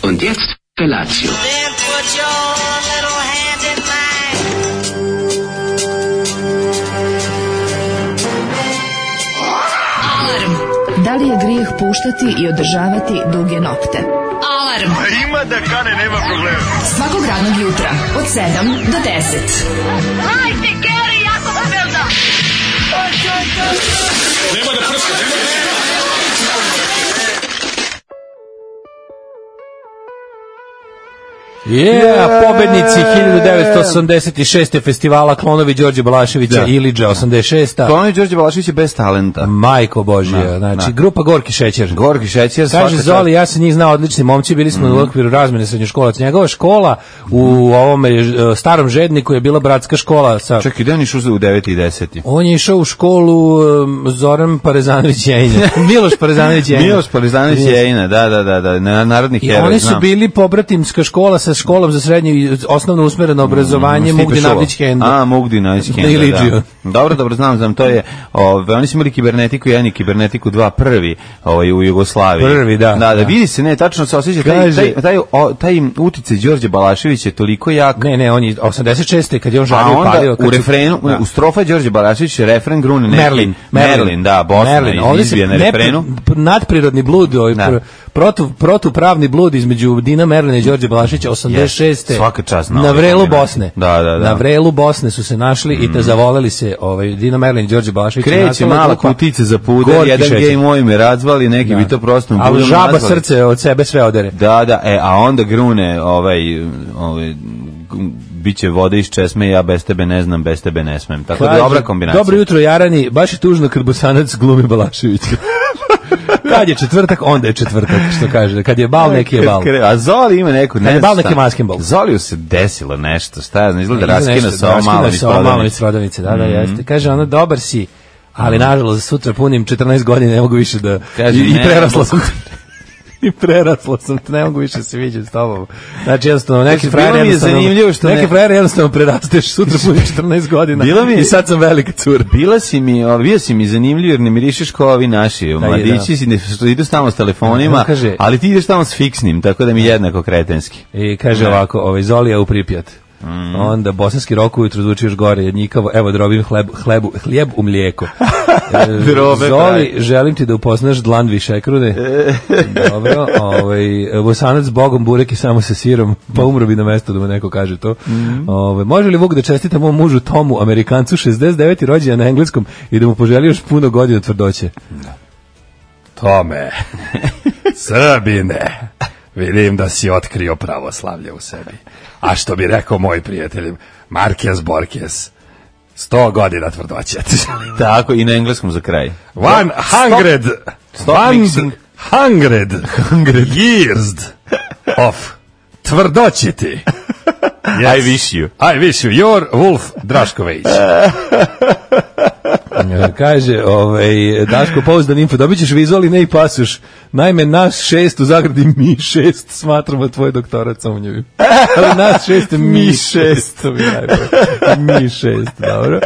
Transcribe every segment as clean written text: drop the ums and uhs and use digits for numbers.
Und jetzt Felatio. Then put your little hand in mine. Alarm. Da li je grijeh puštati i održavati duge nokte? Alarm. Ima da kane, nema problema. Svakog radnog jutra od 7 do 10. Hajde, Geri, jako se velda. Nema da prska, nema da prska. Pobednici 1986. festivala Klonovi Đorđe Balaševića, Ilidža 86. Klonovi Đorđe Balaševića bez talenta. Majko Božja, znači grupa Gorki šećer. Gorki šećer. Kaže Zoli, ja sam njih znao, odlični momci, bili smo u okviru razmene srednjoškolaca. Njegova škola u ovome starom Žedniku je bila bratska škola sa... Čekaj, da on išao u 9. i 10. On je išao u školu Zoran Parezanović Jejina. Miloš Parezanović Jejina. Miloš Parezanović Jejina, da, narodni heroj. I oni su bili pobratimska škola sa školom za srednje i osnovno usmereno obrazovanje Mugdi Navdić Henda. Mugdi Navdić Henda, da. Dobro, znam, to je, oni su imali kibernetiku 1 i kibernetiku 2 prvi u Jugoslaviji. Prvi, da. Da, vidi se, ne, tačno se osjeća, taj uticaj Đorđe Balašević je toliko jak. Ne, on je 86. kad je on žario palio. U refrenu, u strofa Đorđe Balašević, refren grune neki. Merlin, da, Bosna izbije na refrenu. Nadprirodni blud, protupravni blud između Dina Merlina i Đorđe Balaševića 86. Svaka čast na vrelu Bosne. Da. Na vrelu Bosne su se našli i te zavoleli se Dina Merlin i Đorđe Balašević. Kreće mala kutice za puder, jedan gej moj me razvali, neki bi to prosto ali žaba srce od sebe sve odere. Da, a onda grune biće vode iz česme, ja bez tebe ne znam, bez tebe ne smem. Tako da dobra kombinacija. Dobro jutro, Jarani, baš je tužno kad Bosanac glumi Balaševića. Kad je četvrtak, onda je četvrtak, što kaže. Kad je bal, neki je bal. A Zoli ima neku... Kad je bal, neki je maskenbal. Zoliju se desilo nešto, šta ja znam, izgleda raskina sa ovo malo iz prodavnice. Da, jeste. Kaže, ono, dobar si, ali nažalost, sutra punim 14 godina, ne mogu više da... I prerasla sam... I prerasla sam, ne mogu više se viđati s tobom. Znači, jednostavno, neki frajer jednostavno prerasteš, sutra puni 14 godina i sad sam velika cura. Bio si mi zanimljiv jer ne mirišeš kao ovi naši mladići, što idu tamo s telefonima, ali ti ideš tamo s fiksnim, tako da mi jednako kretenski. I kaže ovako, Zolija u Pripjat. Onda bosanski rok ujutro zvuči još gore, jednjikavo, evo drobim hljeb u mlijeko. Zoli, želim ti da upoznaš dlan višekrune. Dobro, Bosanac bogom, burek i samo sa sirom, pa umro bi na mesto da mu neko kaže to. Može li Vuk da čestita mom mužu Tomu, Amerikancu, 69. rođendan na engleskom i da mu poželi još puno godina tvrdoće? Tome, Srbine, vidim da si otkrio pravoslavlje u sebi. A što bi rekao moj prijatelj Marquez Borges, 100 godina tvrdoće. Tako, i na engleskom za kraj. 100 years of tvrdoće ti. Yes. I wish you, your Wolf Drašković. Kaže, Daško, pouzdan info, dobit ćeš vizualni ne i pasuš. Naime, nas 6 u zagradi mi 6 smatramo tvoj doktorat sumnjivim. Ali nas 6 mi 6. Mi 6, dobro.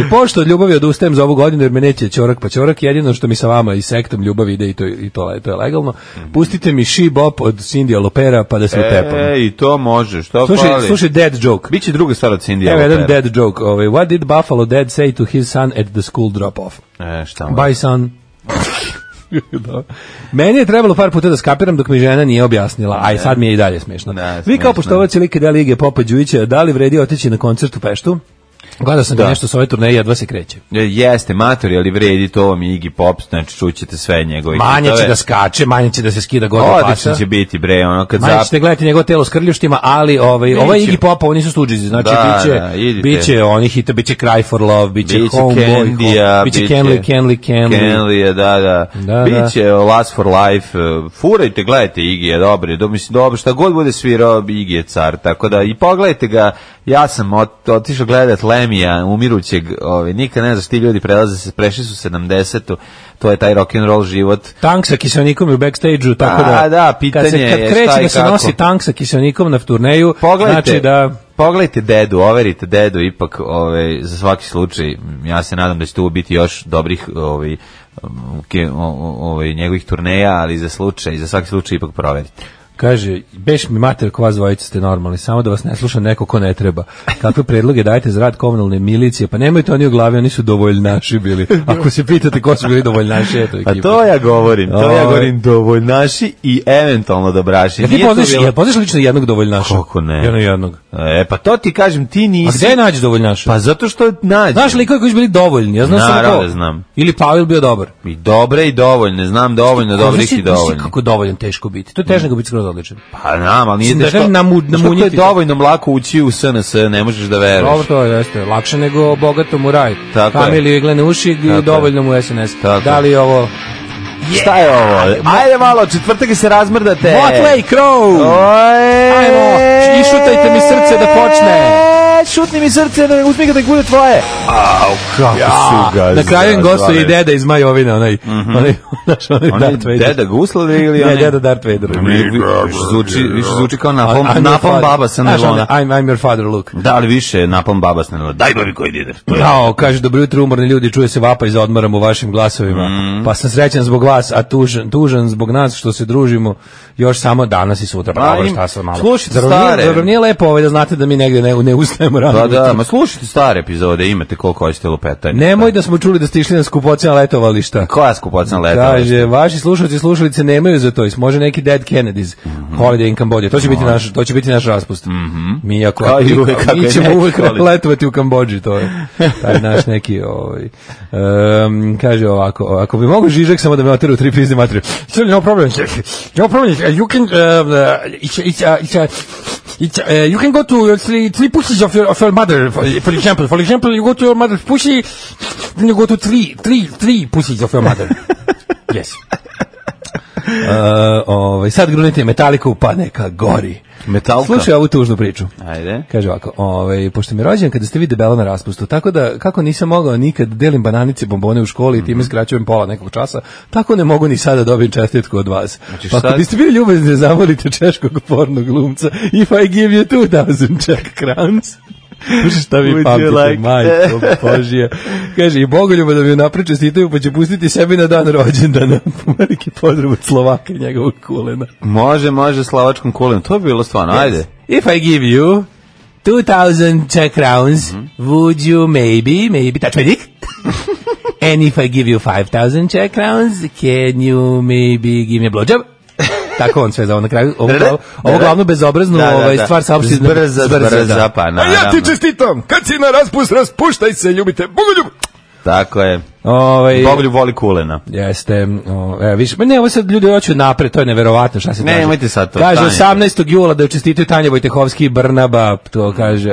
Pošto od ljubavi odustajem za ovu godinu jer me neće ćorak pa ćorak, jedino što mi sa vama i sektom ljubavi ide i to je legalno. Pustite mi She Bop od Cindy Lopera pa da se utepam. I to može, što fali. Slušaj dead joke. Biće druga stvar od Cindy Lopera. Evo jedan dead joke. What did Buffalo Dad say to his son at the school drop-off? Šta mu? Bye son. Meni je trebalo par puta da skapiram dok mi žena nije objasnila, a i sad mi je i dalje smešno. Vi kao poštovaci like dela Ige Popa Đujića, da li vredi otići na koncert u Peštu? Gledao sam ga nešto s ove turneje, jedva se kreće. Jeste, matori, ali vredi to vam Iggy Pop, znači čućete sve njegove. Manje će da skače, manje će da se skida gore pasa. Odlično će biti, bre, ono kad manje ćete gledati njegovo telo s krljuštima, ali ovo je Iggy Pop, oni su stuđizi, znači biće oni hita, biće Cry for Love, biće Homeboy, biće Kenley, da. Biće Last for Life, furajte, gledajte Iggy, je dobro, šta god bude svirao, Iggy je car, tako da i pogledajte ga. Ja sam otišao gledat Lemija, umirućeg, nikad ne znaš, ti ljudi prešli su 70-u, to je taj rock'n'roll život. Tank sa kiselnikom u backstage-u, tako da pitanje je kad kreće da se nosi tank sa kiselnikom na turneju, znači da... Pogledajte dedu, overite dedu, ipak za svaki slučaj, ja se nadam da će tu biti još dobrih njegovih turneja, ali za svaki slučaj ipak proverite. Kaže, beš mi mater ko vas dvojica ste normalni, samo da vas ne sluša neko ko ne treba. Kakve predloge dajete za rad komunalne milicije? Pa nemojte oni u glavi, oni su dovoljnaši bili. Ako se pitate ko su bili dovoljnaši, eto ekipa. A to ja govorim dovoljnaši i eventualno dobraši. Ja ti poznaš lično jednog dovoljnaša? Kako ne? Jednog. Pa to ti kažem, ti nisi. A gde nađeš dovoljnaša? Pa zato što nađeš. Znaš li koji su bili dovoljni? Ja znam samo ko. Znam. Ili Pavel bio dobar. I dobre i dovoljne, znam dovoljno dobrih i dovoljni. Znaš kako dovoljan teško biti? To je teže nego biti skroz odličan. Pa znam, ali nije teško. Što je dovoljno mlako ući u SNS, ne možeš da veruješ. Dobro, to jeste. Lakše nego bogatom u raj. Familiju iglene uši i dovoljno mu SNS. Da li ovo... Šta je ovo? Ajde malo, četvrtak se razmrdate. Motley Crue! Ajmo, išutajte mi srce da počne. Šutni mi srce, da uzmi ga da bude tvoje. Au, kako su ga. Na kraju im gostuje i deda iz Majovina, onaj Darth Vader. Deda Guslade ili onaj? Ne, deda Darth Vader. Više zvuči kao napalm baba sa nelona. I'm your father, look. Da, ali više napalm baba sa nelona. Daj babi koji dider. Jao, kaže, dobro jutro umorni ljudi, čuje se vapaj za odmorom u vašim glasovima. Pa sam srećan zbog vas, a tužan zbog nas što se družimo još samo danas i sutra. Pa dobro, šta sam malo. Slušajte stare. Zar nije lepo da znate da mi negde ne ustajemo rano? Da, ma slušajte stare epizode, imate koliko hoćete lupetanje. Nemoj da smo čuli da ste išli na skupocena letovališta. Koja skupocena letovališta? Kaže, vaši slušalci i slušalice nemaju za to. Može neki Dead Kennedys, Holiday in Cambodia. To će biti naš raspust. Mi ćemo uvek letovati u Kambodži, to je taj naš neki kaže ovako, ako bi mogo Žižek samo da me oteru 3 pizde materiju. No problem. You can you can go to three pussies of your mother, for example. For example, you go to your mother's pussy, then you go to three pussies of your mother. Yes. Sad grunite Metaliku, pa neka gori. Metalka. Slušaj ovu tužnu priču. Ajde. Kaže ovako, pošto mi je rođen kada ste vi debela na raspustu, tako da kako nisam mogao nikad delim bananice i bombone u školi i time skraćujem pola nekog časa, tako ne mogu ni sada dobijem čestitku od vas. Znači, pa ako biste bili ljubazni da zamolite češkog pornog glumca, if I give you 2000 Czech crowns. Slušaj šta vi pamtite, majko Božija. Kaže, i Bogoljuba da mi napriče čestitaju, pa će pustiti sebi na dan rođendana. Veliki pozdrav od Slovaka i njegovog kulena. Može slovačkom kulenu, to bi bilo stvarno, ajde. If I give you 2000 Czech crowns, would you maybe touch my dick? And if I give you 5000 Czech crowns, can you maybe give me a blowjob? Tako on sve za na kraju. Ovo glavno bezobraznu stvar saopšti zbrza, pa naravno. A ja ti čestitam, kad si na raspust, raspuštaj se, ljubite Bogoljub. Tako je. Bogoljub voli kulena. Jeste. Više, ne, ovo sad ljudi hoću napred, to je neverovatno šta se kaže. Nemojte sad to. Kaže 18. jula da čestitaju Tanja Vojtehovski i Brnaba, to kaže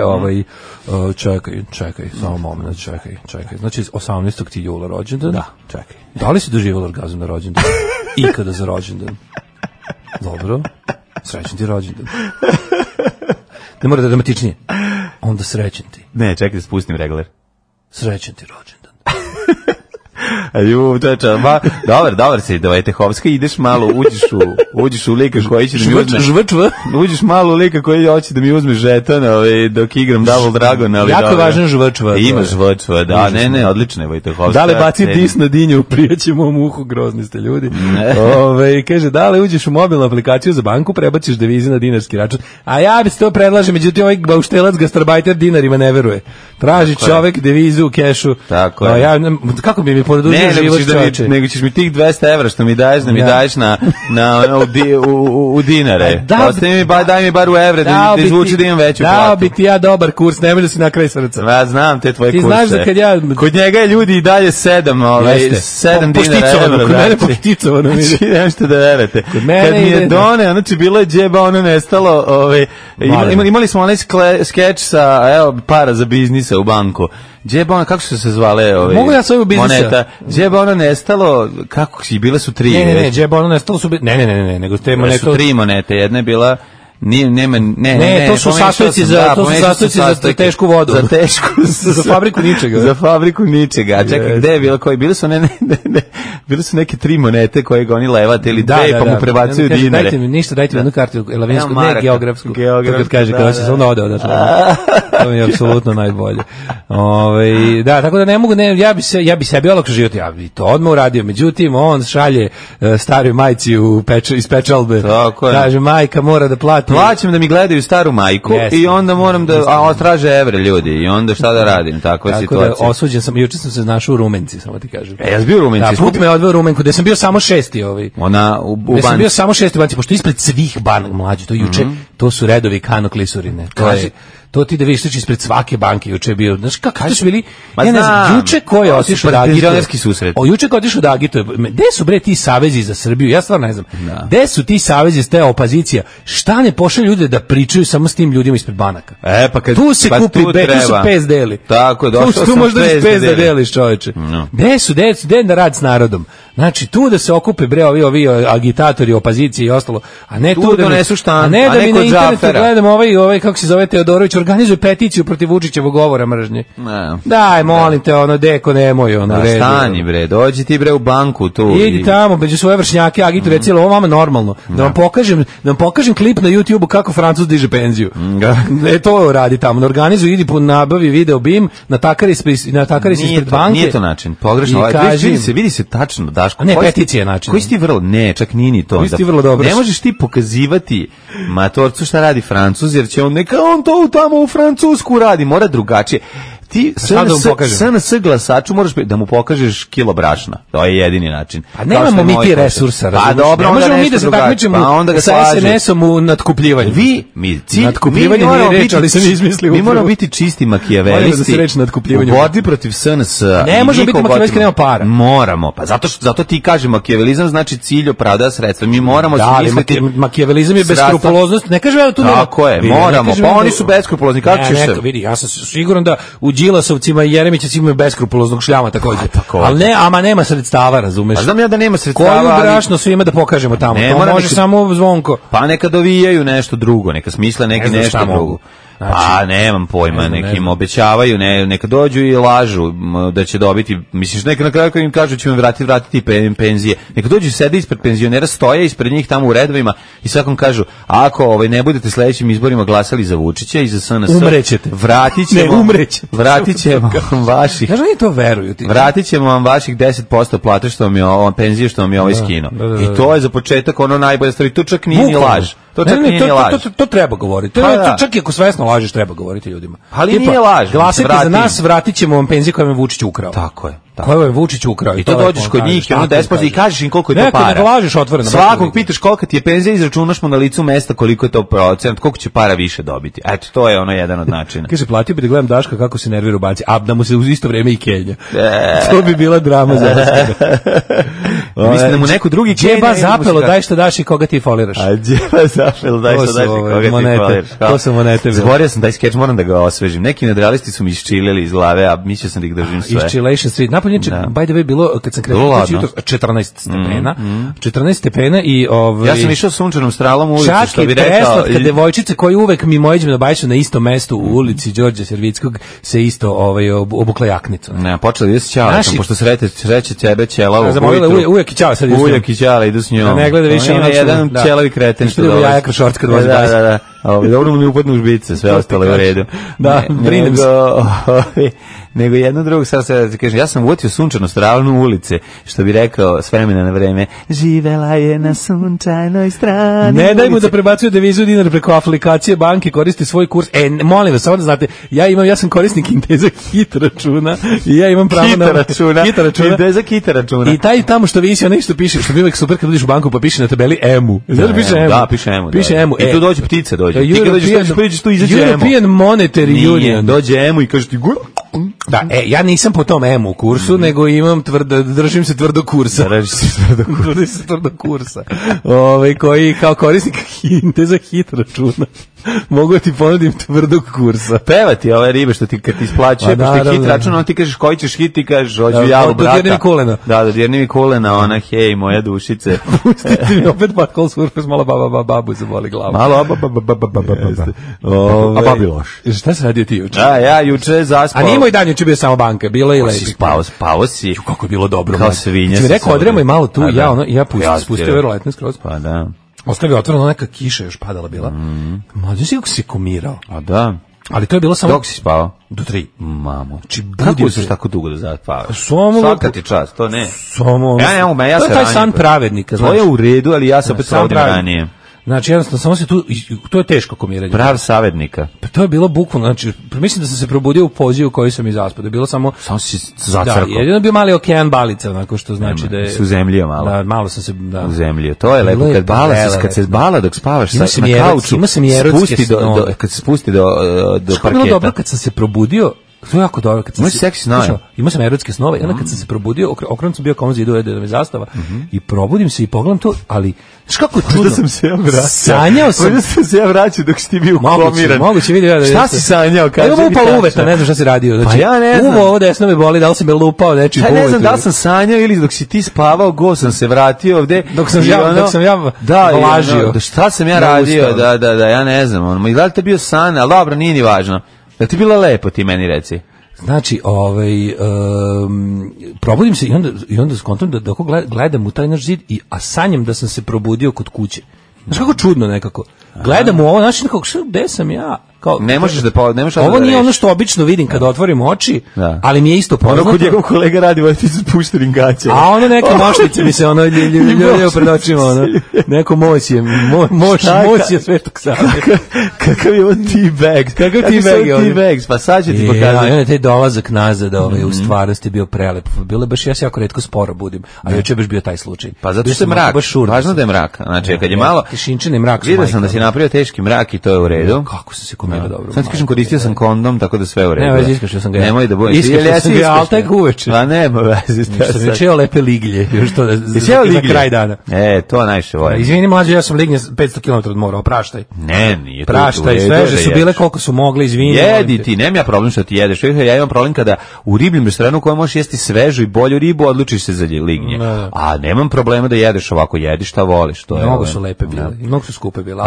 čekaj, samo moment, čekaj. Znači 18. ti jula rođendan? Da, čekaj. Da li si doživjela orgazam na rođendan? Ikada za rođendan? Dobro, srećen ti rođendan. Ne mora da je dramatičnije. Onda srećen ti. Ne, čekaj da spustim regler. Srećen ti rođendan. Dobar si, Vojtehovska, ideš malo, uđeš u lika koji će da mi uzme. Uđeš malo u lika koji hoće da mi uzme žeton, dok igram Double Dragon. Jako važan žvčv. Ima žvčv, da, ne, odlično je Vojtehovska. Da li baci dis na dinju, prijaćemo u uhu, grozni ste ljudi. Kaže, da li uđeš u mobilnu aplikaciju za banku, prebaciš devize na dinarski račun. A ja bi se to predlažem, međutim ovaj bauštelac gastarbajter dinarima ne veruje. Traži čovek devizu u kešu. Tako je. Kako bi mi produžio život čoveče? Nego ćeš mi tih 200 evra što mi daješ, da mi daješ u dinare. Daj mi bar u evre, da izvuči da imam veću platu. Dao bi ti ja dobar kurs, ne može da si na kraj srca. Ja znam te tvoje kurse. Ti znaš da kad ja... Kod njega je ljudi i dalje 7 dinara evra. Kod mene pošticovano. Znači, nešto da verete. Kad mi je done, znači bilo je džeba, ono nestalo. Imali smo onaj skeč sa para za biznisa u banku. Džeba ona, kako su se zvale mogu ja svoju biznisa? Moneta? Džeba ona nestalo, kako si, bile su 3. Ne, džeba ona nestalo su... Ne, nego te monete... Su 3 monete, jedna je bila... Ne, to su sastojci za tešku vodu. Za tešku, za fabriku ničega. Za fabriku ničega. A čekaj, gde je bilo koji? Bili su neke 3 monete koje ga oni levate ili 2 pa mu prebacuju dinare. Dajte mi jednu kartu elavinsku, ne geografsku. Kad kaže, kao se samo ode odatle. To mi je apsolutno najbolje. Da, tako da ne mogu, ja bi sebi olakšao život, ja bi to odmah uradio, međutim, on šalje staroj majci iz Pečalbe. Kaže, majka mora da plati. Plaćam da mi gledaju staru majku i onda moram da traže evre ljudi i onda šta da radim, takva je situacija. Tako da osuđen sam, juče sam se našao u Rumenci, samo ti kažem. Ja sam bio u Rumenci. Da, put me odveo u Rumenku, gde sam bio samo 6. Ona u banci. Gde sam bio samo 6. banci, pošto ispred svih banaka mlađi, to juče, to su redovi Kano Klisurine. To ti da vidiš ispred svake banke juče je bio. Znaš kako su bili? Ja ne znam, juče ko je otišao da agituje. Juče ko je otišao da agituje. Gde su bre ti savezi za Srbiju? Ja stvarno ne znam. Gde su ti savezi s te opozicija? Šta ne pošalju ljude da pričaju samo s tim ljudima ispred banaka? Tu se kupi tu su pes deli. Tako je, došao sam tu možda pes da deliš, čoveče. Gde su da rad s narodom? Znači tu da se okupe bre ovi agitatori opozicije i ostalo, a ne tu da donesu štampu, a ne da mi na internetu gledam ovaj kako se zove Teodorović organizuje peticiju protiv Vučićevog govora mržnje. Daj, molim te, deko nemoj, redu. Stani bre, dođi ti bre u banku tu. Idi tamo, među svoje vršnjake, agituje cijelo, ovo vama normalno. Da vam pokažem klip na YouTubeu kako Francuz diže penziju. To radi tamo, organizuje, idi po nabavi video BIM, natakari se ispred banke. Nije to način, pogrešno. Vidi se tačno, Daško. Ne, peticija je način. Koji si ti vrlo, ne, čak nije ni to. Koji si ti vrlo dobro. Ne možeš ti pokazivati matorcu šta radi Francuz, jer će on to tamo u Francusku radi, mora drugačije. Ti SNS glasaču moraš da mu pokažeš kilo brašna. To je jedini način. A nemamo mi ti resursa. Pa dobro, ne možemo mi da se takmičimo sa SNS-om u natkupljivanju. Natkupljivanju nije reč, ali sam izmislio. Mi moramo biti čisti makijavelisti u borbi protiv SNS. Ne možemo biti makijavelisti, nema para. Moramo, pa zato ti kaže makijavalizam znači cilj opravdava sredstva. Mi moramo smisliti. Makijavalizam je beskrupuloznost. Ne kažem da tu nema. Tako je, moramo. Pa oni su beskrupulozni. Kako ćeš se? Vidi, ja sam siguran da u Đilasovcima i Jeremićevcima imaju beskrupuloznog šljama također. Ali nema sredstava, razumeš? A znam ja da nema sredstava. Koju brašno svima da pokažemo tamo? To može samo Zvonko. Pa neka dovijaju nešto drugo, neka smisle nešto drugo. Pa nemam pojma, nekim obećavaju, neka dođu i lažu da će dobiti, misliš neka na kraju im kažu ćemo vratiti penzije, neka dođu sede ispred penzionera, stoje ispred njih tamo u redovima i svakom kažu, ako ne budete sledećim izborima glasali za Vučića i za SNS, umrećete. Vratit ćemo vaših, kažu oni to veruju ti. Vratit ćemo vam vaših 10% plate što vam je penzije što vam je ovaj skinuo. I to je za početak ono najbolje stvari, to čak nije ni laž. To treba govoriti. Čak i ako svesno lažeš, treba govoriti ljudima. Ali nije laž. Glasajte za nas, vratit ćemo vam penzije koje vam je Vučić ukrao. Tako je. Koje je Vučić ukrao. I to dođeš kod njih i ono 10% i kažeš im koliko je to para. Ne lažeš otvoreno. Svakog pitaš kolika ti je penzija, izračunaš mu na licu mesta koliko je to procent, koliko će para više dobiti. Eto, to je ono jedan od načina. Kaže, platio bi da gledam Daška kako se nervira u banci, a da mu se u isto vrijeme i Kenja. To bi bila drama za vas. Mislim da mu neko drugi Džeba zapelo, daj što daš i koga ti foliraš. A džeba zapelo, daj što daš i koga ti foliraš. To su monete. Zaboravio sam taj skeč, moram da ga osvežim. Neki nadrealisti su mi isčilili iz glave, a mislio sam da ih držim sve. Isčilation Street. Napolje, by the way, bilo, kad sam krenuo 14 stepena. 14 stepena i ja sam išao sunčanom stralom u ulici, što bi rekao. Čak i preslatka devojčica koji uvek mimoiđem na Bajšu na istom mestu u ulici Đorđa Servickog se isto obukla jaknicu. Ne, počela da se ćala, pošto sreće tebe ćela uvijek i ćala sad idu. Uvijek i ćala idu s njom. Ne gleda više ono jedan ćelavi kreten što dolazi. Jaja krošorc kad vozi Bajsu. Da. Dobro mu ne upadnu u žbice, sve ostalo je u redu. Da, brinem se. Nego jedno drugo, sad se kažem, ja sam uotio sunčanu stranu ulice, što bi rekao s vremena na vreme, živela je na sunčanoj strani. Ne daj mu da prebacuje devizu dinar preko aplikacije banke, koristi svoj kurs. Molim vas, samo da znate, ja sam korisnik Inteza hit računa i ja imam pravo na hit računa. Inteza hit računa. I taj tamo što visi, ono što piše, što bi uvek super kad uđeš u banku pa piše na tabeli EMU. Znači piše EMU. Da, piše EMU. Piše EMU. I tu dođe ptica, dođe. Ti kad dođeš tu izađe EMU. European Monetary Union. Dođe EMU i kaže ti da, ja nisam po tom EMU kursu, nego imam držim se tvrdo kursa. Držim se tvrdo kursa. Koji kao korisnik Inteza hit računa. Mogu ti ponudim tvrdog kursa. Pevati ove ribe što ti kad ti isplaćuje, pa što je hit račun, on ti kažeš koji ćeš hit, ti kažeš hoću ja u brata. Dodirni kolena. Da, dodirni mi kolena, ona hej, moja dušice. Pustite mi opet Butthole Surfers, malo babu se boli glava. Malo a babi loš. Šta se radio ti juče? Ja juče zaspao. A nije moj dan juče bio samo banka, bilo je i lepo. Spao si. Kako je bilo dobro. Kao svinja. Ti mi rekao, odremo i malo tu, ja spustio verovatno skroz. Pa da. Ostavio otvoreno, neka kiša još padala bila. Mlađe si kako si komirao. A da. Ali to je bilo samo... Dok si spavao? Do 3. Mamo. Znači, kako si tako dugo da zaspavaš? Svaka ti čast, to ne. Ja to je taj san pravednika. To je u redu, ali ja se opet provodim ranije. Znači, jednostavno, samo se tu, to je teško komiranje. Prav savjetnika. Pa to je bilo bukvalno, znači, mislim da sam se probudio u poziju u kojoj sam izaspao, da je bilo samo... Samo si zacrkao. Da, jedino bio mali okean balica, onako što znači da je... Si uzemljio malo. Da, malo sam se, da. Uzemljio, to je lepo, kad se bala dok spavaš na kauču, kad se spusti do parketa. Što je bilo dobro kad sam se probudio, to je jako dobro. Imao si seksi snove. Imao sam erotske snove. Onda kad sam se probudio, okrenut sam bio kao on zidu, da mi zastava, i probudim se i pogledam to, ali znaš kako čudno. Sam se ja vraćao. Sanjao sam. Možda sam se ja vraćao dok si ti bio komiran. Moguće vidi. Šta si sanjao? Evo mu upalo uveta, ne znam šta si radio. Znači, pa ja ne znam. Uvo ovo desno me boli, da li sam je lupao nečim po uvetu. Ne znam da li sam sanjao ili dok si ti spavao, go sam se vratio ovde. Dok sam ja vlažio. Šta sam ja radio? Da, ja ne znam. Da li te bio san? Ali dobro, nije ni važno. Da ti bilo lepo, ti meni reci. Znači, probudim se i onda skontam da gledam u taj naš zid, a sanjam da sam se probudio kod kuće. Znaš kako čudno nekako. Gledam u ovo, znači nekako, gde sam ja? Kao, ne možeš da ovo nije ono što obično vidim kada otvorim oči, ali mi je isto poznato. Ono kod njegov kolega radi, ovo ti su pušteni gaće. A ono neke mošnice mi se ono ljuljuljaju pred očima, ono. Neko moć je Svetog Save. Kakav je ovo T-Bags? Kakav T-Bags? Pa sad ću ti pokazati. Ja, taj dolazak nazad, u stvarnosti bio prelep. Bilo baš, ja se jako retko sporo budim, a juče je baš bio taj slučaj. Pa zato što je mrak, važno da je mrak. Znači, kad je malo... Tišinčani mrak. Vidio sam da si napravio teški mrak i to je u redu. Kako se komirao dobro. Sad ti kažem, koristio sam kondom, tako da sve u redu. Ne, već iskašio sam ga. Nemoj da bojiš. Iskašio sam ga, ali tek uveče. Pa nema vezi. Što mi čeo lepe liglje, još to za kraj dana. To najviše volim. Izvini mlađe, ja sam lignje 500 km od mora, opraštaj. Ne, nije to. Praštaj, sveže su bile koliko su mogli, izvini. Jedi ti, nemam ja problem što ti jedeš. Ja imam problem kada u ribljem restoranu koji možeš jesti svežu i bolju ribu, odlučiš se za lignje. A nemam problema da jedeš ovako, jedi šta voliš. Mnogo su lepe bile, mnogo su skupe bile.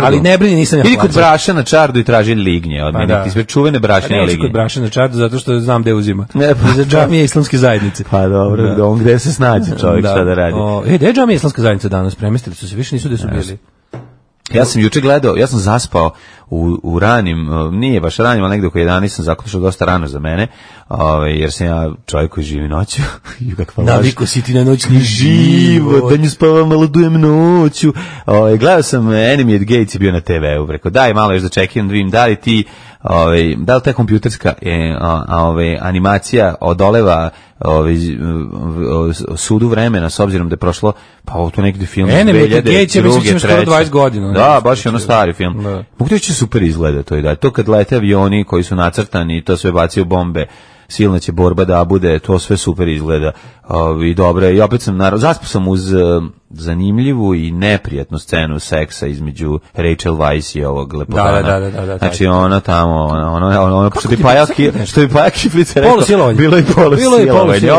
Ali ne brini, nisam ja plaćao. Idi kod Braša na Čardu i traži lignje od mene. Ti sve čuvene brašne lignje. Neću kod Braša na Čardu zato što znam gde uzima. Za džamije islamske zajednice. Pa dobro, on gde se snađe čovjek šta da radi. Gde je džamije islamske zajednice danas? Premestili su se, više nisu gde su bili. Ja sam juče gledao, ja sam zaspao u ranim, nije baš ranim, ali negdje oko 11 sam zakušao dosta rano za mene, jer sam ja čovjek koji živi noću. Naviko si ti na noćni život, da nju spavam, malo dujem noću. Gledao sam Enemy at Gates je bio na TV-u, rekao daj malo još da čekam, da vidim da li ti, da li ta kompjuterska animacija odoleva sudu vremena, s obzirom da je prošlo, pa ovo to neki film 2002. skoro 20 godina. Da, baš je ono stari film. Mogu da će super izgleda to i da. To kad lete avioni koji su nacrtani i to sve bacio bombe, silna će borba da bude, to sve super izgleda i dobro. I opet sam, zaspao sam uz zanimljivu i neprijatnu scenu seksa između Rachel Weisz i ovog lepotana. Da. Znači ona tamo, ono što bi Paja Kiflica rekao, bilo je polusilovanje.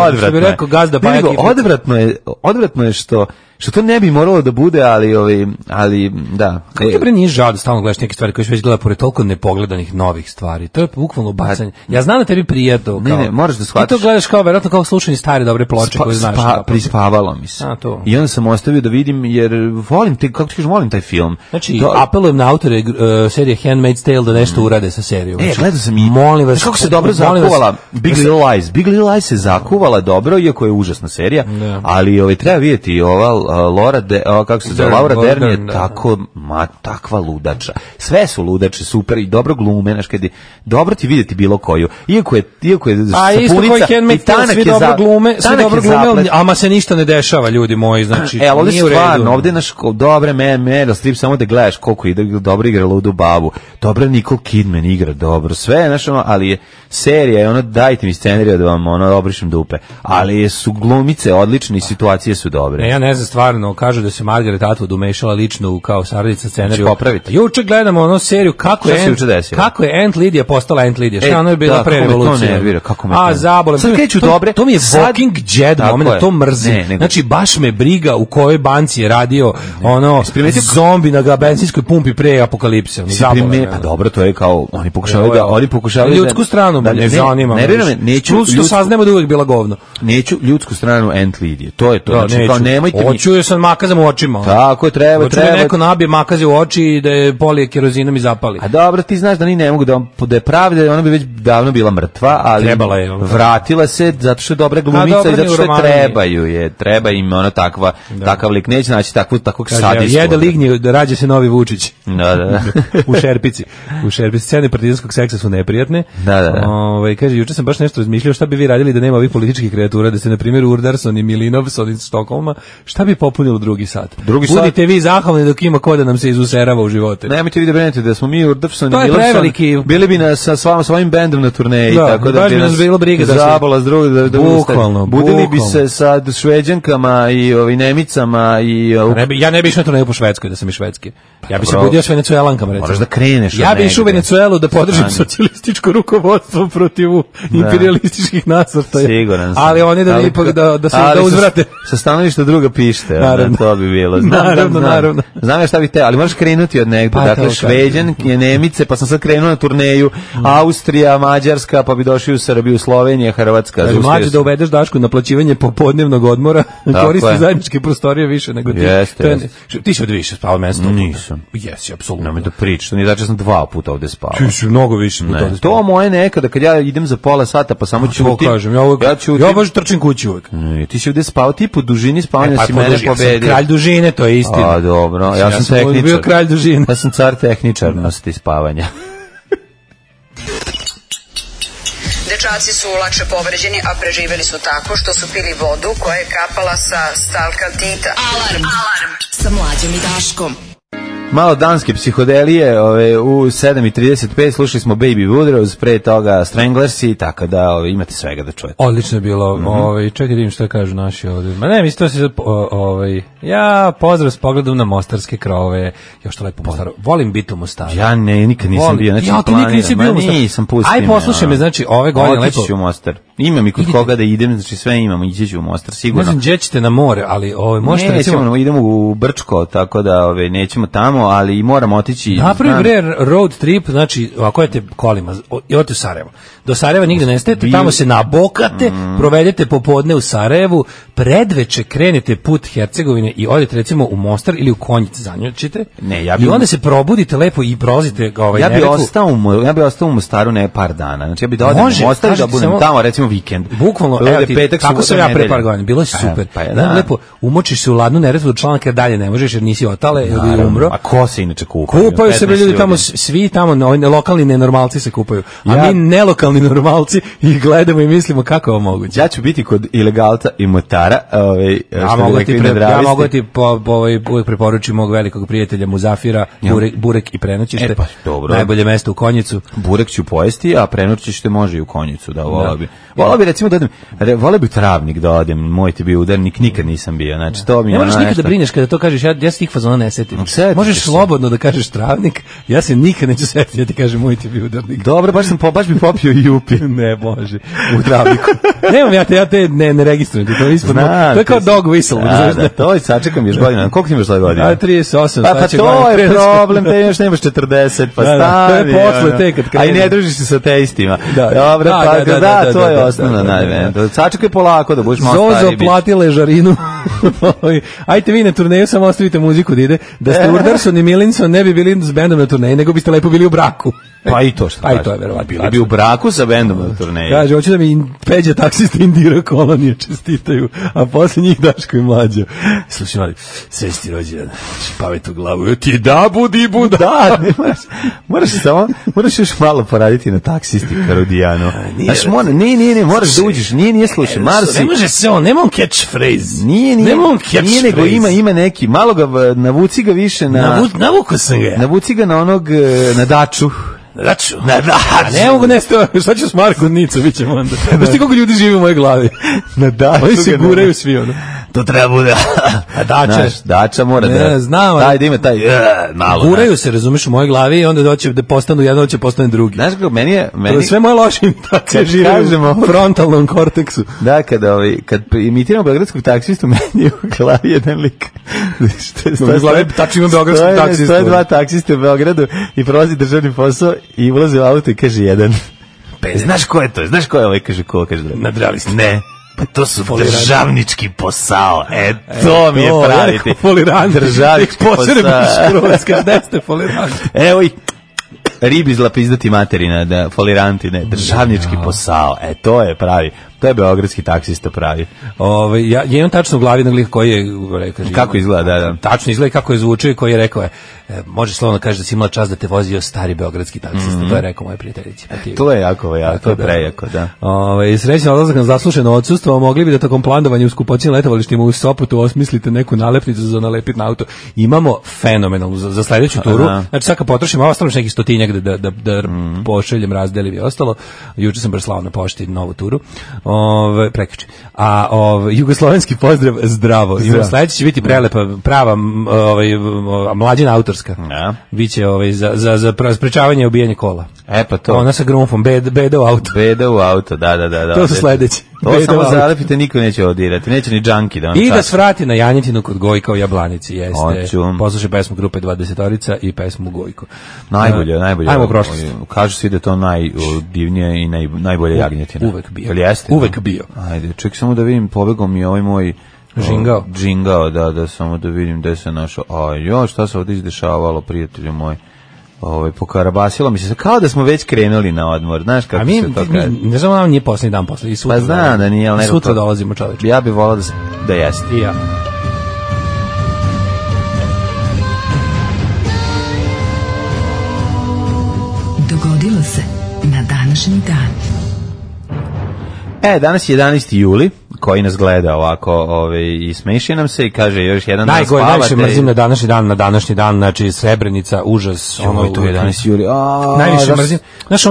Odvratno je što to ne bi moralo da bude, ali da. Kako ti bre nije žao da stalno gledaš neke stvari koje već gleda pored toliko nepogledanih novih stvari? To je bukvalno bacanje. Ja znam da tebi prija to. Ne, moraš da shvatiš. Ti to gledaš kao verovatno kao slušanje stare dobre ploče koje znaš. Prispavalo mi se. I onda sam ostavio da vidim, jer volim volim taj film. Znači, apelujem na autore serije Handmaid's Tale da nešto urade sa serijom. Gledao sam i molim vas, kako se dobro zakuvala Big Little Lies. Big Little Lies se zakuvala dobro, iako je užasna serija, ali treba vidjeti ova Laura Dern je takva ludača. Sve su ludače, super i dobro glume, znaš, kad je dobro ti vidjeti bilo koju. Iako je sapunica i dobro glume, ama se ništa ne dešava, ljudi moji, znači ovdje nije u redu. Stvarno, ovdje naš dobre Meryl Streep, samo da gledaš koliko dobro igra Ludu babu, dobro Nicole Kidman igra dobro, sve, znaš, ali je serija, ono, dajte mi scenariju da vam obrišem dupe, ali su glumice odlične i situacije su dobre. Ja ne znam, stvarno, kažu da se Margaret Atwood umešala lično kao saradnica scenariju. Popraviti. Juče gledamo ono seriju kako je Aunt Lydia postala Aunt Lydia. Šta ona je bila pre revolucije? Zabole. Sad kreću dobre. To mi je Walking Dead moment, to mrzim. Znači, baš me briga u kojoj banci je radio ono zombi na benzinskoj pumpi pre apokalipse. Pa dobro, to je kao, oni pokušavaju ljudsku stranu, ne zanima. Neću saznemo da uvek bila govno. Neću ljudsku stranu Aunt Lydia. To je to. Znači, kao nemojte mi. Hoću je sam makazam u očima. Tako je, treba. Hoću da neko nabije makaze u oči i da je polije kerozinom i zapali. A dobro, ti znaš da ni ne mogu da je pravda, ona bi već davno bila mrtva, ali vratila se zato što je dobra glumica i zato što treba im ona takav lik, neće naći takvog sadistu. Jede lignje, rađa se novi Vučić. Da. U šerpici. Scene partizanskog seksa su neprijatne. Da. Kaže, juče sam baš nešto razmišljao šta bi vi radili da nema ovih političkih kreatura, da se na primjer Urdarson i Milinovson iz Stokholma, šta bi popunilo drugi sat? Budite vi zahvalni dok ima ko da nam se izuserava u živote. Nemojte vi da brinete da smo mi Urdarson i Milinovson bili bi sa svojim bendom na turneji, tako da bi nas bilo briga da zabala s drugog da bukvalno, budili bi se sa Šveđankama i Nemicama i ja ne bih išao na turneju po Švedskoj da sam iz Švedske. Ja bih se budio s Venecuelankama, recimo. Moraš da kreneš. Ja bih išao u Venecuelu da podržim socijalističko rukovodstvo protiv imperialističkih nasrtaja. Siguran sam. Ali oni da uzvrate. Sa stanovišta druga pište, to bi bilo. Naravno. Znam ja šta bih te, ali možeš krenuti od negdje. Dakle, Šveđanke, Nemice, pa sam sad krenuo na turneju, Austrija, Mađarska, pa bi došli u Srbiju, Slovenija, Hrvatska. Mlađe da uvedeš Dašku naplaćivanje popodnevnog odmora, koristi zajedničke prostorije više nego ti. Ti si od više spavao mesto. Nisam. Jesi, apsolutno. Nemoj da pričaš, nije znači sam 2 puta ovde spavao. Ti si mnogo više puta ovde spavao. To moje nekada, kad ja idem za pola sata, pa samo ćutim. Ja baš trčim kući uvek. Ti si ovde spavao, ti po dužini spavanja si mene pobedio. Kralj dužine, to je istina. A, dobro, ja sam tehničar. Bio kralj dužine. Ja sam car tehničarnosti spavanja. Dečaci su lakše povređeni, a preživeli su tako što su pili vodu koja je kapala sa stalkaltita. Alarm sa Mlađom i Daškom. Malo danske psihodelije, u 7:35 slušali smo Baby Woodrose, pre toga Stranglersi, tako da imate svega da čujete. Odlično je bilo, čekaj da vidim što kažu naši ovdje. Ma ne, mislim to se ja pozdrav s pogledom na mostarske krovove, još to lepo Mostar. Volim biti u Mostaru. Ja nikad nisam bio, znači ja ti nikad nisi bio u Mostaru. Nisam pustio. Aj poslušaj me, znači ove godine lepo. Otići u Mostar. Imam i kod koga da idem, znači sve imamo, ići ću u Mostar sigurno. Ne znam, gdje ćete na more, ali možete recimo idemo u Brčko, tako da nećemo tamo, ali moramo otići. Napravi bre road trip, znači ako idete kolima, idete u Sarajevo. Do Sarajeva nigde ne stajete, tamo se nabokate, provedete popodne u Sarajevu, predveče krenete put Hercegovine i odete recimo u Mostar ili u Konjic, zanjučite. I onda se probudite lepo i prolazite Ja bih ostao u Mostaru ne par dana. Znači ja bih da odem u Mostar da budem tamo recimo vikend. Bukvalno, kako sam ja pre par godina, bilo je super. Lepo umočiš se u ladnu Neretvu do Članka, dalje ne možeš jer nisi otale ili umro. A ko se inače kupaju? Kupaju se ljudi tamo, svi tamo, lokalni nenormalci se kupaju. A mi nelokalni normalci ih gledamo i mislimo kako je ovo moguće. Ja ću biti kod ilegalca i motara. Ja mogu da ti uvijek preporučim mog velikog prijatelja Muzafira, Burek i prenoćište. Najbolje mesto u Konjicu. Burek ću pojesti, a prenoćište može i u Konjicu. Volao bi recimo da odem, volao bi Travnik da odem, moj ti bio udarnik, nikad nisam bio. Znači, to mi ne možeš nikad da brineš kada to kažeš, ja se tih fazona ne setim. Možeš slobodno da kažeš Travnik, ja se nikad neću setiti da ti kažem moj ti bio udarnik. Dobro, baš bi popio i jupi. Ne, može, u Travniku. Nemam ja te ne registrujem, to je ispod. To je kao dog whistle. Da, to je, sačekam još godina. Koliko ti imaš svoje godine? 38. Pa to je problem, te još nemaš 40, pa stavi. To je posle te kad krenu. A i ne družiš se sa teistima. Dobro, pa da, to je osnovno. Sačekaj polako da budeš malo stariji. Zozo plati ležarinu. Ajte vi na turneju, samo ostavite muziku da ide. Da ste Urdarson i Milinson ne bi bili s bendom na turneji, nego biste lepo bili u braku. Pa i to što pa i to je verovatno. Bili bi u braku sa bendom na turneji. Kaže, hoću da mi Peđa taksista Indira Kolonije čestitaju, a posle njih Daško i Mlađo. Slušaj, mali, svesti rođendan, pamet u glavu, ti da budi buda. Da, moraš još malo poraditi na taksisti, Karudijano. Znaš, ne, moraš da uđeš, nije slušaj, Marsi. Ne može se on, nema on catchphrase. Nije, nego ima neki, malo ga, navuci ga više na... Navuko sam ga. Navuci ga na onog, na Daču. Na Daču. Ne mogu nešto, šta ću s Marko Nicu, bit ćemo onda. Znaš ti koliko ljudi živi u mojoj glavi? Na Daču. Oni se guraju svi, ono. To treba bude. A Dača mora da... Znam. Daj da ima taj... malo. Guraju se, razumeš, u mojoj glavi i onda doće da postanu jedan, doće postane drugi. Znaš kako, meni... Sve moje loše imitacije žive u frontalnom korteksu. Da, kad imitiramo beogradskog taksistu, meni je u glavi jedan lik. U glavi tačno ima beogradskog taksistu. Stoje dva taksiste u Beogradu i prolazi državni posao i ulaze u auto i kaže jedan. Znaš ko je to? Znaš ko je ovaj? Kaže ko? Kaže nadrali ste. Ne. Pa to su državnički posao. To mi je praviti. Državnički posao. Evo i ribi zlapizdati materina, da foliranti, ne, državnički posao. To je pravi. To je beogradski taksista pravi. Ja imam tačno u glavi jednog lika koji je rekao. Kako izgleda, da. Tačno izgleda kako je zvučio i koji je rekao može slovno kaže da si imala čast da te vozio stari beogradski taksista. To je rekao moje prijateljici. To je jako, to je prejako, da. Srećan odlazak na zaslušeno odsustvo, mogli bi da tokom plandovanja u skupoćim letovalištima u Sopotu osmislite neku nalepnicu za nalepiti na auto. Imamo fenomenalnu za sledeću turu. Znači sad kad potrošimo, ostalo neki stotinjak da pošaljem, razdelim i ostalo. Juče sam baš slao na pošti novu turu. Prekjuče. A jugoslovenski pozdrav zdravo. I sledeće će biti prelepa, prava mlađina autorska. Ja. Biće za sprečavanje ubijanja kola. Pa to. Ona sa grumfom, beda u auto. Beda u auto, da. To su sledeći. To samo zalepite, niko neće odirati. Neće ni džanki da on i da svrati na Janjetinu kod Gojka u Jablanici. Jeste. Hoću. Poslušaj pesmu grupe 20-orica i pesmu Gojko. Najbolje. Ajmo u prošlost. Kažu svi da je to najdivnija i najbolja jagnjetina. Uvek bio. Jeste? Uvek bio. Ajde, ček samo da vidim, pobegao mi ovaj moj Džingao, da samo da vidim gde se našao. Šta se ovdje izdešavalo, prijatelju moj. Pokarabasilo mi se kao da smo već krenuli na odmor, znaš kako se to kaže. Ne znam, nam nije posljednji dan posle. Pa znam da nije, ali nekako... Sutra dolazimo, čoveče. Ja bih volao da jeste. I ja. Dogodilo se na današnji dan. Danas je 11. juli, koji nas gleda ovako i smeši nam se i kaže još jedan dan spavate. Najviše mrzim na današnji dan, znači Srebrenica, užas. To je 11. juli. Najviše mrzim. Znaš,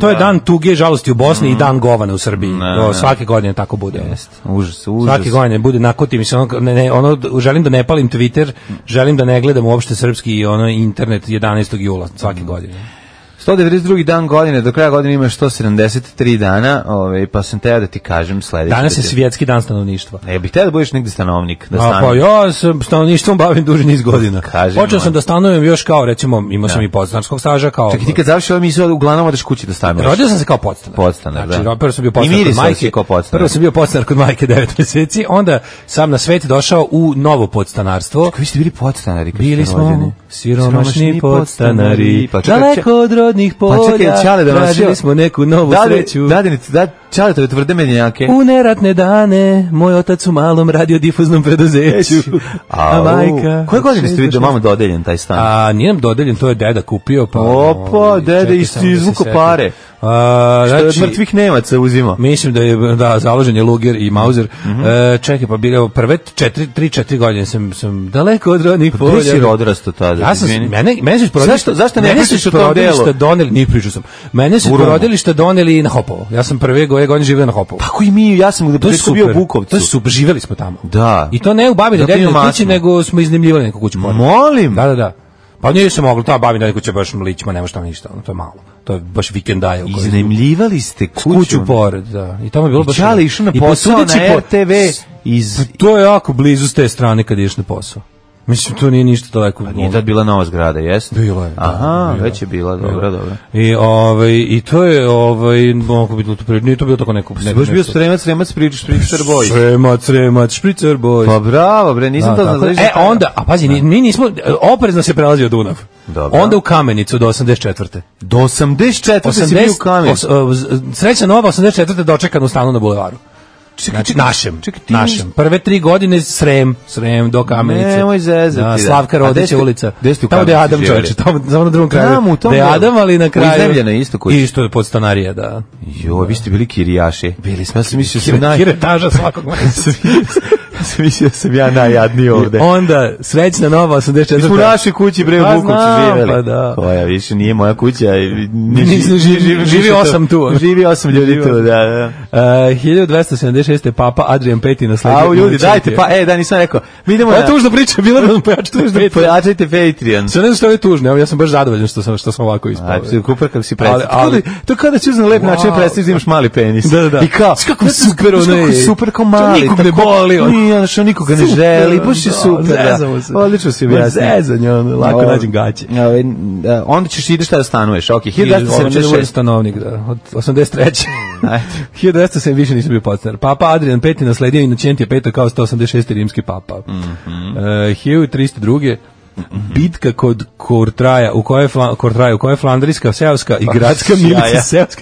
to je dan tuge i žalosti u Bosni i dan govana u Srbiji. Svake godine tako bude. Užas. Svake godine bude nakotim se želim da ne palim Twitter, želim da ne gledam uopšte srpski i internet 11. jula svake godine. 192. dan godine, do kraja godine imaš 173 dana, pa sam teo da ti kažem sledeće. Danas je svjetski dan stanovništva. Bih teo da budeš negde stanovnik. Pa ja se stanovništvom bavim duži niz godina. Počeo sam da stanujem još kao, recimo, imao sam i podstanarskog staža. Čekaj, ti kad završi ovo misli, uglavnom odeš kući da stanuješ. Rodio sam se kao podstanar. Podstanar, znači, da. Prvo sam bio podstanar kod majke 9 meseci, onda sam na svet došao u novo podstanarstvo. Čekaj, vi ste bili podstanari? Bili smo siromašni podstanari, daleko od rodnih polja, tražili smo neku novu sreću. Čale, to je tvrde menjake. U neratne dane, moj otac u malom radiodifuznom preduzeću. A majka... Koje godine ste vidio mama dodeljen taj stan? Nije nam dodeljen, to je deda kupio. Opa, deda izvuko pare. Što je od mrtvih Nemaca uzima. Mislim da je založen je Luger i Mauser. Čekaj, pa bilo prve 3-4 godine sam daleko od rodnih polja. Gde si odrastao tada? Mene su zašto ne pričaš o tom delu? Nije pričao sam. Mene su porodilišta doneli na Hopovo. Ja sam prve godine živio na Hopovu. Tako i mi, ja sam u početku bio u Bukovcu. To je super, živeli smo tamo. Da. I to ne u Babinoj dedinoj kući, nego smo iznajmljivali neku kuću pored. Molim? Da. Pa nije se moglo, ta Babina kuća baš ličma, nema šta ništa, to je malo. To je baš vikendaje. Iznajmljivali ste kuću pored, da. I tamo je bilo baš... Čale išao na posao na RTV To je jako blizu s te strane kad ideš na posao. Mislim, to nije ništa daleko. Nije tad bila nova zgrada, jeste? Bilo je. Aha, već je bila, dobro. I to je, mogu biti, nije to bilo tako neko... Baš bio Sremac, Špricer Boys. Sremac, Špricer Boys. Pa bravo, bre, nisam to znao. Onda, a pazi, mi nismo, oprezno se prelazio Dunav. Dobro. Onda u Kamenicu do 84. Do 84. si bio u Kamenicu. Sreća nova 84. dočekan u stanu na bulevaru. Znači, našem. Prve 3 godine Srem do Kamenice. Nemoj zezati. Slavka Rodića ulica. Tamo gde je Adam čovječe, tamo na drugom kraju. Gde je Adam, ali na kraju... Iznemljena isto kuća. Isto je podstanarija, da. Vi ste bili kirijaši. Bili smo. Ja sam mislio Kiretaža svakog meseca. Mislio sam ja najjadniji ovde. Onda, srećna nova 84. Mi smo u našoj kući, bre, u Bukovcu živjeli. Pa da. Koja više nije moja kuća. Živi 8 tu. Živi 8 ljudi tu, da. 1276. Papa Adrian V nasledio. Au, ljudi, dajte, nisam rekao. Mi idemo na... Ovo je tužna priča, bila da nam pojačate Patreon. Pojačajte Patreon. Sve ne znam što je tužno, ja sam baš zadovoljan što sam ovako ispao. Kuper kako si predstavio. To kada ćeš na lep način predstaviti da imaš mali penis. Da. I kao, kako super ono je. Super kao mali. Nikog ne boli. Nije, što nikoga ne želi, baš je super. Odlično si objasnio. Zezanje, lako nađem gaće. Onda ćeš ideš da stanuješ, ok. 1276 stanovnik, da, od 83. 1207 više nisam bio podstanar. Papa Adrian V nasledio Inocentija V kao 186. rimski papa. 1302. Bitka kod Kortraja, u kojoj je flandrijska seoska i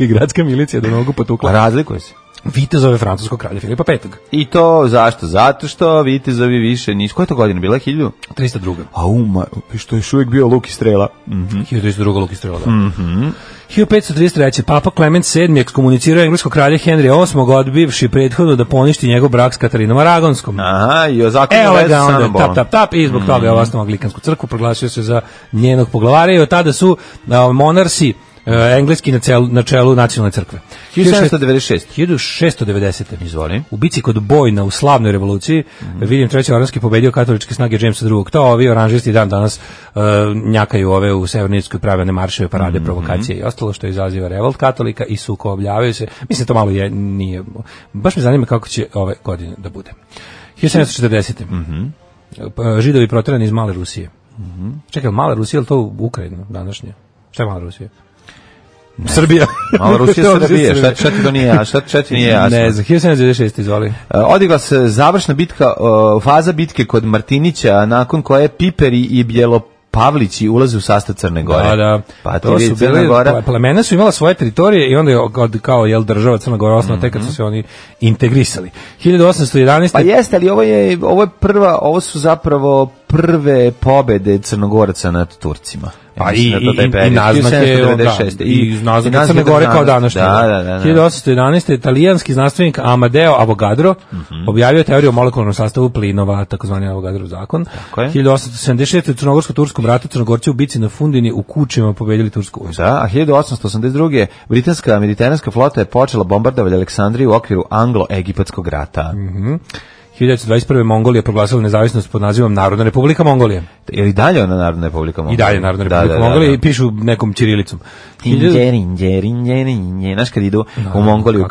gradska milicija do nogu potukla. A razlikuje se? Vitezove francuskog kralja Filipa V. I to zašto? Zato što vitezovi više nisu. Koja je to godina bila? 1302. Što je još uvijek bio luk i strela. 1302. luk i strela, da. 1533. Papa Klement VII ekskomunicirao engleskog kralja Henrija VIII, odbivši prethodno da poništi njegov brak s Katarinom Aragonskom. Aha, i o zakonu veze sa Annabolom. Tap, i zbog toga je osnovao Anglikansku crkvu, proglasio se za njenog poglavara i od tada su monarsi engleski na čelu nacionalne crkve. 1690. Izvoli. U bici kod Bojna u slavnoj revoluciji William III. Oranski pobedio katoličke snage Jamesa II. To ovi oranžisti dan danas njakaju ove u Severnoj Irskoj, prave marševe, parade, provokacije i ostalo što izaziva revolt katolika i sukobljavaju se. Mislim, to malo nije... Baš me zanima kako će ove godine da bude. 1740. Židovi proterani iz Male Rusije. Čekaj, Mala Rusija, ili to Ukrajina današnje? Šta je Mala Rusija? Srbija. Malo Rusija, Srbija. Šta ti to nije jasno? Šta ti nije jasno? Ne znam, 1796, izvoli. Odigla se završna bitka, faza bitke kod Martinića, nakon koje Piperi i Bjelopavlići ulaze u sastav Crne Gore. Da. Pa to su bili, plemena su imala svoje teritorije i onda je kao država Crna Gora osnova tek kad su se oni integrisali. 1811. Pa jeste, ali ovo su zapravo prve pobede Crnogoraca nad Turcima. Pa i naznake Crne Gore kao današnje. 1811. italijanski znanstvenik Amadeo Avogadro objavio teoriju o molekularnom sastavu plinova, takozvani Avogadrov zakon. 1876. u Crnogorsko-turskom ratu Crnogorci u bici na Fundini u Kučima pobedili tursku vojsku. Da, a 1882. britanska mediteranska flota je počela bombardovati Aleksandriju u okviru anglo-egipatskog rata. 1921. Mongolija proglasila nezavisnost pod nazivom Narodna Republika Mongolija. Je li dalje ona Narodna Republika Mongolija? I dalje Narodna Republika Mongolija i pišu nekom ćirilicom. Znaš kad idu u Mongoliju,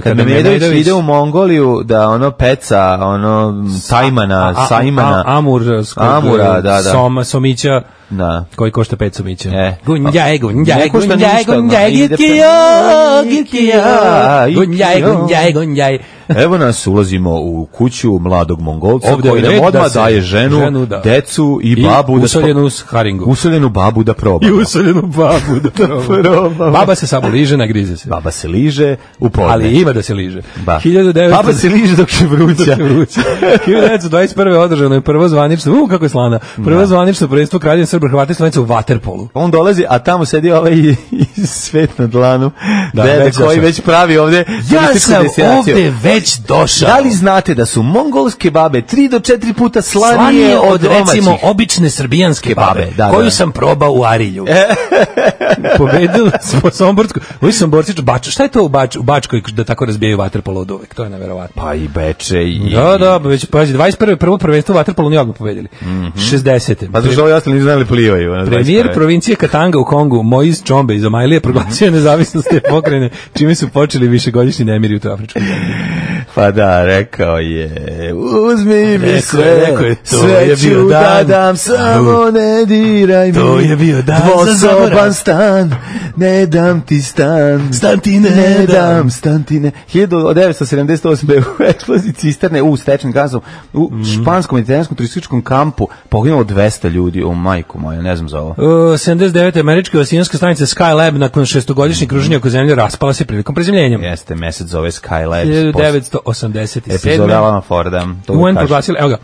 kad Memedović ide u Mongoliju da ono peca, ono Sajmana, Amura, da. Somića, da. Koji košta 5 somića. Gunjaj, Gunjaj. Evo nas, ulazimo u kuću mladog Mongolca koji nam odmah daje ženu, decu i babu. Usoljenu babu da proba. I usoljenu babu da proba. Baba se samo liže, nagrize se. Baba se liže u podne. Ali ima da se liže. Baba se liže dok je vruća. 1921. održano je prvo zvanično, kako je slana, prvo zvanično prvenstvo Kraljevine Srba, Hrvata i Slovenaca u vaterpolu. On dolazi, a tamo sedi ovaj svet na dlanu, dede koji već pravi ovde. Ja sam ovde već došao. Da li znate da su mongolske babe 3 do 4 puta slanije od recimo obične srbijanske babe, koju sam probao u Arilju. Pobedili smo Somborsku. Ovi Somborci, šta je to u Bačkoj da tako razbijaju vaterpolo od uvek? To je neverovatno. Pa i Beče i... Da, već, pazi, 21. prvo prvenstvo vaterpolo nije odmah pobedili. 60. Pa zašto ovi ostali ne znali plivaju? Premijer provincije Katanga u Kongu, Moise Chombe iz Omajlije, proglasio nezavisnost te pokrajine, čime su počeli višegodišnji nemiri u toj afričkoj zemlji. Pa da, rekao je, uzmi mi sve, sve ću da dam, samo ne diraj mi. To je bio dan za dvosoban stan, ne dam ti stan. Stan ti ne dam. Stan ti ne. 1978. u eksploziji cisterne u stečnim gazom u španskom mediteranskom turističkom kampu poginulo 200 ljudi. O majku moja, ne znam za ovo. 79. američka osijanska stanica Skylab nakon 6-godišnjeg kruženja oko zemlje raspala se prilikom prezemljenja. Jeste, mesec zove Skylab. 1987. Epizoda Alana Forda. UN proglasili, evo ga,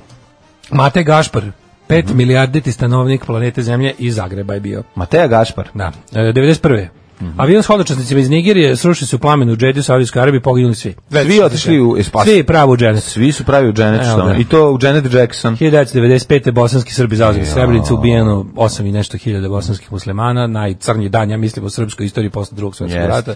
Matej Gašpar, 5 milijarditi stanovnik planete Zemlje iz Zagreba je bio. Mateja Gašpar. Da, 91. Avion s hodočasnicima iz Nigerije sruši se u plamenu u Džediju, Saudijskoj Arabiji, poginuli svi. Svi otišli u Espas. Svi pravo u Janet. Svi su pravi u Janet, i to u Janet Jackson. 1995. bosanski Srbi zauzeli Srebrenicu, ubijeno 8 i nešto hiljada bosanskih muslimana, najcrnji dan, ja mislim, u srpskoj istoriji posle drugog svjetskog rata.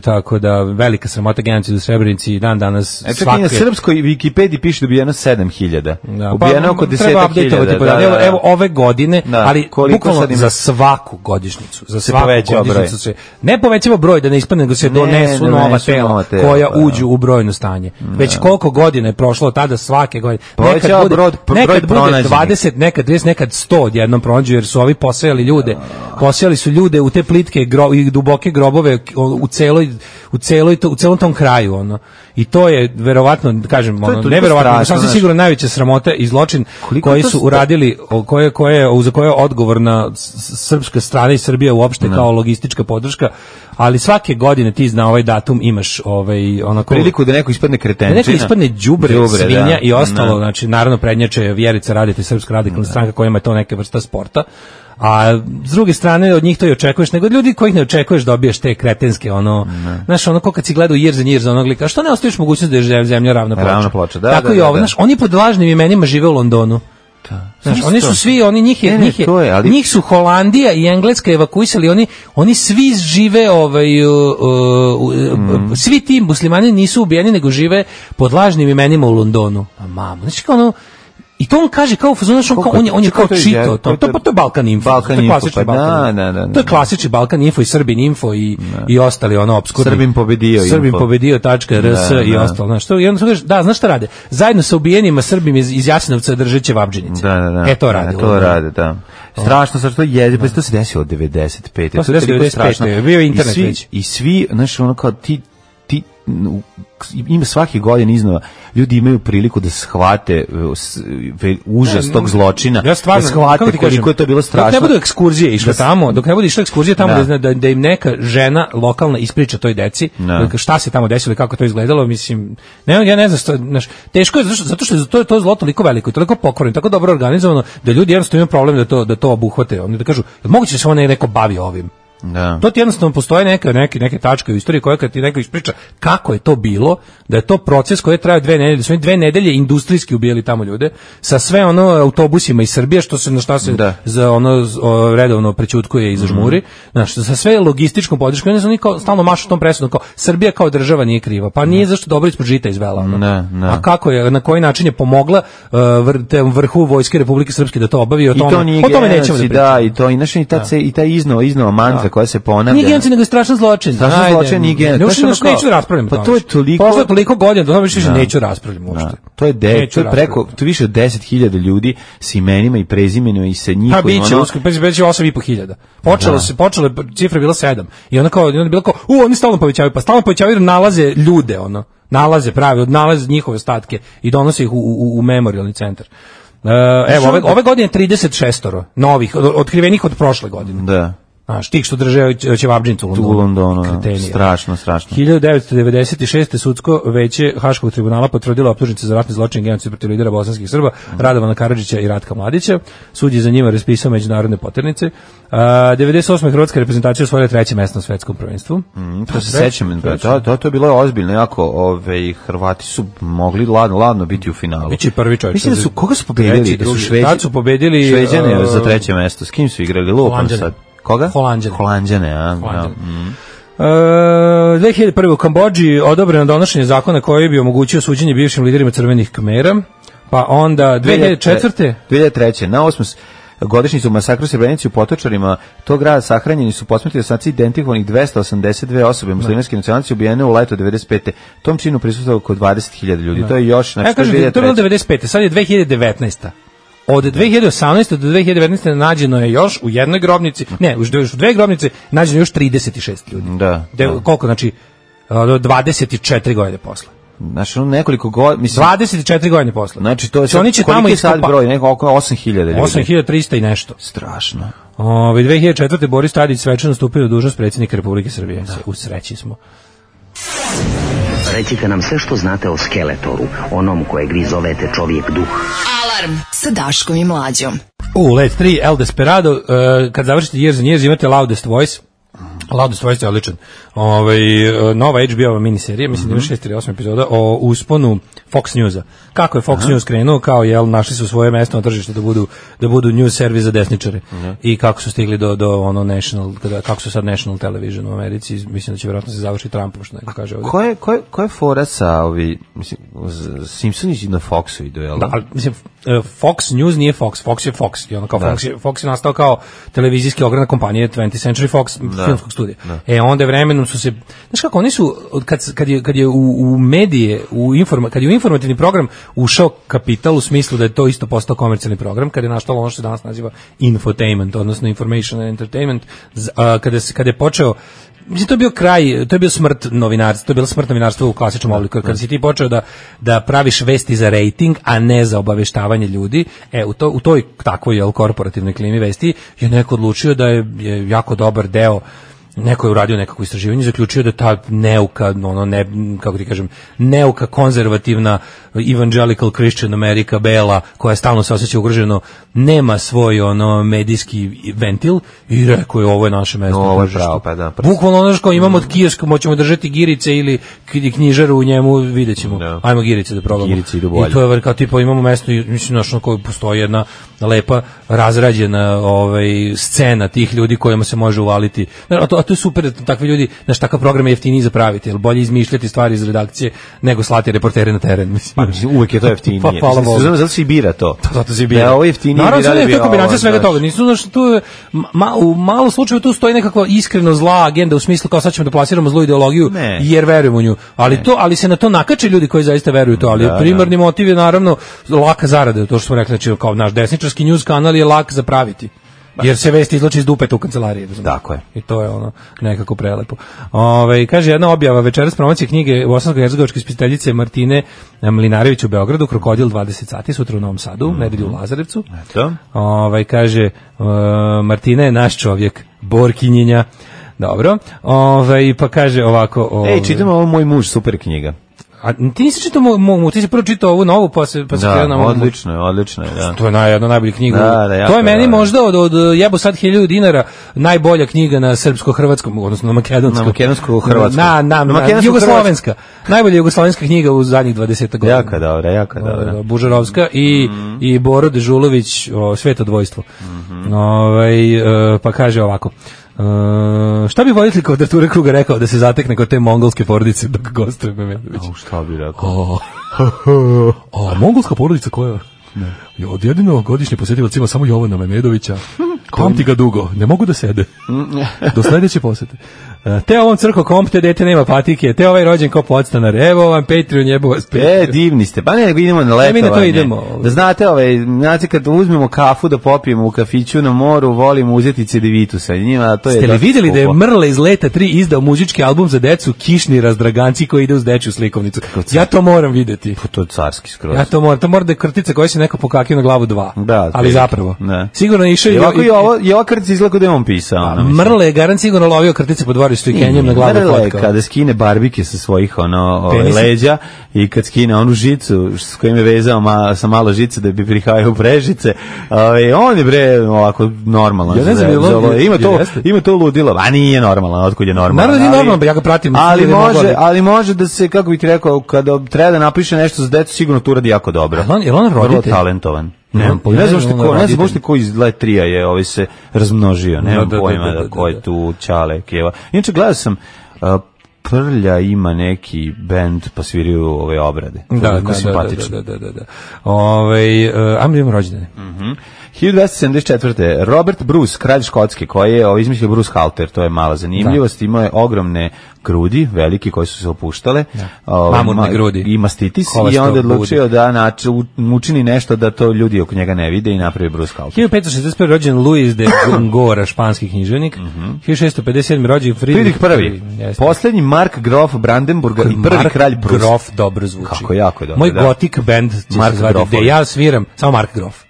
Tako da velika sramota genocid u Srebrenici dan danas svake. Na srpskoj Wikipediji piše da ubijeno 7000. Ubijeno oko 10.000. Evo ove godine, ali bukvalno za svaku godišnjicu, ne povećava broj da ne ispadne, nego se donesu nova tela koja uđu u brojno stanje. Već koliko godina je prošlo od tada, svake godine. Nekad bude 20, nekad 30, nekad 100 odjednom pronađu, jer su ovi posejali ljude. Posejali su ljude u te plitke i duboke grobove u celom tom kraju, i to je verovatno, kažem, neverovatno, sasvim sigurno najveća sramota i zločin koji su uradili, za koje je odgovorna srpska strana i Srbija uopšte kao logistička podrška, ali svake godine ti na ovaj datum imaš priliku da neko ispadne kretenčina, da neko ispadne đubre, svinja i ostalo, znači naravno prednjače Vjerica Radeta i Srpska radikalna stranka kojima je to neka vrsta sporta. A s druge strane od njih to i očekuješ, nego od ljudi kojih ne očekuješ dobiješ te kretenske, znaš, ko kad si gledao Years onog lika, što ne ostaviš mogućnost da je zemlja ravna ploča. Tako i ovo, znaš, oni pod lažnim imenima žive u Londonu. Znaš, oni su svi, njih su Holandija i Engleska evakuisali, oni svi žive, svi ti muslimani nisu ubijeni, nego žive pod lažnim imenima u Londonu. A mamo, znači kao i to on kaže kao on je kao čito, to je Balkan Info. To je klasični Balkan. To je klasični Balkan Info i Srbin Info i ostali opskurni. Srbin pobedio.rs i ostalo, znaš, to i onda kaže, da, znaš šta rade? Zajedno sa ubijenima Srbima iz Jasenovca držeće Vabdžinice. To rade. To rade, da. Strašno, sad to je, to se desilo od 95. To se desilo od 95. Bio je internet već. I svi, znaš, kao ti ima svake godine iznova ljudi imaju priliku da shvate užas tog zločina, da shvate koliko je to bilo strašno. Dok ne budu ekskurzije išle tamo, da im neka žena lokalna ispriča toj deci šta se tamo desilo i kako to izgledalo, mislim, ja ne znam, teško je zato što je to zlo toliko veliko i toliko pokvareno, tako dobro organizovano da ljudi jednostavno imaju problem da to obuhvate, oni da kažu, moguće da se neko bavi ovim. Da. To ti jednostavno postoje neke tačke u istoriji koja kad ti neko ispriča kako je to bilo, da je to proces koji je trajao 2 nedelje, da su oni 2 nedelje industrijski ubijali tamo ljude sa sve autobusima iz Srbije na šta se za redovno prećutkuje i zažmuri, sa sve logističkom podrškom, oni su stalno mašu tom presudom kao Srbija kao država nije kriva, pa nije zašto dobro ispod žita izvela. A kako je, na koji način je pomogla vrhu vojske Republike Srpske da to obavi, o tome nećemo da pričamo. I taj iznova mantra koja se ponavlja. Nije genocid, nego je strašan zločin. Strašan zločin nije genocid. Neću da raspravljamo. Pa to je toliko... Posle toliko godina, da više neću raspravljamo uopšte. To je preko, to više od 10.000 ljudi s imenima i prezimenima i sa njihovim... Biće 8.500. Počelo je, cifra je bila 7. I onda je bilo kao, oni stalno povećavaju, pa stalno povećavaju jer nalaze ljude, nalaze njihove ostatke i donose ih u memorialni centar. Evo, ove godine 36 novih, otkrivenih od prošle godine. Da. Tih što drže Ćevabdžinicu u Londonu. Strašno. 1996. sudsko veće Haškog tribunala potvrdilo optužnice za ratni zločin i genocid protiv lidera bosanskih Srba, Radovana Karadžića i Ratka Mladića. Sud je za njima raspisao međunarodne poternice. 98. hrvatska reprezentacija osvojila 3. mesto na svetskom prvenstvu. To se sećam, to je bilo ozbiljno, jako Hrvati su mogli ladno biti u finalu. Biće prvi čovjek. Mislim da su, koga su pobedili? Tad su pobedili Šveđane za 3. mesto. S kim su igrali? Lupom sad. Koga? Holanđane. 2001. u Kambodži odobreno donošenje zakona koji bi omogućio suđenje bivšim liderima Crvenih Kmera, pa onda 2004. 2003. Na godišnjicu masakra u Srebrenici u Potočarima tog grada sahranjeni su posmrtni ostaci identifikovanih 282 osobe muslimanske nacionalnosti ubijene u leto 95. Tom činu prisustvovalo oko 20.000 ljudi. To je još znači to je bilo 95. Sad je 2019. Od 2018. do 2019. nađeno je još u jednoj grobnici, ne, u dve grobnice nađeno još 36 ljudi. Da. Koliko, znači, 24 godine posle. Znači, nekoliko godina, mislim... 24 godine posle. Znači, to je sad, koliki je sad broj, neko oko 8.000 ljudi. 8.300 i nešto. Strašno. 2004. Boris Tadić svečano stupio na dužnost predsjednika Republike Srbije. U sreći smo. Recite nam sve što znate o Skeletoru, onom kojeg vi zovete čovjek duh. Alarm sa Daškom i Mlađom. Let 3, El Desperado, kad završite Years and Years imate Loudest Voice. Loudest Voice je odličan. Nova HBO miniserija, mislim da ima 6 ili 8 epizoda o usponu Fox Newsa. Kako je Fox News krenuo, kao našli su svoje mesto na tržištu da budu news servis za desničare. I kako su stigli do ono national, kako su sad national television u Americi, mislim da će vjerojatno se završi Trumpom, što neko kaže ovdje. Ko je fora sa mislim, Simpsoni na Foxu idu, jel? Da, ali, mislim, Fox News nije Fox, Fox je Fox. I ono kao Fox je nastao kao televizijski ogranak kompanije 20th Century Fox filmskog studija. Onda vremenom su se, znaš kako, oni su, kad je u medije, kad je u informativni program ušao kapital u smislu da je to isto postao komercijalni program, kad je nastalo ono što se danas naziva infotainment, odnosno information and entertainment, kada je počeo, mislim, to je bio kraj, to je bio smrt novinarstva, to je bilo smrt novinarstva u klasičnom obliku. Kada si ti počeo da praviš vesti za rating, a ne za obaveštavanje ljudi, u toj takvoj korporativnoj klimi vesti je neko odlučio da je jako dobar deo, neko je uradio nekako istraživanje, zaključio da ta neuka, kako ti kažem, neuka konzervativna evangelical Christian America bela, koja stalno se osjeća ugroženo, nema svoj medijski ventil i rekao je ovo je naše mesto. Ovo je pravo, pa da. Bukvalno ono što imamo od kioska, moćemo držati girice ili knjižaru u njemu, vidjet ćemo. Da. Ajmo girice da probamo. Girice idu bolje. I to je kao tipa imamo mesto, mislim, na koje postoji jedna lepa, razrađena scena tih ljudi kojima se može uvaliti. A to je super, takvi ljudi, znaš, takav program je jeftiniji zapraviti, jer bolje izmišljati stvari iz redakcije nego slati reportere na teren. Mislim. Uvek je to jeftinije. Zato se i bira to. Zato se i bira. Da, ovo je jeftinije. Naravno, to je kombinacija svega toga. Nisu, u malo slučaju tu stoji nekakva iskreno zla agenda u smislu kao sad ćemo da plasiramo zlu ideologiju jer verujemo u nju. Ali se na to nakače ljudi koji zaista veruju to. Ali primarni motiv je naravno laka zarada. To što smo rekli, znači kao naš desničarski news kanal je lak za praviti. Jer se vesti izloči iz dupeta u kancelariji. Tako je. I to je ono nekako prelepo. Kaže jedna objava večeras promocije knjige bosansko-hercegovačke spisateljice Martine Mlinarević u Beogradu, Krokodil 20 sati, sutra u Novom Sadu, nedelju u Lazarevcu. Eto. Kaže Martina je naš čovjek, borkinjenja. Dobro. Pa kaže ovako... čitamo ovo Moj muž, super knjiga. A ti nisi čitao ti si prvo čitao ovu novu, pa se krenuo na ovu. Odlično je, da. To je jedna najbolja knjiga. Da, to je meni možda od jebo sad 1000 dinara najbolja knjiga na srpsko-hrvatskom, odnosno na makedonskom. Na makedonsko-hrvatskom. Na jugoslovenska. Najbolja jugoslovenska knjiga u zadnjih 20 godina. Jako dobra. Bužarovska i Boro Dežulović, Sveto dvojstvo. Pa kaže ovako. Šta bi voditelj Kvadrature kruga rekao da se zatekne kod te mongolske porodice dok gostuje Memedović? Šta bi rekao? Mongolska porodica koja? Od jedino godišnje posjetilac ima samo Jovana Memedovića. Pamti ga dugo, ne mogu da sede. Do sledeće posete. Te ovom crko komp, te dete nema patike, te ovaj rođen ko podstanar, evo vam Patreon, jebo vas Patreon. Divni ste, pa ne, idemo na letovanje. Mi na to idemo. Da znate kad uzmemo kafu da popijemo u kafiću na moru, volimo uzeti cedevitu sa njima, to je. Ste li vidjeli da je Mrle iz Leta 3 izdao muzički album za decu Kišni razdraganci koji ide uz dečju slikovnicu? Ja to moram videti. Pa to je carski skroz. Ja to mora da je krtica koja se neko pokakio na glavu 2. Da, ali zapravo. Ne. Sigurno je išao i ova krtica izgleda da je on pisao. Mrle je garant sigurno lovio krtice po dvorištu i Kenjem na glavu fotkao. Kada skine barbike sa svojih leđa i kad skine onu žicu s kojim je vezao sa malo žice da bi prihajao prežice, on je ovako normalan. Ja ne znam, ima to ludilo, a nije normalan, otkud je normalan. Naravno nije normalan, ja ga pratim. Ali može da se, kako bih ti rekao, kada treba da napiše nešto za decu, sigurno to uradi jako dobro. Je on roditelj? Vrlo talentovan. Ne znam što ko iz Let 3 je se razmnožio, nemam pojma da ko je tu Ćale, Keva. Inače gledao sam Prlja ima neki bend pa sviraju ove obrade. Da. Ajmo imamo rođendane. 1274. Robert Bruce, kralj Škotske, koji je izmislio Bruce Halter, to je mala zanimljivost, imao je ogromne grudi, veliki, koje su se opuštale, mamutne grudi i mastitis, i onda odlučio da učini nešto da to ljudi oko njega ne vide i napravi Bruce Halter. 1565. rođen Luis de Góngora, španski književnik. 1657. rođen Friedrich I. Poslednji Mark Grof Brandenburga i prvi kralj Prus. Grof dobro zvuči. Kako jako dobro. Moj gotik band će se zvati, gde ja sviram, samo Mark Grof.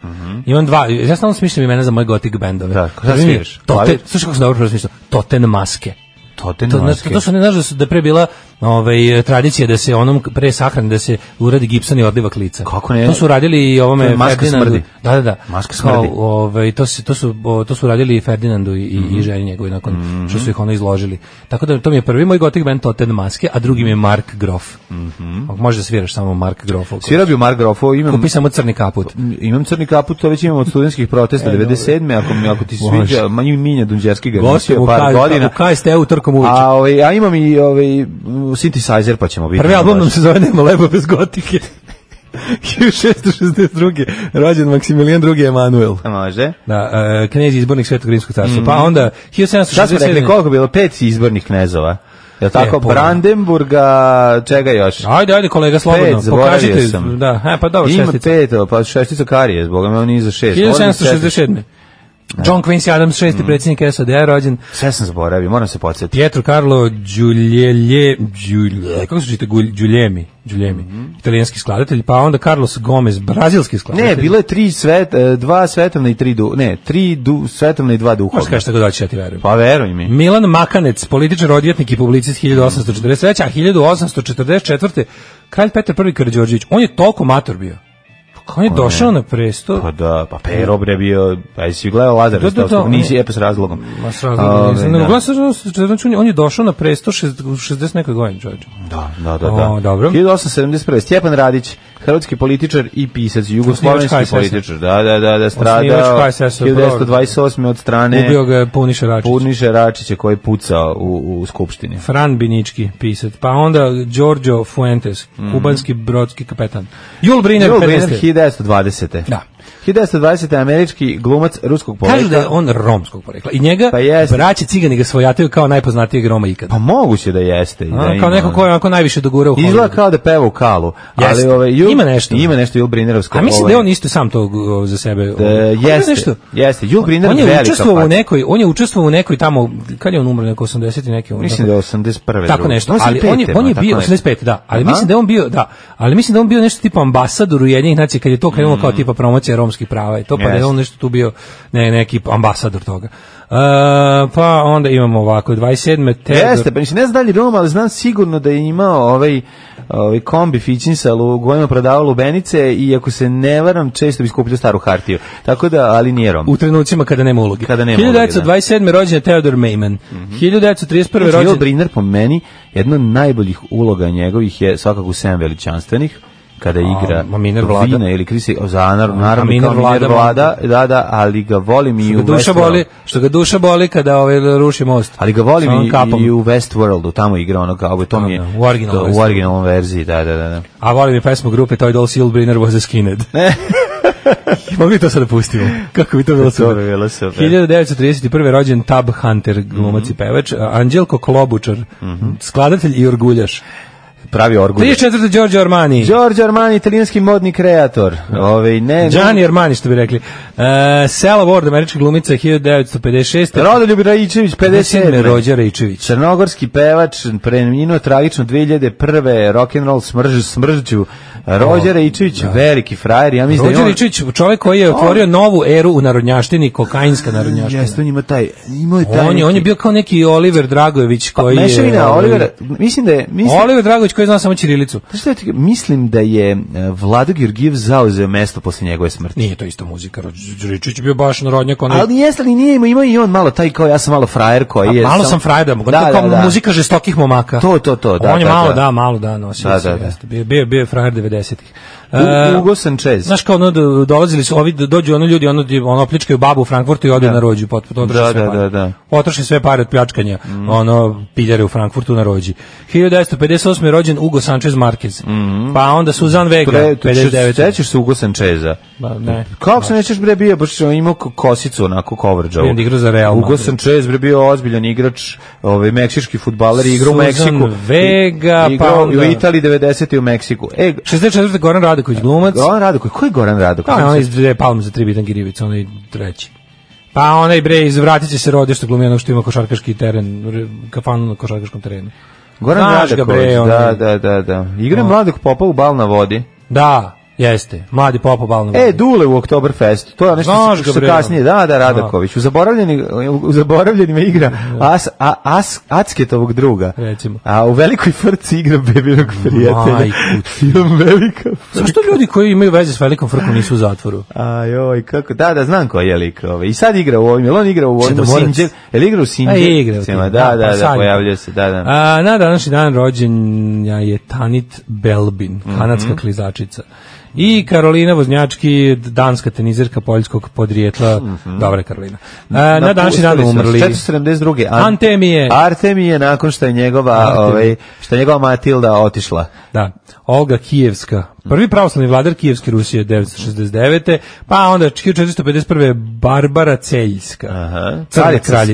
Imam dva, ja stalno smišljam imena za moj gotik bandove. Da, kada sviraš? Slušaj kako sam dobro smišljam, Toten Maske. To su ne znaš da pre bila tradicija da se onom pre sahrane da se uradi gipsan i odlivak lica. Kako ne? To su radili i ovome Ferdinandu. Da. Maska smrdi. To su radili i Ferdinandu i ženi njegovi nakon što su ih izložili. Tako da to mi je prvi moj gotik band Toten Maske, a drugi mi je Mark Grof. Može da sviraš samo Mark Grof. Svirao bi Mark Grof, kupi samo crni kaput. Imam crni kaput, to već imam od studentskih protesta 97. Ako ti sviđa, Minja Dunđerski ga nosio par godina. U KST-u trkom uviče. A imam i synthesizer, pa ćemo biti. Prvi album nam se zove Nema leba bez gotike. 1662. rođen Maksimilijan II. Emanuel. Može. Da, knez izbornik Svetog Rimskog carstva. Pa onda 1767. Šta smo rekli, koliko bilo? 5 izbornih knezova. Je li tako? Brandenburga, čega još? Ajde, kolega, slobodno. Pokažite. Da, pa dobro, šestica. Ima 5, pa šestica karije, zboga me on nije za 6. 1767. John Quincy Adams, 6. predsjednik SAD-a, rođen. Sve sam zaboravio, moram se podsjetiti. Pietro Carlo kako se čita? Giuliemi, italijanski skladatelj, pa onda Carlos Gomez, brazilski skladatelj. Ne, bilo je 2 svetovna i 3 svetovna i 2 duhovna. Možeš kaži što god hoćeš, ja ti verujem. Pa veruj mi. Milan Makanec, političar, odvjetnik i publicist 1843. A 1844. kralj Petar I. Karađorđević, on je toliko mator bio. On je došao na presto. Pa da, pa Pero bre bio, pa jesi gledao Lazar Ristovskog, nisi pa s razlogom. Ma s razlogom nisam. On je došao na presto 60 nekoj godini, čovječe. Da. Dobro. 1871. Stjepan Radić, hrvatski političar i pisac, jugoslovenski političar. Da, stradao 1928. od strane. Ubio ga Puniše Račića koji je pucao u skupštini. Fran Binički, pisac. Pa onda Giorgio Fuentes, kubanski brodski kapetan. Jules Briner 1920. Da. 1920. američki glumac ruskog porekla. Kažu da je on romskog porekla. I njega braće Cigani ga svojataju kao najpoznatijeg Roma ikada. Pa moguće da jeste. Kao neko ko je onako najviše dogurao u Hollywoodu. Izgleda kao da peva u kalu. Ali ima nešto. Ima nešto Jules Brinerovsko. A mislim da je on isto sam to za sebe. Jeste. Jules Briner velika faca. On je učestvovao u nekoj tamo, kad je on umro, neko 80 i neki. Mislim da je 81. Tako nešto. Ali on je bio 85, da. Ali mislim da on bio nešto tipa ambasador Ujedinjenih nacija kad je to krenulo kao tipa promocija romskih prava i to, pa da je on nešto tu bio neki ambasador toga. Pa onda imamo ovako 27. Jeste, pa mislim, ne znam da li Roma, ali znam sigurno da je imao ovaj kombi Fićinsal u kojima prodavao lubenice i ako se ne varam, često bi skupljao staru hartiju. Tako da, ali nije Rom. U trenucima kada nema uloge. 1927. rođen je Theodor Meiman. 1931. rođen... Jules Briner po meni, jedna od najboljih uloga njegovih je svakako u 7 veličanstvenih, kada igra Vina ili Krisi, naravno Miner Vlada, da, ali ga volim i u Westworldu. Što ga duša boli kada ruši most. Ali ga volim i u Westworldu, tamo igra ono kao, to mi je u originalnom verziji, da. A volim i pesmu grupe Toy Dolls, Jules Briner was a skinhead. Mogli to sad da pustimo? Kako bi to bilo super? 1931. rođen Tab Hunter, glumac i pevač, Anđelko Klobučar, skladatelj i orguljaš. Pravi orgulj. 34. Giorgio Armani, italijanski modni kreator. Gianni Armani, što bi rekli. Sela Ward, američka glumica, 1956. Rodoljub Raičević, 57. Rođa Raičević. Crnogorski pevač, preminuo tragično 2001. Rock'n'roll smržđu. Rođa Raičević, veliki frajer. Ja mislim Rođa Raičević, čovjek koji je otvorio novu eru u narodnjaštini, kokainska narodnjaština. Jeste, on ima taj... On je bio kao neki Oliver Dragojević koji je... Mešavina, Oliver, mislim da je... Oliver Dragojević koji zna samo ćirilicu. Mislim da je Vlado Georgijev zauzeo mesto posle njegove smrti. Nije to isto muzika. Raičević je bio baš narodnjak. Ali jeste li nije imao i on malo taj kao ja sam malo frajer koji je... Malo sam frajer da mogu. Da. Muzika žestokih momaka. To, da. On je malo da nosio. Bio je frajer 90-ih. Hugo Sanchez. Znaš kao dolazili su ovi, dođu ono ljudi, ono pljačkaju babu u Frankfurtu i ode na rođu, Da. Potroši sve pare od pljačkanja, piljare u Frankfurtu na rođi. 1958. je rođen Hugo Sanchez Marquez. Pa onda Suzanne Vega, 59. Sećaš se Hugo Sancheza? Ne. Kako se nećeš bre bio, baš imao kosicu onako coverage. Igrao za Real Hugo Sanchez bre bio ozbiljan igrač, meksički fudbaler, igrao u Meksiku. Vega, pa onda u Italiji 90. u Meksiku. 64. Goran Radoković, glumac. Goran Radoković, ko je Goran Radoković? Pa on iz dve palme za 3 bitangi rivice, onaj treći. Pa onaj bre iz Vratice se rodi što glumi ono što ima košarkaški teren, kafanu na košarkaškom terenu. Goran Radoković, da. Igra mladog popa u Bal na vodi. Da. Jeste, mladi popa bal na vodi. Dule u Oktoberfest, to je nešto što kasnije, da, Radaković. U zaboravljenima igra Acketovog druga. Recimo. A u Velikoj frci igra Bebinog prijatelja. Film Velika frka. Zašto ljudi koji imaju veze s Velikom frkom nisu u zatvoru? Ajoj, kako, da, znam ko je lik. I sad igra u ovim, on igra u ovim Sinđel, igra u Sinđel? Da, pojavljuje se, da. Na današnji dan rođen je Tanit Belbin, kanadska klizačica. I Karolina Voznjački, danska tenizerka poljskog podrijetla. Dobra Karolina. Na današnji dan umrli 472. Artemije nakon što je njegova Matilda otišla. Da. Olga Kijevska, prvi pravoslavni vladar Kijevske Rusije 969. Pa onda 1451. Barbara Celjska.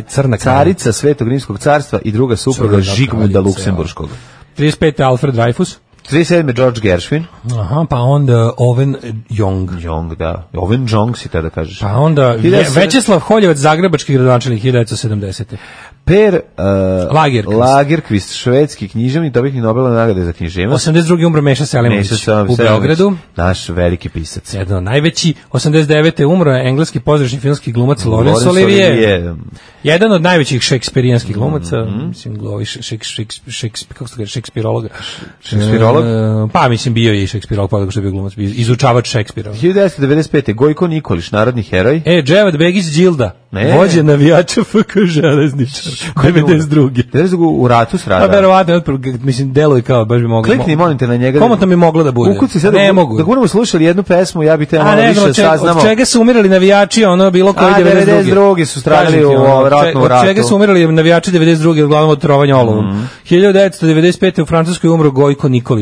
Crna carica Svetog Rimskog carstva i druga supruga Žigmunda Luksemburškog. 35. Alfred Dreyfus. 37. George Gershwin. Aha, pa onda Owen Jong. Da. Owen Jong si tada kažeš. Pa onda Večeslav Holjevac, zagrebački gradonačelnik 1970. Per Lagerkvist, švedski književnik, dobitnik Nobelove nagrade za književnost. 82. umro Meša Selimović u Beogradu. Naš veliki pisac. Jedan od najveći. 89. umro je engleski pozorišni filmski glumac Laurence Olivier. Jedan od najvećih šekspirijanskih glumaca, mislim, šekspirologa. Šekspirolog? Pa, mislim, bio je i šekspirolog, pa što je bio glumac, izučavač Šekspira. 1995. Gojko Nikolić, narodni heroj. Dževad Begić Đilda, vođe navijača FK Železničar, 92. U ratu stradao. Pa, verovatno, mislim, deluje kao, baš bi moglo. Klikni, molim te, na njega. Komotno mi moglo da bude. Ukuci sad, ne mogu. Da budemo slušali jednu pesmu, ja bi te malo više saznamo. Od čega su umirali navijači, ono, bilo koji 92. su stradali u ratnu ratu. Od čega su umirali navijači 92. uglavnom od trovanja olovom. 1995. u Francuskoj umro Gojko Nikolić,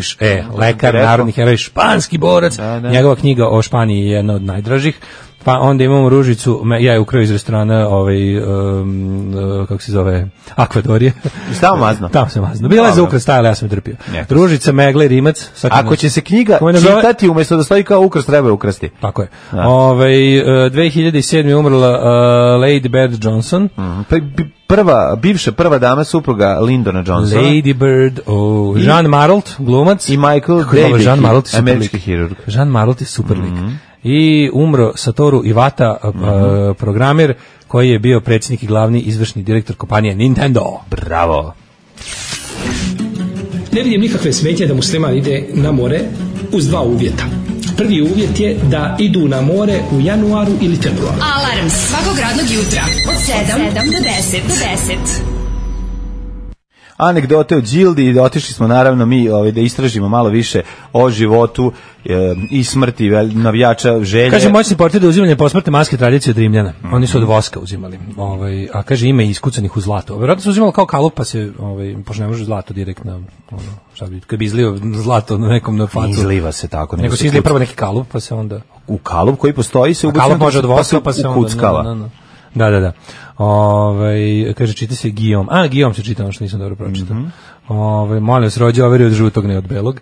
lekar, narodni heroj, španski borac. Njegova knjiga o Španiji je jedna od najdražih. Pa onda imamo Ružicu, ja je ukrao iz restorana, kako se zove, Akvadorije. Stao mazno? Tamo se mazno. Bila je za ukras stajala, ja sam je trpio. Ružica, Megla i Rimac. Ako će se knjiga čitati umjesto da stoji kao ukras, treba je ukrasti. Tako je. 2007. umrla Lady Bird Johnson. Bivša prva dama supruga Lyndona Johnsona. Lady Bird, Jean Maralt, glumac. I Michael David, američki hirurg. Jean Maralt je super lik. I umro Satoru Iwata, programer koji je bio predsjednik i glavni izvršni direktor kompanije Nintendo. Bravo. Ne vidim nikakve smetnje da musliman ide na more uz dva uvjeta. Prvi uvjet je da idu na more u januaru ili februaru. Alarm svakog radnog jutra od 7 do 10. Anegdote o Đildi i otišli smo naravno mi da istražimo malo više o životu i smrti navijača Želje. Kaže, moćni portir da uzimanje posmrtne maske tradicije od Rimljana. Oni su od voska uzimali. A kaže, ima iskucanih u zlato. Vjerojatno se uzimalo kao kalup, pa se, pošto ne može zlato direktno, kad bi izlio zlato na nekom na facu. Izliva se tako. Nego se izlije prvo neki kalup, pa se onda... U kalup koji postoji se ubućeno... Kalup može od voska, pa se onda... Ukuckava. Da. Kaže, čita se Guillaume. Guillaume se čita, ono što nisam dobro pročitao. Molim vas, rođe overi od žutog, ne od belog.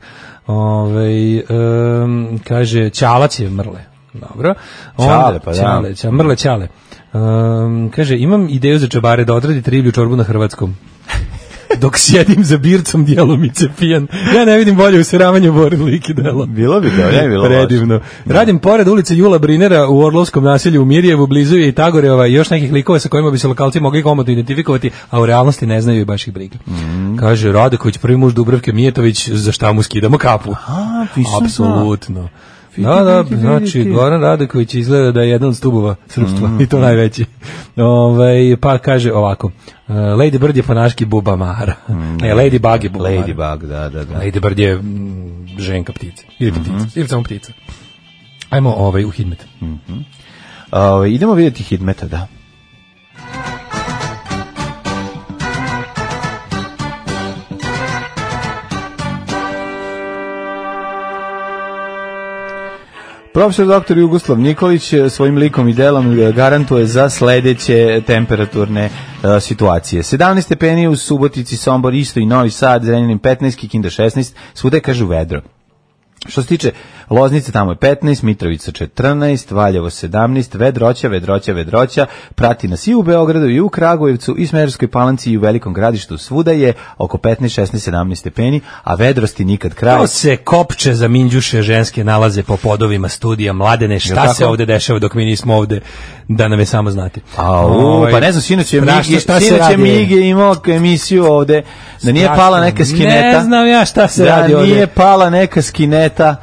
Kaže, Ćalac je Mrle. Dobro. Ćale, pa da. Mrle Ćale. Kaže, imam ideju za čabare da odradite riblju čorbu na hrvatskom. Dok sjedim za bircom djelomice pijan. Ja ne vidim bolje useravanje Borin lik i delo. Bilo bi to, ne bilo. Predivno. Radim pored ulice Jula Brinera u Orlovskom naselju u Mirjevu, blizu je i Tagoreova i još nekih likova sa kojima bi se lokalci mogli komotno identifikovati, a u realnosti ne znaju i baš ih briga. Kaže, Radeković, prvi muž Dubravke Mijetović, za šta mu skidamo kapu. Apsolutno. Da, znači Goran Radaković izgleda da je jedan od stubova srpstva i to najveći. Pa kaže ovako, Lady Bird je ponaški Buba Mara. Ne, Lady Bug je Buba Mara. Lady Bug, da. Lady Bird je ženka ptica. Ili ptica, ili samo ptica. Ajmo u Hidmet. Idemo vidjeti Hidmeta, da. Profesor dr. Jugoslav Nikolić svojim likom i delom garantuje za sledeće temperaturne situacije. 17 stepeni u Subotici, Sombor, isto i Novi Sad, Zrenjanin 15, Kikinda 16, svuda je kažu vedro. Što se tiče Loznice, tamo je 15, Mitrovica 14, Valjevo 17, vedroća, prati nas i u Beogradu, i u Kragujevcu, i Smederevskoj Palanci, i u Velikom Gradištu, svuda je oko 15, 16, 17 stepeni, a vedrosti nikad kraj. To se kopče za minđuše ženske nalaze po podovima studija. Mladene, šta se ovde dešava dok mi nismo ovde, da nam je samo znati. Pa ne znam, sinoć je Mige imao emisiju ovde, da nije pala neka skineta. Ne znam ja šta se radi ovde. Da nije pala neka skineta,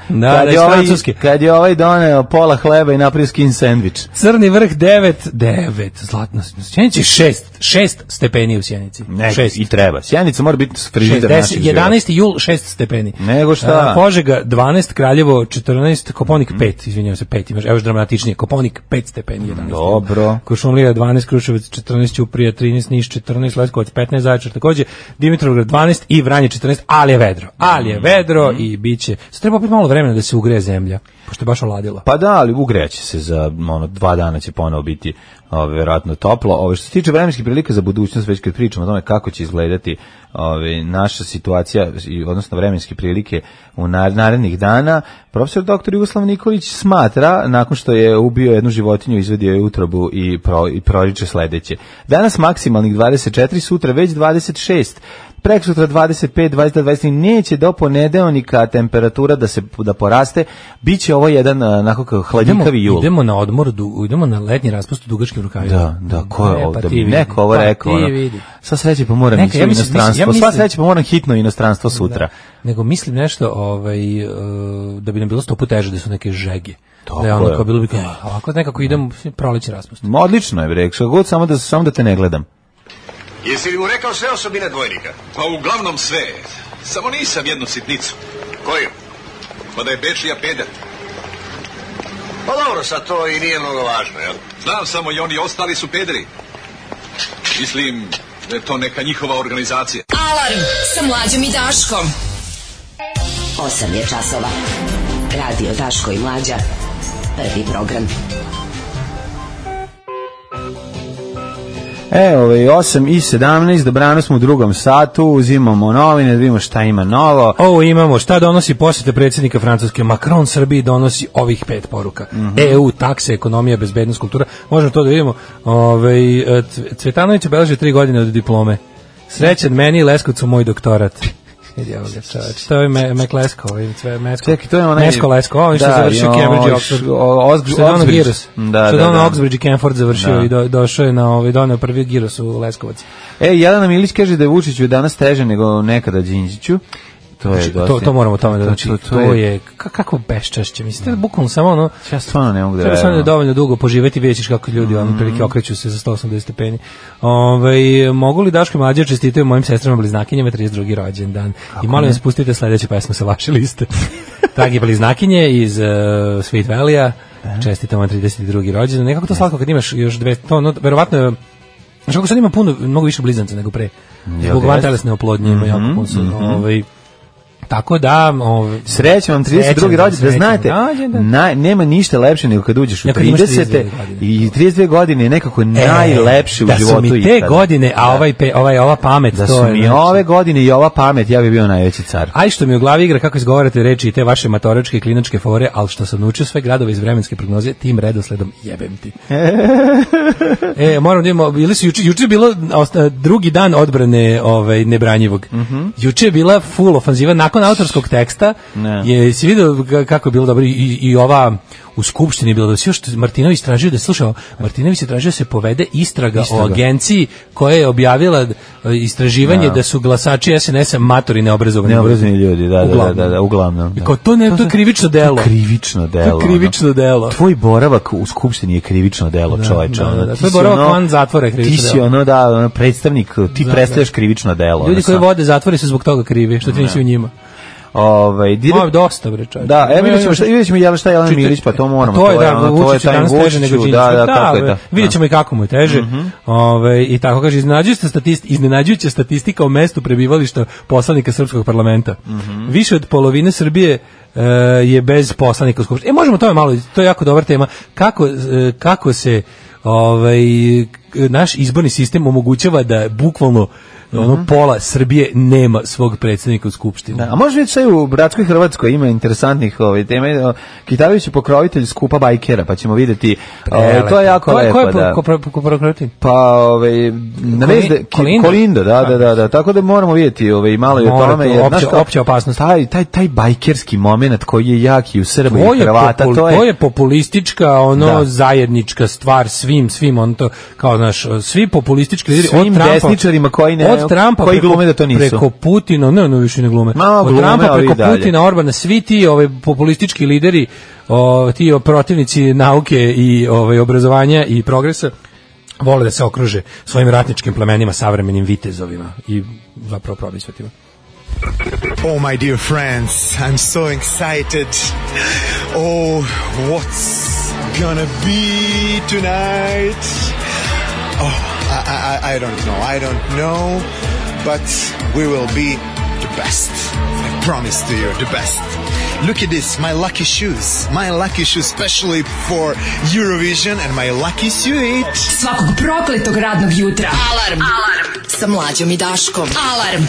kad je ovaj doneo pola hleba i napravio skin sandvič. Crni vrh 9, zlatno. Sjenici 6 stepeni u Sjenici. I treba. Sjenica mora biti frižider naših života. 11. jul 6 stepeni. Nego šta? Požega 12, Kraljevo 14, Koponik 5, izvinjavam se 5, imaš, evo još dramatičnije, Koponik 5 stepeni, 11. Dobro. Kuršumlija 12, Kruševac 14, Ćuprija 13, Niš 14, Leskovac 15, Zaječar takođe, Dimitrovgrad 12 i Vranje 14, ali je vedro i biće. Sad treba opet malo vremena da se ugreje zemlja, pošto je baš oladila. Pa da, ali ugreće se za 2 dana će ponovo biti verovatno toplo. Što se tiče vremenskih prilika za budućnost, već kad pričamo o tome kako će izgledati naša situacija, odnosno vremenske prilike u narednih dana, profesor dr. Jugoslav Nikolić smatra, nakon što je ubio jednu životinju, izvedio je utrobu i proriče sledeće. Danas maksimalnih 24, sutra već 26. Preksutra 25, 23, neće do ponedeljnika temperatura da poraste, biće ovo jedan onako hladnjikavi jul. Idemo na odmor, idemo na letnji raspust u dugačkim rukavima. Da, ko je ovdje? Da bi neko ovo rekao. Sva sreće pa moram ići u inostranstvo. Sva sreće pa moram hitno u inostranstvo sutra. Nego mislim nešto da bi nam bilo 100 puta teže da su neke žege. Tako da je ono kao bilo bi kao, ovako nekako idemo prolećni raspust. Odlično je, rekao god, samo da te ne gledam. Jesi li mu rekao sve osobine dvojnika? Pa uglavnom sve. Samo nisam jednu sitnicu. Koju? Pa da je Bečija peder. Pa dobro, sad to i nije mnogo važno, jel? Znam, samo i oni ostali su pederi. Mislim da je to neka njihova organizacija. Alarm sa Mlađom i Daškom. 8 je časova. Radio Daško i Mlađa. Prvi program. 8:17, dobrano smo u drugom satu, uzimamo novine, da vidimo šta ima novo. Imamo šta donosi posjeta predsjednika Francuske. Macron Srbiji donosi ovih 5 poruka. EU, takse, ekonomija, bezbednost, kultura. Možemo to da vidimo. Cvetanović obeležio 3 godine od diplome. Srećan meni i Leskovcu moj doktorat. Vidi ovoga čovječ. To je Meklesko. Čekaj, to je onaj... Mesko Lesko, on što je završio Cambridge i Oxford. Što je ono Giros. Što je ono Oxbridge i Camford završio i došao je na doneo prvi Giros u Leskovac. Jelena Milić kaže da je Vučiću danas teže nego nekada Đinđiću. To moramo tome da znači. To je kako beščašće. Mislite, bukvalno samo ono... Ja stvarno ne mogu da treba samo dovoljno dugo poživeti, vidjet ćeš kako ljudi prilike okreću se za 180 stepeni. Mogu li Daško i Mlađa čestitaju mojim sestrama bliznakinjama 32. rođendan? I molim vas pustite sledeću pesmu sa vaše liste. Dragi bliznakinje iz Sweet Valley-a, čestitamo 32. rođendan. Nekako to slatko kad imaš još dve... Verovatno je... Znaš kako sad ima mnogo više blizanca nego pre. Zbog vantelesne oplodnje ima jako puno. Tako da... Srećan vam 32. rođendan, da znate, nema ništa lepše nego kad uđeš u 30. i 32 godine je nekako najlepše u životu. Da su mi te godine, a ova pamet... Da su mi ove godine i ova pamet, ja bi bio najveći car. Aj što mi u glavi igra kako izgovarate reči i te vaše matoračke i klinačke fore, ali što sam naučio sve gradove iz vremenske prognoze, tim redosledom jebem ti. Moram da imamo, juče je bilo drugi dan odbrane nebranjivog. Juče je bila full ofanziva nakon autorskog teksta, si vidio kako je bilo dobro i u skupštini bilo da se još Martinović tražio da slušao, Martinović je tražio da se povede istraga o agenciji koja je objavila istraživanje da su glasači SNS-a matori neobrazovani ljudi, uglavnom. Kao to je krivično delo. Krivično delo. Tvoj boravak u skupštini je krivično delo, čoveče. Tvoj boravak van zatvora je krivično delo. Ti si predstavnik, ti predstavljaš krivično delo. Ljudi koji vode zatvore su zbog toga krivi, što ti nisi u njima. Dosta bre čovjek. Da, vidjet ćemo šta je Jelena Milić, pa to moramo. To je taj teže nego Đinđić. Kako je to? Vidjet ćemo i kako mu je teže. I tako kaže, iznenađujuća statistika o mestu prebivališta poslanika srpskog parlamenta. Više od polovine Srbije je bez poslanika u skupštini. Možemo to malo, to je jako dobra tema. Kako se naš izborni sistem omogućava da bukvalno pola Srbije nema svog predsjednika u skupštini. A može vidjeti šta u bratskoj Hrvatskoj ima interesantnih tema. Kitarović je pokrovitelj skupa bajkera, pa ćemo vidjeti. To je jako lepo. Ko je pokrovitelj? Pa, Kolindo, da. Tako da moramo vidjeti malo i o tome. Opća opasnost. Taj bajkerski moment koji je jak i u Srba i Hrvata. To je populistička, zajednička stvar svim, to, kao naš, svi populistički lideri. Svim desničarima koji ne... Od Trumpa glume da to nisu. Preko Putina, ne više ne glume. Od Trumpa preko Putina, Orbana, svi ti populistički lideri, ti protivnici nauke i obrazovanja i progresa, vole da se okruže svojim ratničkim plemenima, savremenim vitezovima i zapravo probisvetima. Oh, my dear friends, I'm so excited. Oh, what's gonna be tonight? Oh, I don't know, but we will be the best. I promise to you, the best. Look at this, my lucky shoes, especially for Eurovision, and my lucky suit. Svakog prokletog radnog jutra. Alarm sa Mlađom i Daškom. Alarm.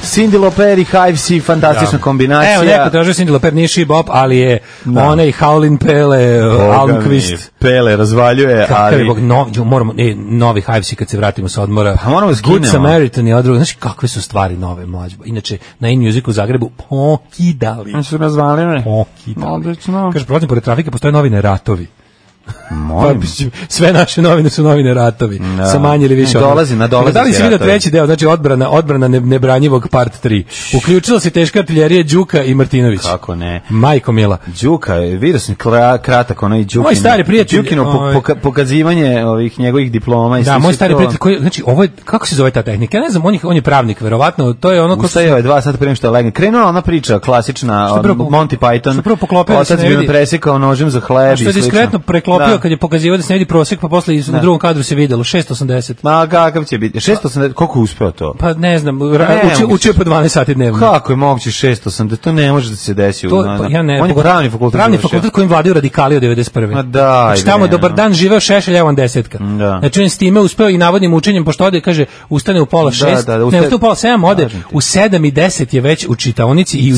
Cindy Lauper i Hivesi, fantastična kombinacija. Evo, neko tražio Cindy Lauper, nije Shibop, ali je onaj Howlin' Pele, Almqvist. Pele razvaljuje, ali... Novi Hivesi kad se vratimo sa odmora. Pa moramo skinemo. Good Samaritan i odrugo. Znaš kakve su stvari nove, Mlađe? Inače, na In-Music u Zagrebu pokidali. Oni su razvaljene. Pokidali. Kaže, prolazim pored trafike, postoje novine Ratovi. Sve naše novine su novine Ratovi, sa manje ili više. Dolazi. Da li si vidio treći deo, znači odbrana nebranjivog part 3. Uključila se teška artiljerija Đuka i Martinović. Kako ne? Majko mila. Đuka, vidio sam kratak, onaj Đukin. Moj stari prijatelj. Đukino pokazivanje ovih njegovih diploma. Da, moj stari prijatelj, koji, znači, ovo je, kako se zove ta tehnika? Ja ne znam, on je pravnik, verovatno, to je ono... Ustajao je 2 sata prije što je legne. Krenula ona priča, klasična, Monty Python. Što prvo poklopio da se ne vidi. Presekao nožem za hleb i što je diskretno preklopio kad je pokazivao da se ne vidi prosek, pa posle u drugom kadru se videlo 680. Ma kakav će biti? 680, koliko je uspeo to? Pa ne znam, učio po 12 sati dnevno. Kako je moguće 680? To ne može da se desi. Ja ne, on je pravni fakultet. Pravni fakultet kojim vladaju radikali od 91. Ma da. Znači tamo dobar dan živeo Šešelj, evo on desetka. Znači on s time uspeo i navodnim učenjem, pošto ode, kaže, ustane u pola 6, ne, ustane u pola 7, ode u 7 i 10 je već u čitaonici i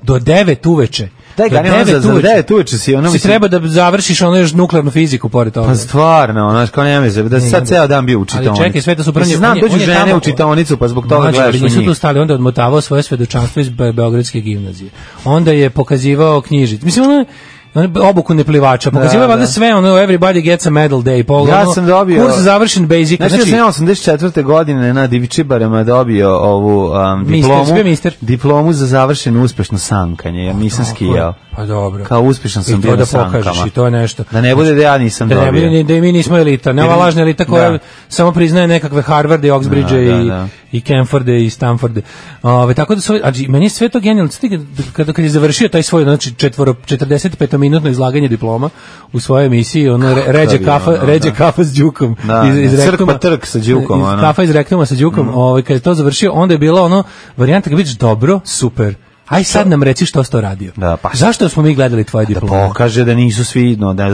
do 9 uveče. Daj ga, ne za 9 uveče si ono si treba da završiš ono još nuklearnu fiziku pored toga. Pa stvarno, znaš, kao nema veze, da sad ceo dan bio u čitaonici. Ali čekaj, sve to su pranje. Znam, dođu žene u čitaonicu, pa zbog toga gledaš u njih. Nisu tu stali, onda odmotavao svoje svedočanstvo iz Beogradske gimnazije. Onda je pokazivao knjižice. Mislim, ono obuku neplivača. Pokazivao je valjda sve, ono, everybody gets a medal day. Ja sam dobio... Kurs završen basic. Znači, ja sam 84. godine na Divičibarama dobio ovu diplomu za završeno uspešno sankanje, jer nisam skijao. Pa dobro. Kao uspešan sam bio na sankama. I to da pokažeš, i to je nešto. Da ne bude da ja nisam dobio. Da i mi nismo elita. Ne ova lažna elita koja samo priznaje nekakve Harvarde, Oxbridge i Camforde i Stanforde. Tako da meni je sve to genijalno. Kad je završio taj svoj, znači 45-minutno izlaganje diploma u svojoj emisiji, ono ređe kafa s Đukom. Crk pa trk sa Đukom. Kafa iz rektuma sa Đukom. Kad je to završio, onda je bila ono varijanta kad vidiš dobro, super. Aj sad nam reci što si to radio. Zašto smo mi gledali tvoje diplome? Da pokaže da nisu svi, da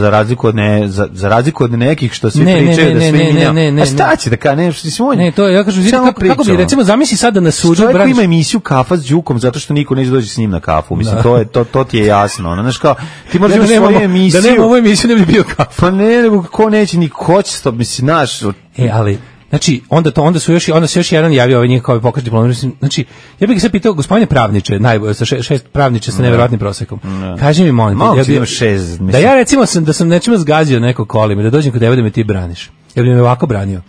za razliku od nekih što svi pričaju da svi minjao. A šta će da ka ne, ne, to ja kažem, kako bi recimo zamisli sad da na suđu čovjek koji ima emisiju Kafa s Đukom zato što niko neće doći s njim na kafu. Mislim to ti je jasno. Znaš kao ti možeš imati svoju emisiju. Da nema ovu emisiju ne bi bio kafa. Pa ne, nego ko neće ni hoće, mislim, znaš. Ali Znači, onda se još jedan javio ovaj njihov pokaz diplome. Znači, ja bih se pitao, gospodine pravniče, sa šest pravniče sa neverovatnim prosekom. Kaži mi, molim te, da ja recimo da sam nečemu zgazio neko kolima, da dođem kod tebe da me ti braniš. Ja bih me ovako branio.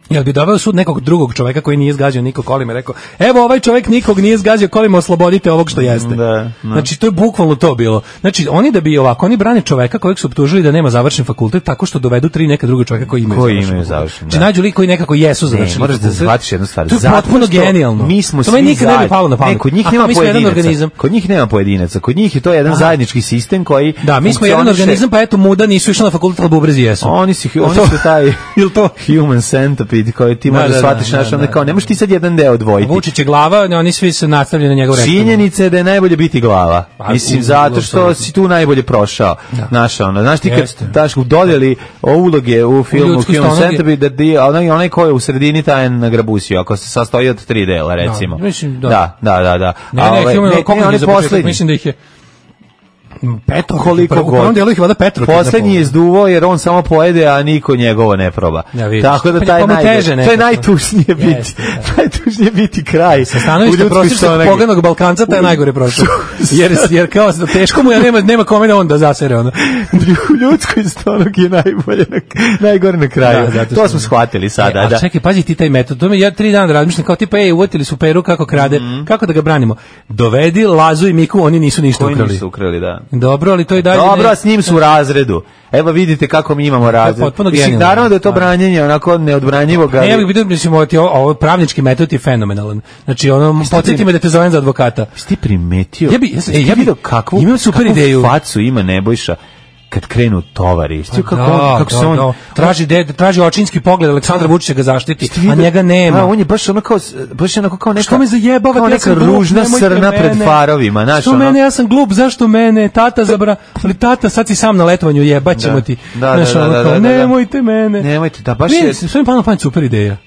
Jel bi doveo sud nekog drugog čoveka koji nije zgazio nikog kolima i rekao, evo ovaj čovek nikog nije zgazio kolima, oslobodite ovog što jeste. Znači, to je bukvalno to bilo. Znači, oni da bi ovako, oni brane čoveka kojeg su optužili da nema završen fakultet tako što dovedu 3 neka druga čoveka koji imaju završen. Znači, nađu lik koji nekako jesu završeni. Moraš da shvatiš jednu stvar. To je potpuno genijalno. Mi smo to meni nikad ne bi palo na pamet. Kod njih nema pojedinaca. Kod njih nema pojedinaca. Kod njih je to jedan zajednički sistem koji da, mi smo jedan organizam, pa eto muda nisu išli na fakultet, al bubrezi jesu. Oni su taj human centipede koji ti shvatiš naš, onda kao, ne možeš ti sad jedan deo odvojiti. Vučić je glava, oni svi se nastavljaju na njegov rektor. Činjenica je da je najbolje biti glava. Mislim, zato što si tu najbolje prošao. Znaš ti kad daš dodjeli uloge u filmu Human Centipede, onaj ko je u sredini taj na grabusiju, ako se sastoji od 3 dela, recimo. Da. Mislim da ih je Petro, koliko god. Poslednji je zduvao jer on samo pojede, a niko njegovo ne proba. Tako da to je najtužnije biti. Najtužnije biti kraj. Sa stanovišta prosječnog poganog Balkanca taj najgore prošao. Jer kao teško mu ja nema kome da on da zasere ono. Ljudsko stonog je najgore na kraju. To smo shvatili sada. A čekaj, pazi ti taj metod. To me ja 3 dana razmišljam kao tipa uvotili su Peru kako krade. Kako da ga branimo? Dovedi Lazu i Miku, oni nisu ništa ukrali. Oni nisu ukrali, da. Dobro, ali to i dalje. Dobro, s njim su u razredu. Evo vidite kako mi imamo razred. Mislim, naravno da je to branjenje onako neodbranjivo. Ne, ja bih vidio, mislim, ovo pravnički metod je fenomenalan. Znači, podsjeti me da te zovem za advokata. Jesi ti primetio? Ja bih kakvu facu ima Nebojša kad krenu tovari. Kako se on traži očinski pogled Aleksandra Vučića ga zaštiti, a njega nema. On je baš onako kao neka, što me zajebava, kao neka ružna srna pred farovima. Što mene, ja sam glup, zašto mene? Tata ali tata, sad si sam na letovanju, jebaćemo ti. Nemojte mene. Nemojte, da baš je. Sve mi palo na pamet, super ideja.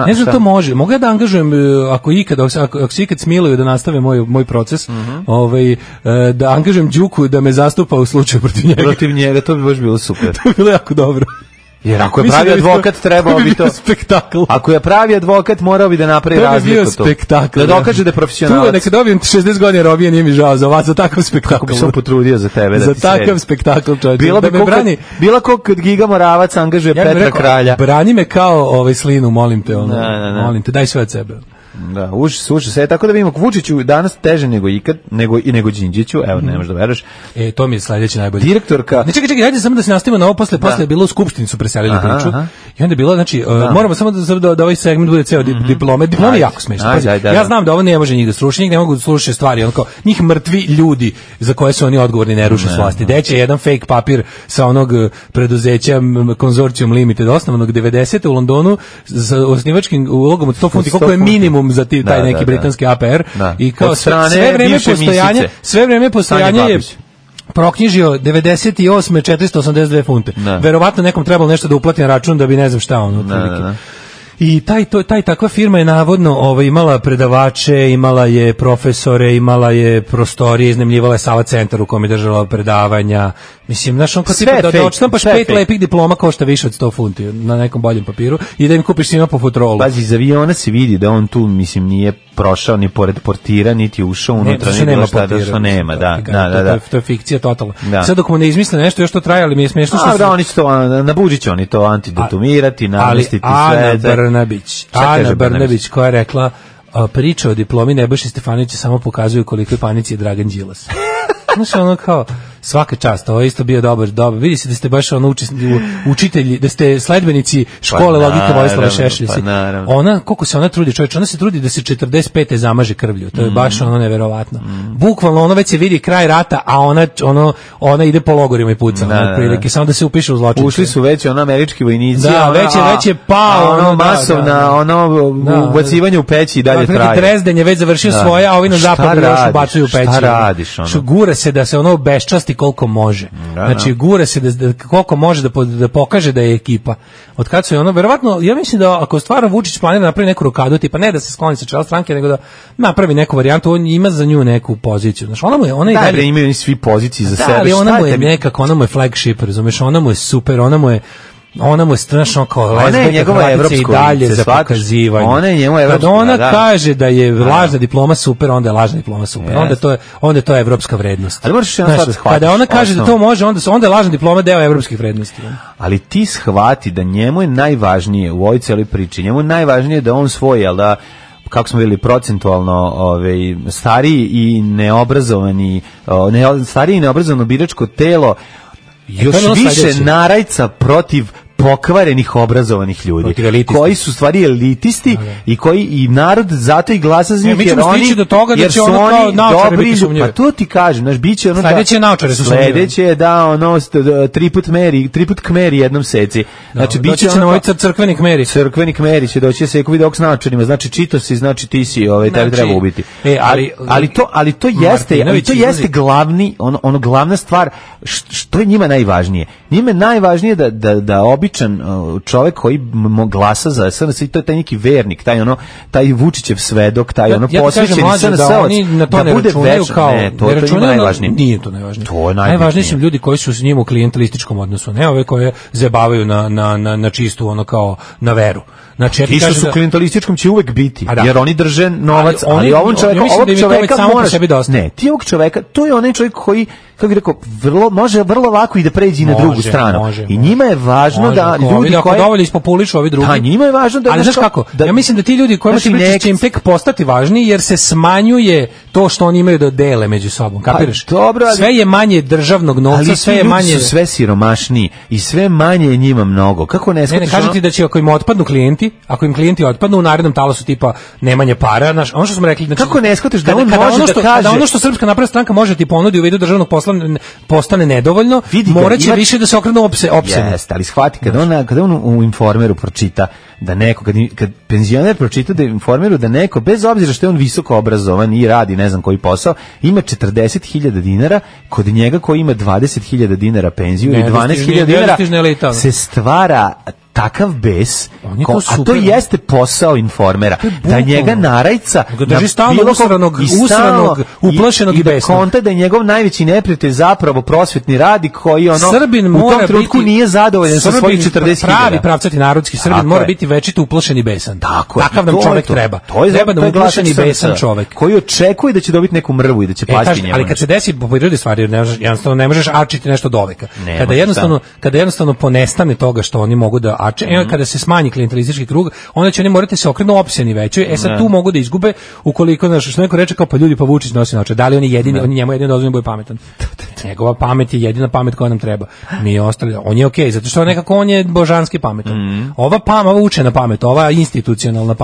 Ne znam, to može. Mogu ja da angažujem, ako se ikad smiluju da nastave moj proces, da angažujem Đuku da me zastupa u slučaju protiv njega, to bi baš bilo super. To bi bilo jako dobro. Jer ako je pravi advokat, trebao bi to... spektakl. Ako je pravi advokat, morao bi da napravi razliku. To bi bio spektakl. Da dokaže da je profesionalac. Tu neka dobijem 60 godina robije, nije mi žao za vas, za takav spektakl. Kako bi se on potrudio za tebe da ti za takav spektakl, čovječe. Bila ko kad Giga Moravac angažuje Petra Kralja. Brani me kao Slinu, molim te. Molim te, daj sve od sebe. Da, uši se, tako da vidimo Vučiću danas teže nego ikad, nego Đinđiću, evo, ne možeš da veruješ. To mi je sledeće najbolje. Direktorka... Ne, čekaj, hajde samo da se nastavimo na ovo, posle je bilo u Skupštini su preselili priču, i onda je bilo, znači, moramo samo da ovaj segment bude ceo diplome je jako smešno. Ja znam da ovo ne može njih da sruši, njih ne mogu da slušaju stvari, njih mrtvi ljudi za koje su oni odgovorni ne ruše s vlasti. Deće jedan fake papir sa onog preduzeća Consortium Limited, osnovanog 90. u Londonu, sa osnivačkim ulogom od 100 funti, koliko je minimum za taj neki britanski APR, i kao sve vreme postojanja je proknjižio 98. 482 funte. Verovatno nekom trebalo nešto da uplati na račun da bi ne znam šta otprilike. I takva firma je navodno imala predavače, imala je profesore, imala je prostorije, iznajmljivala je Sava centar u kome je držala predavanja. Mislim, znaš, on kao tipa da odštampaš 5 lepih diploma košta više od 100 funti na nekom boljem papiru i da im kupiš svima po futrolu. Pazi, iz aviona se vidi da on tu, mislim, nije prošao ni pored portira, niti ušao unutra, ni bilo šta, da što nema, da. To je fikcija totalna. Sad dok mu ne izmisle nešto, još to traje, ali mi je smiješno što... Da, oni će to, na Buđić oni to antidetumirati, namestiti sve. Ana Brnabić koja je rekla priča o diplomi Nebojše Stefanovića samo pokazuju koliko je panici je Dragan Đilas. Znaš, ono kao svaka čast, ovo je isto bio dobar. Vidi se da ste baš učitelji, da ste sledbenici škole logike Vojislava Šešelja. Ona, koliko se ona trudi, čovječ, ona se trudi da se 45. zamaže krvlju. To je baš ono neverovatno. Bukvalno ono već se vidi kraj rata, a ona ide po logorima i puca. Prilike, samo da se upiše u zločince. Ušli su već američki vojnici. Da, već je pao. Masovna ubacivanje u peći i dalje traje. Drezden je već završio svoje, a ovi na zapadu još ubacuju u peći. Šta radiš? Gura se da se ono beščasti koliko može. Znači, gura se da koliko može da pokaže da je ekipa. Od kad su je verovatno, ja mislim da ako stvarno Vučić planira napravi neku rokadu, tipa ne da se skloni sa čela stranke, nego da napravi neku varijantu, on ima za nju neku poziciju. Znači, ona i dalje imaju svi pozicije za sebe. Ali ona mu je nekako, ona mu je flagship, razumeš, ona mu je super, ona mu je ona mu je strašno kao lezbijka Hrvatica i dalje za pokazivanje. Ona je njemu evropska. Kada ona kaže da je lažna diploma super, onda je lažna diploma super. Onda je to evropska vrednost. Ali možeš jedna stvar shvatiti. Kada ona kaže da to može, onda je lažna diploma deo evropskih vrednosti. Ali ti shvati da njemu je najvažnije u ovoj cijeloj priči, njemu je najvažnije da on svoj, jel da, kako smo vidjeli procentualno stariji i neobrazovani, stariji i neobrazovano biračko telo još više narajca protiv pokvarenih obrazovanih ljudi koji su stvari elitisti i koji i narod zato i glasa za njih jer oni do toga da će ono kao naočare biti sumnjive. Pa to ti kažem, znaš, biće ono sledeće naočare su sumnjive. Sledeće je da ono triput kmeri jednom seci. Znači biće ono ovaj crkveni kmeri će doći se ko video s naočarima, znači čito si, znači ti si, tebi treba ubiti. Ali to jeste glavni ono glavna stvar što je njima najvažnije. Njima je najvažnije da čovjek koji glasa za SNS i to je taj neki vernik, taj Vučićev svedok, taj posvećeni SNS-ovac, da bude večan. To je najvažnije. Nije to najvažnije. Najvažniji su ljudi koji su s njim u klijentelističkom odnosu, ne ove koje zabavaju na čistu, ono kao na veru. Znači, ti što su klijentelističkom će uvek biti, jer oni drže novac, ali ovog čoveka moraš... Ne, ti ovog čoveka, to je onaj čovjek koji, kako bih rekao, može vrlo lako i da pređi na drugu stranu. I njima je važno da ljudi koji... dovoljno ispopulišu ovi drugi. A njima je važno da... Ali znaš kako, ja mislim da ti ljudi kojima ti pričaš će im tek postati važni, jer se smanjuje to što oni imaju da dele među sobom, kapiraš? Sve je manje državnog novca, sve je manje... Ali ti ljudi su sve siromašniji i sve manje je njima mnogo. Kako ne shvatiš? Ne, kažem ti da će ako im otpadnu klijenti, ako im klijenti otpadnu u narednom talasu tipa nemanje para, znaš, ono što smo rekli, znači kako ne shvatiš da on može da kaže da ono što Srpska napredna stranka može ti ponudi u vidu državnog posla postane nedovoljno, moraće više da se okrenu opsenu. Jeste, ali shvati kada on u Informeru pročita da neko, kad penzioner pročita da Informeru da neko, bez obzira što je on visoko obrazovan i radi ne znam koji posao, ima 40.000 dinara, kod njega koji ima 20.000 dinara penziju i 12.000 dinara se stvara takav bes, a to jeste posao Informera, da njega narajca drži stalno usranog, uplašenog i besnog. Da konta da je njegov najveći neprijatelj zapravo prosvetni radnik koji u tom trenutku nije zadovoljan sa svojih 40.000. Pravi pravcati narodski Srbin mora biti večito uplašen i besan. Takav nam čovjek treba. Treba da uplašen i besan čovjek. Koji očekuje da će dobiti neku mrvu i da će pasti njemu. Ali kad se desi po prirodi stvari, jednostavno ne možeš arčiti nešto do veka. Kada jednostavno ponestane toga što oni mogu da kada se smanji klijentelistički krug, onda će oni morati se okrenu opseni većoj. Sad tu mogu da izgube ukoliko, što neko reče kao pa ljudi pa Vučić nosi naočare. Da li oni jedini, oni njemu jedino dozvoljeno bude pametan. Njegova pamet je jedina pamet koja nam treba. Mi ostali, on je okej, zato što nekako on je božanski pametan. Ova učena pamet, ova institucionalna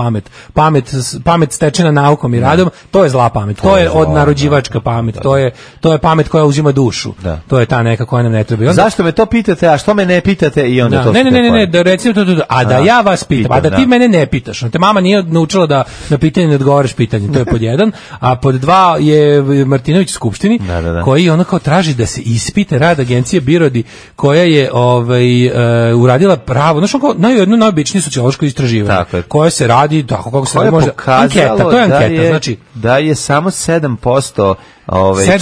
pamet stečena naukom i radom, to je zla pamet. To je odnarođivačka pamet. To je pamet koja uzima dušu. To je ta neka koja nam ne treba. Zašto me to pitate, a što me ne pitate i onda to. Ne, da recimo a da ja vas pitam, a da ti mene ne pitaš. Te mama nije naučila da na pitanje ne odgovaraš pitanje, to je pod jedan. A pod dva je Martinović u Skupštini, koji ono kao traži da se ispite rad agencije Birodi, koja je uradila pravo, znači jedno najobičnije sociološko istraživanje, koje se radi, tako kako se može, anketa, to je anketa, znači da je samo 7%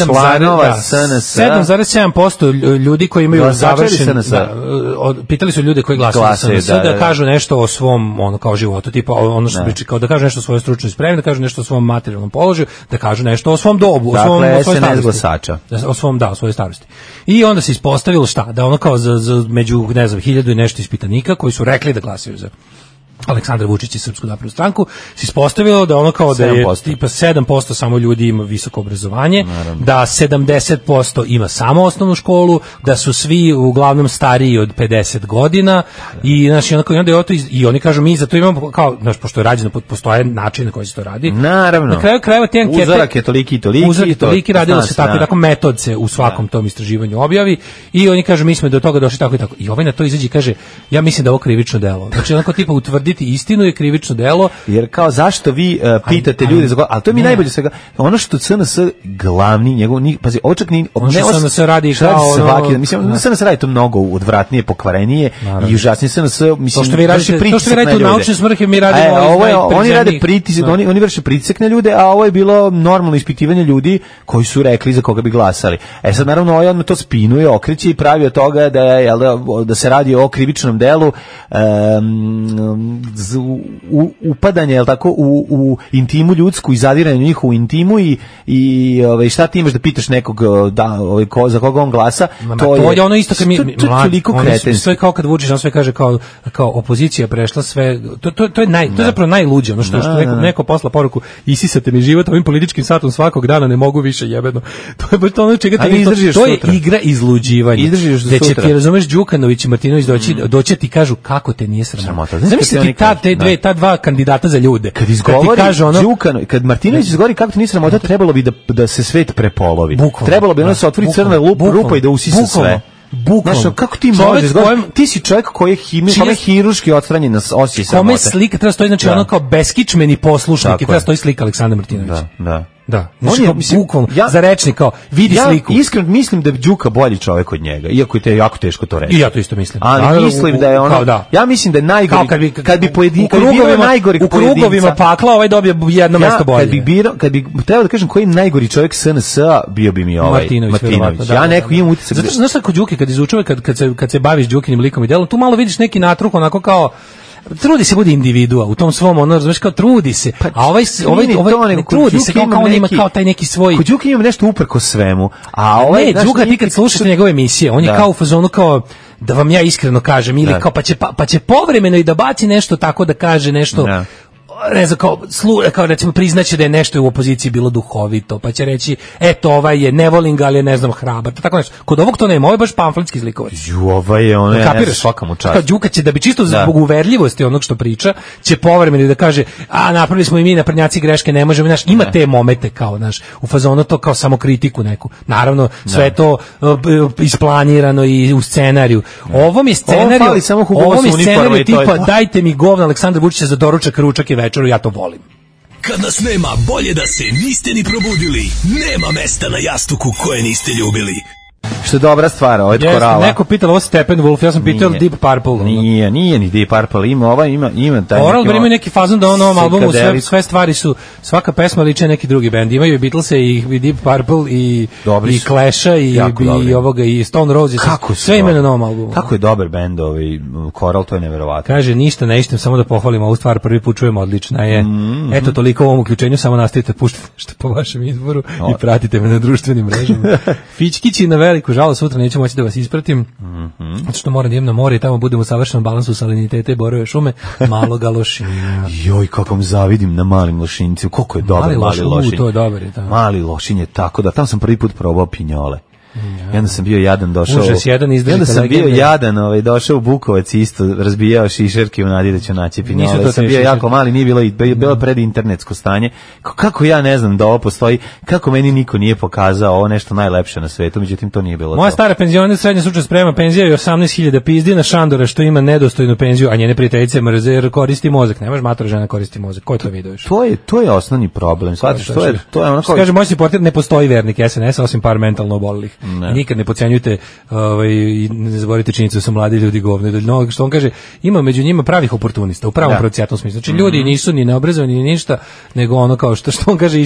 članova SNS, 7,7% ljudi koji imaju završen, pitali su ljude koji glasaju za SNS da kažu nešto o svom kao životu, tipa ono što priča, kao da kažu nešto o svojoj stručnoj spremi, da kažu nešto o svom materijalnom položaju, da kažu nešto o svom dobu, o svojoj starosti. O svojoj starosti. I onda se ispostavilo šta? Da ono kao među, ne znam, 1000 i nešto ispitanika koji su rekli da glasaju za Aleksandra Vučića i Srpsku naprednu stranku, se ispostavilo da ono kao da je tipa 7% samo ljudi ima visoko obrazovanje, da 70% ima samo osnovnu školu, da su svi uglavnom stariji od 50 godina i znači onda je i oni kažu mi za to imamo kao, znači pošto je rađeno, postoje način na koji se to radi. Naravno. Na kraju krajeva te ankete uzorak je toliki i toliki, radilo se tako i tako, metod se u svakom tom istraživanju objavi i oni kažu mi smo do toga došli tako i tako. I ovaj na to izađe i kaže ja mislim da ovo krivično delo. Znači onako tipa utvrdi tvrditi istinu je krivično delo. Jer kao zašto vi pitate ljude za a to mi najbolje svega ono što CNS glavni njegov pazi očak ni SNS radi kao svaki mislim SNS radi to mnogo odvratnije, pokvarenije i užasnije SNS mislim što vi radite u naučne svrhe mi radimo oni rade pritisak, oni vrše pritisak na ljude, a ovo je bilo normalno ispitivanje ljudi koji su rekli za koga bi glasali. Sad naravno ovaj odmah to spinuje, okreće i pravi od toga da se radi o krivičnom delu upadanje, jel tako, u intimu ljudsku i zadiranje u njihovu intimu i šta ti imaš da pitaš nekog za koga on glasa, to je ono isto kad sve kao kad Vučić on sve kaže kao opozicija prešla sve, to je zapravo najluđe, ono što neko posla poruku isisate mi život ovim političkim satom svakog dana, ne mogu više jebeno. To je baš to ono čega to je igra izluđivanja. Gde će ti, razumeš, Đukanović i Martinović doći ti kažu kako te nije sramota. Zamisli ti ta dva kandidata za ljude. Kad izgovori Đukanović, kad Martinović izgovori kako te nije sramota, trebalo bi da se svet prepolovi. Trebalo bi ono se otvori crna rupa i da usisa sve. Bukvalno. Kako ti možeš? Ti si čovjek koji je hirurški odstranjen na osi sramote. Kome slika treba stoji, znači ono kao beskičmeni poslušnik i treba stoji slika Aleksandra Martinovića. Da. On je bukvalno za rečnik kao vidi sliku. Ja iskreno mislim da je Đuka bolji čovjek od njega, iako je to jako teško to reći. I ja to isto mislim. Ali mislim da je ono, ja mislim da je najgori kad bi najgori u krugovima pakla ovaj dobije jedno mesto bolje. Kad bi trebao da kažem koji je najgori čovjek SNS-a, bio bi mi ovaj Martinović. Ja neko imam utisak. Zato što znaš kod Đuke kad izučava kad se baviš Đukinim likom i delom, tu malo vidiš neki natruh onako kao trudi se bude individua u tom svom, ono, razumeš, kao trudi se, a ovaj ne trudi se, kao on ima kao taj neki svoj... Kod Đuka ima nešto uprko svemu, a ovaj... Ne, Đuka ti kad slušate njegove emisije, on je kao u fazonu kao, da vam ja iskreno kažem, ili kao pa će povremeno i da baci nešto tako da kaže nešto... Ne znam, kao recimo priznaće da je nešto u opoziciji bilo duhovito, pa će reći, eto, ovaj je, ne volim ga, ali je, ne znam, hrabar, tako nešto. Kod ovog to nema, ovo je baš pamfletski zlikovac. Ovaj je, ono, ja svaka mu čast. Kao Đuka će, da bi čisto zbog uverljivosti onog što priča, će povremeno da kaže, napravili smo i mi naprednjaci greške, ne možemo, znaš, ima te momente kao, znaš, u fazonu to kao samokritiku neku. Naravno, sve to isplanirano i u scenariju. Ovom je scenariju tipa, dajte mi govna Aleksandra Vučića za doručak, ručak i večeru, ja to volim. Kad nas nema, bolje da se niste ni probudili. Nema mesta na jastuku koje niste ljubili. Što je dobra stvar, ovo je Korala. Neko pitalo ovo Steppenwolf, ja sam pitao Deep Purple. Nije ni Deep Purple, ima taj Oral ima neki fazon da ono albumu sve stvari su, svaka pesma liče neki drugi bend. Imaju i Beatlese i Deep Purple i Clash-a i ovoga i Stone Roses. Sve ima na novom albumu. Kako je dobar bend Coral, to je neverovatno. Kaže, ništa ne ištem, samo da pohvalim ovu stvar, prvi put čujemo, odlična je. Eto, toliko u ovom uključenju, samo nastavite puštati što po vašem izboru i pratite me na društvenim mrežama. Fićkići na veliku žalost, sutra neću moći da vas ispratim, zato što moram da idem na more i tamo budemo u savršenom balansu salinitete i borove šume, malog lošinja. Joj, kako vam zavidim na malim lošinjcu, koliko je dobar mali lošinj. To je dobar, je tako. Mali lošinj je tako da, tamo sam prvi put probao pinjole. I onda sam bio jadan došao. Došao u Bukovac isto, razbijao šišerke u nadi da ću naći pinjole. Sam bio jako mali, nije bilo pred internetsko stanje. Kako ja ne znam da ovo postoji, kako meni niko nije pokazao ovo nešto najlepše na svetu, međutim to nije bilo. Moja stara penzioner srednja stručna sprema, penzija je 18.000, pizdi na Šandora što ima nedostojnu penziju, a njene prijateljice mrze jer koristi mozak. Nemaš matora žena koristi mozak. Ko to vidio još? To je osnovni problem. Shvatiš, to je ono kao kaže moj supporter, ne postoji vernik SNS osim par mentalno obolelih. Nikad ne podcenjujte i ne zaboravite činjenicu da su mladi ljudi govne. Što on kaže, ima među njima pravih oportunista, u pravom procijatnom smislu. Znači ljudi nisu ni neobrazovani ni ništa, nego ono kao što on kaže,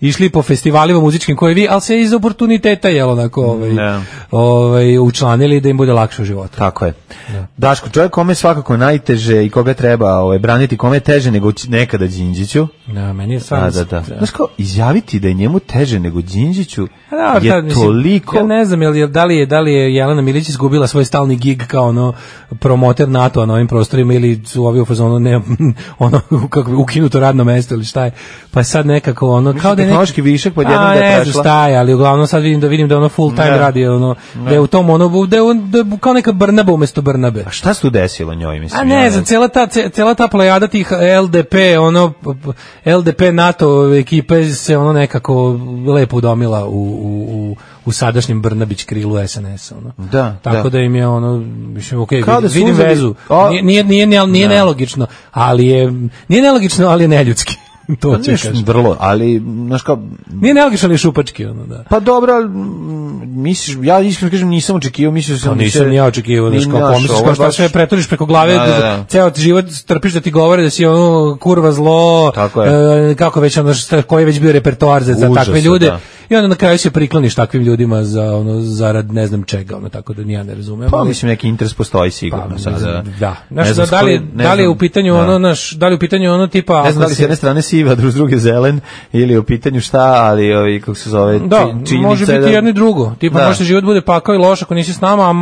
išli po festivalima muzičkim koje vi, ali se iz oportuniteta onako učlanili da im bude lakše u životu. Tako je. Daško, čovjek kome svakako najteže i koga treba braniti, kome je teže nego nekada Đinđiću. Da, meni je stvarno. Znaš kao, izjaviti da je njemu teže nego Đinđiću je toliko... Ja ne znam, da li je Jelena Milić izgubila svoj stalni gig kao promoter NATO na ovim prostorima ili su ovi u fazonu ukinuto radno mesto ili šta je. Pa je sad nekako kao da je tehnološki višak pod jednom da je prešla. Ne znam šta je, ali uglavnom sad vidim da full time radi, da je u tom da je kao neka Brnaba umjesto Brnabe. A šta se tu desilo njoj, mislim? A ne znam, cijela ta plejada tih LDP NATO ekipe se nekako lepo udomila u sadašnjem Brnabić krilu SNS-a. Ono. Tako da im je ono, mislim, vidim vezu. Nije nelogično, ali je neljudski. To će kažem. Vrlo, ali znaš kao nije nelogično ali šupački ono, da. Pa dobro, misliš, ja iskreno kažem nisam očekivao, mislio sam nisam ni ja očekivao, znaš kao pomisliš kao šta sve pretvoriš preko glave, ceo ti život trpiš da ti govore da si ono kurva zlo, kako već ono koji je već bio repertoar za takve ljude. I onda na kraju se prikloniš takvim ljudima za ono zarad ne znam čega, ono tako da ni ja ne razumem. Pa mislim neki interes postoji sigurno sada. Da. Da li je u pitanju ono da li u pitanju ono tipa ne znam da li s jedne strane siva, s druge zelen ili je u pitanju šta, ali ovi kako se zove činjenica. Može biti jedno i drugo. Tipa možda život bude pakao i loš ako nisi s nama, a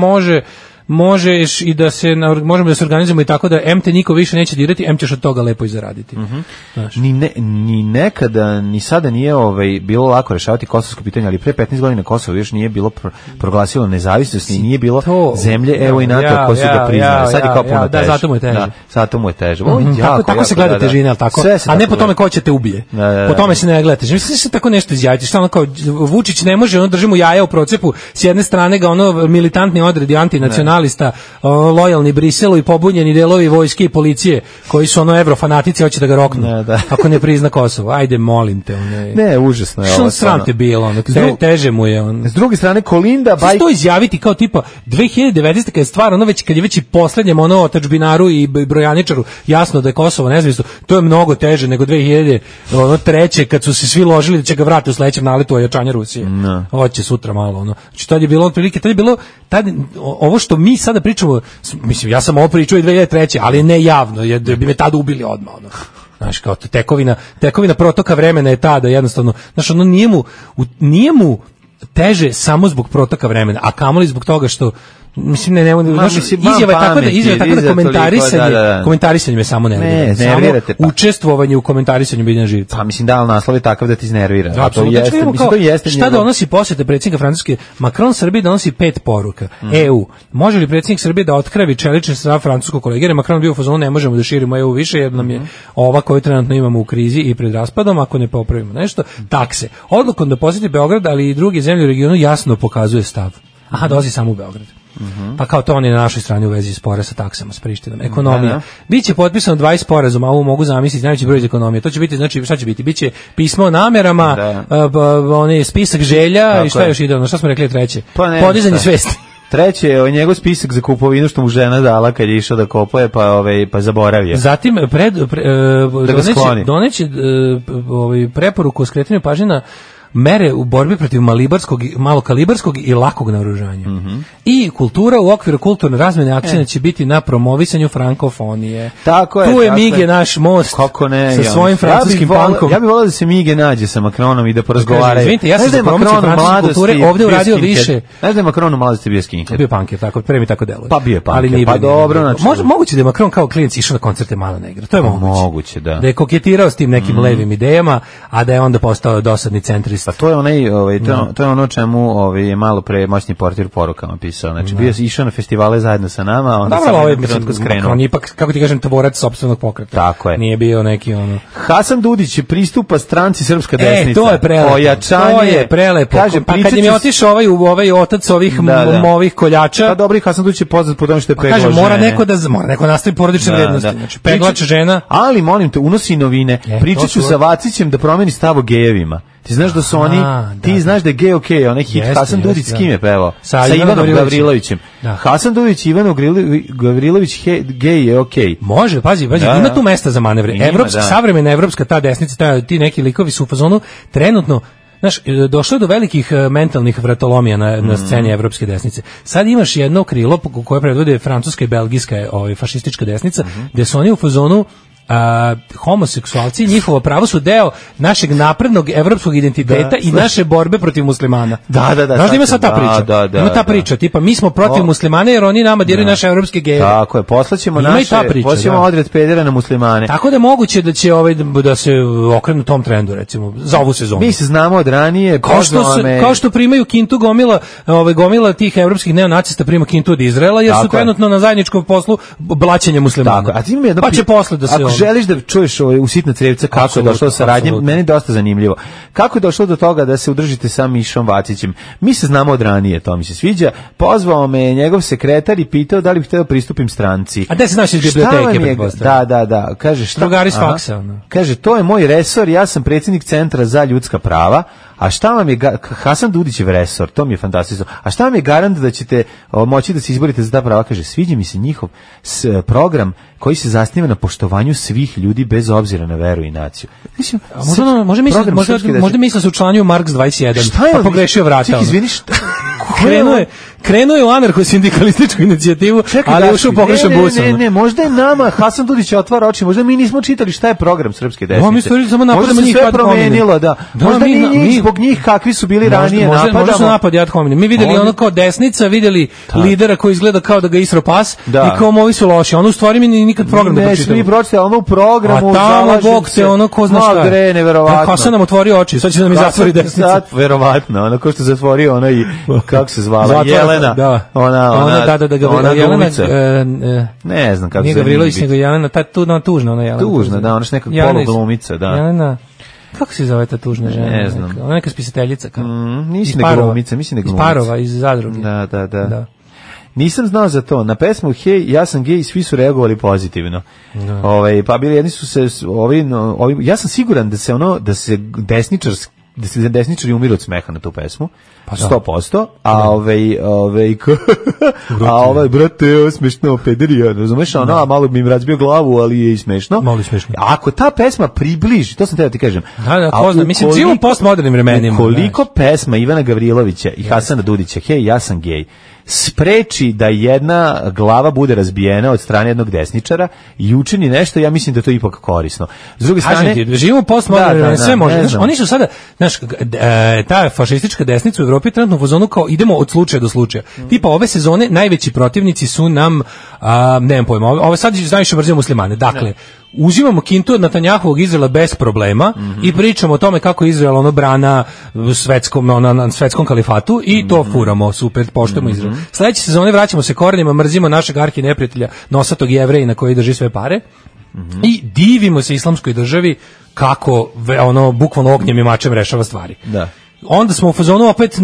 možeš i da možemo da se organizujemo i tako da te niko više neće dirati, ćeš od toga lepo i zaraditi. Ni nekada, ni sada nije bilo lako rešavati kosovsko pitanje, ali pre 15 godina Kosovo još nije bilo proglasilo nezavisnost i nije bilo zemlje, evo i NATO koji su ga priznali. Sad je kao puno teže. Da, zato mu je teže. Tako se gleda težina, tako? A ne po tome ko će te ubije. Po tome se ne gleda težina. Mislim se tako nešto izjaviti. Šta ono kao Vučić ne može, držimo jaja u procepu, s jedne strane ga ono militantni odredi antinacionalista, lojalni Briselu i pobunjeni delovi vojske i policije koji su evrofanatici, hoće da ga roknu ako ne prizna Kosovo. Ajde, molim te. Ne, užasno je ovo. Što sram te bilo, teže mu je. S druge strane, Kolinda... Što izjaviti kao tipa 2019. kad je stvar, kad je već i poslednjem otadžbinaru i brojaničaru jasno da je Kosovo nezavisno, to je mnogo teže nego 2003. kad su se svi ložili da će ga vratiti u sledećem naletu ojačanja Rusije. Hoće sutra malo. Znači, tad je bilo otprilike, ovo što mi sada pričamo, mislim, ja sam ovo pričao i 2003. ali ne javno, jer bi me tada ubili odmah. Znaš, kao tekovina protoka vremena je ta da jednostavno, znaš, nije mu teže samo zbog protoka vremena, a kamoli zbog toga što mislim izjava je tako da komentarisanje me samo nervira. Samo učestvovanje u komentarisanju Biljana Živca. Pa mislim da naslov je takav da ti iznervira. To jeste. Šta donosi posjeta predsjednika Francuske? Macron Srbiji donosi 5 poruka. EU. Može li predsjednik Srbije da otkravi čelični stav francuskog kolege? Jer Macron bio u fazonu, ne možemo da širimo EU više jer nam je ova koju trenutno imamo u krizi i pred raspadom ako ne popravimo nešto. Takse. Odlukom da posjeti Beograd, ali i druge zemlje u regionu jasno pokazuje stav. Aha, dolazi samo u Beograd. Pa kao to on je na našoj strani u vezi spora sa taksama, s Prištinom. Ekonomija. Biće potpisano 20 sporazuma, a ovo mogu zamisliti, najveći broj iz ekonomije. To će biti, znači, šta će biti? Biće pismo o namerama, spisak želja i šta još ide, šta smo rekli treće? Podizanje svesti. Treće je njegov spisak za kupovinu što mu žena dala kad je išao da kopuje, pa zaboravio. Zatim doneće preporuku o skretanju pažnje na mere u borbi protiv malokalibarskog i lakog naoružanja. I kultura u okviru kulturne razmjene akcija će biti na promovisanju frankofonije. Tako je. Tu je Mige naš most sa svojim francuskim punkom. Ja bih volio da se Mige nađe sa Macronom i da porazgovaraju. Izvinite, ja sam za promociju francuske kulture ovdje uradio više. Znaš da je Macron u mladosti bio skinhead? Bio punker, tako, pre mi tako deluje. Pa bio punker, pa dobro. Moguće da je Macron kao klinac išao na koncerte Mala Negra, to je moguće. Da je koketirao s tim nekim levim idejama, a da je onda postao dosadni centrist. Pa to je to je ono čemu je malo pre moćni portir porukama pisao. Znači bio je išao na festivale zajedno sa nama, a onda sam skrenuo. On ipak, kako ti kažem, tvorac sopstvenog pokreta. Tako je. Nije bio neki Hasan Dudić pristupa stranci Srpska desnica. To je prelepo. To je prelepo. Pa kad im je otišao ovaj otac ovih ovih koljača. Pa dobro, Hasan Dudić je poznat po tome što je peglao žene. Mora neko nastavi porodične vrednosti. Znači peglač žena. Ali molim te, unosi novine. Pričaću sa Vacićem da promeni stav o gejevima. Ti znaš da su oni, znaš da je gej okej, onaj hit Hasan Dudić s kim je pevao? Sa Ivanom Gavrilovićem. Hasan Dudić, Ivan Gavrilović, gej je okej. Može, pazi, ima tu mesta za manevre. Savremena evropska ta desnica, ti neki likovi su u fazonu trenutno. Znaš, došlo je do velikih mentalnih vratolomija na sceni evropske desnice. Sad imaš jedno krilo koje predvode francuska i belgijska fašistička desnica, gde su oni u fazonu homoseksualci i njihovo pravo su deo našeg naprednog evropskog identiteta i naše borbe protiv muslimana. Znaš da ima sad ta priča? Ima ta priča, tipa mi smo protiv muslimana jer oni nama diraju naše evropske gejeve. Tako je, poslaćemo odred pedera na muslimane. Tako da je moguće da će da se okrenu tom trendu, recimo, za ovu sezonu. Mi se znamo od ranije. Kao što primaju kintu gomila tih evropskih neonacista prima kintu od Izraela, jer su trenutno na zajedničkom poslu blaćenja muslimana. Pa će posle da se želiš da čuješ u Sitna crevca kako je došlo do saradnje, meni je dosta zanimljivo. Kako je došlo do toga da se udružite sa Mišom Vacićem? Mi se znamo od ranije, to mi se sviđa. Pozvao me njegov sekretar i pitao da li bih hteo pristupim stranci. A gde se znaš iz biblioteke? Da. Kaže, šta? Drugari s faksa. Kaže, to je moj resor, ja sam predsjednik Centra za ljudska prava. A šta vam je Hasan Dudićev resor, to mi je fantastično. A šta vam je garant da ćete moći da se izborite za ta prava? Kaže, sviđa mi se njihov program koji se zasniva na poštovanju svih ljudi bez obzira na veru i naciju. Mislim, možda misle se učlanio Marks 21, pa pogrešio vrata. Izvini, šta? Krenuo je u anarcho-sindikalističku inicijativu, ali je ušao pogrešan busom. Ne, možda je nama Hasan Dudić otvara oči, možda mi nismo čitali šta je program srpske desnice. Možda se sve promenilo, da. Možda mi zbog njih kakvi su bili ranije napadamo. Možda su napadi ad hominem. Mi videli ono kao desnica, videli lidera koji izgleda kao da ga isro pas i kao ovi su loši. Ono u stvari mi nikad program da pročitamo. Mi pročitali ono u programu. A tamo Bog te ono ko zna šta je. Neverovatno. Hasan nam otvorio oči, sad će da mi zatvori desnica. Verovatno, ono ko što zatvorio ono i kako se zvala Jelena. Ona glumica. Ne znam kako se nije Gavrilović, nego Jelena, tužna ona Jelena. Tužna, da, ona je neka poluglumica, da. Jelena, kako se zove ta tužna žena? Ne znam. Ona neka spisateljica. Mislim da glumica. Iz Parova, iz Zadruge. Da. Nisam znao za to. Na pesmu Hej, ja sam gej, svi su reagovali pozitivno. Pa bili jedni su se ja sam siguran da se desničari umiru od smeha na tu pesmu. 100%, a ovaj brate, smešno pederija, razumeš, a malo bi im razbio glavu, ali je i smešno. Malo je smešno. Ako ta pesma približi, to sam teo da ti kažem. Da, poznam, mislim, živimo u postmodernim vremenima. Koliko pesma Ivana Gavrilovića i Hasana Dudića, Hej, ja sam gej, spreči da jedna glava bude razbijena od strane jednog desničara i učini nešto, ja mislim da to je ipak korisno. S druge strane, živimo postmoderno, sve može. Oni su sada, ta fašistička desnica u Evropi trenutno u fazonu kao idemo od slučaja do slučaja. Tipa ove sezone najveći protivnici su nam, nemam pojma, ove sad najviše mrzimo muslimane. Dakle, uzimamo kintu od Netanjahovog Izraela bez problema i pričamo o tome kako je Izrael brana na svetskom kalifatu i to furamo, super, poštujemo Izrael. Sledeće sezone vraćamo se korenima, mrzimo našeg arhi neprijatelja, nosatog Jevrejina koji drži sve pare i divimo se islamskoj državi kako bukvalno ognjem i mačem rešava stvari. Da. Onda smo u fazonu opet,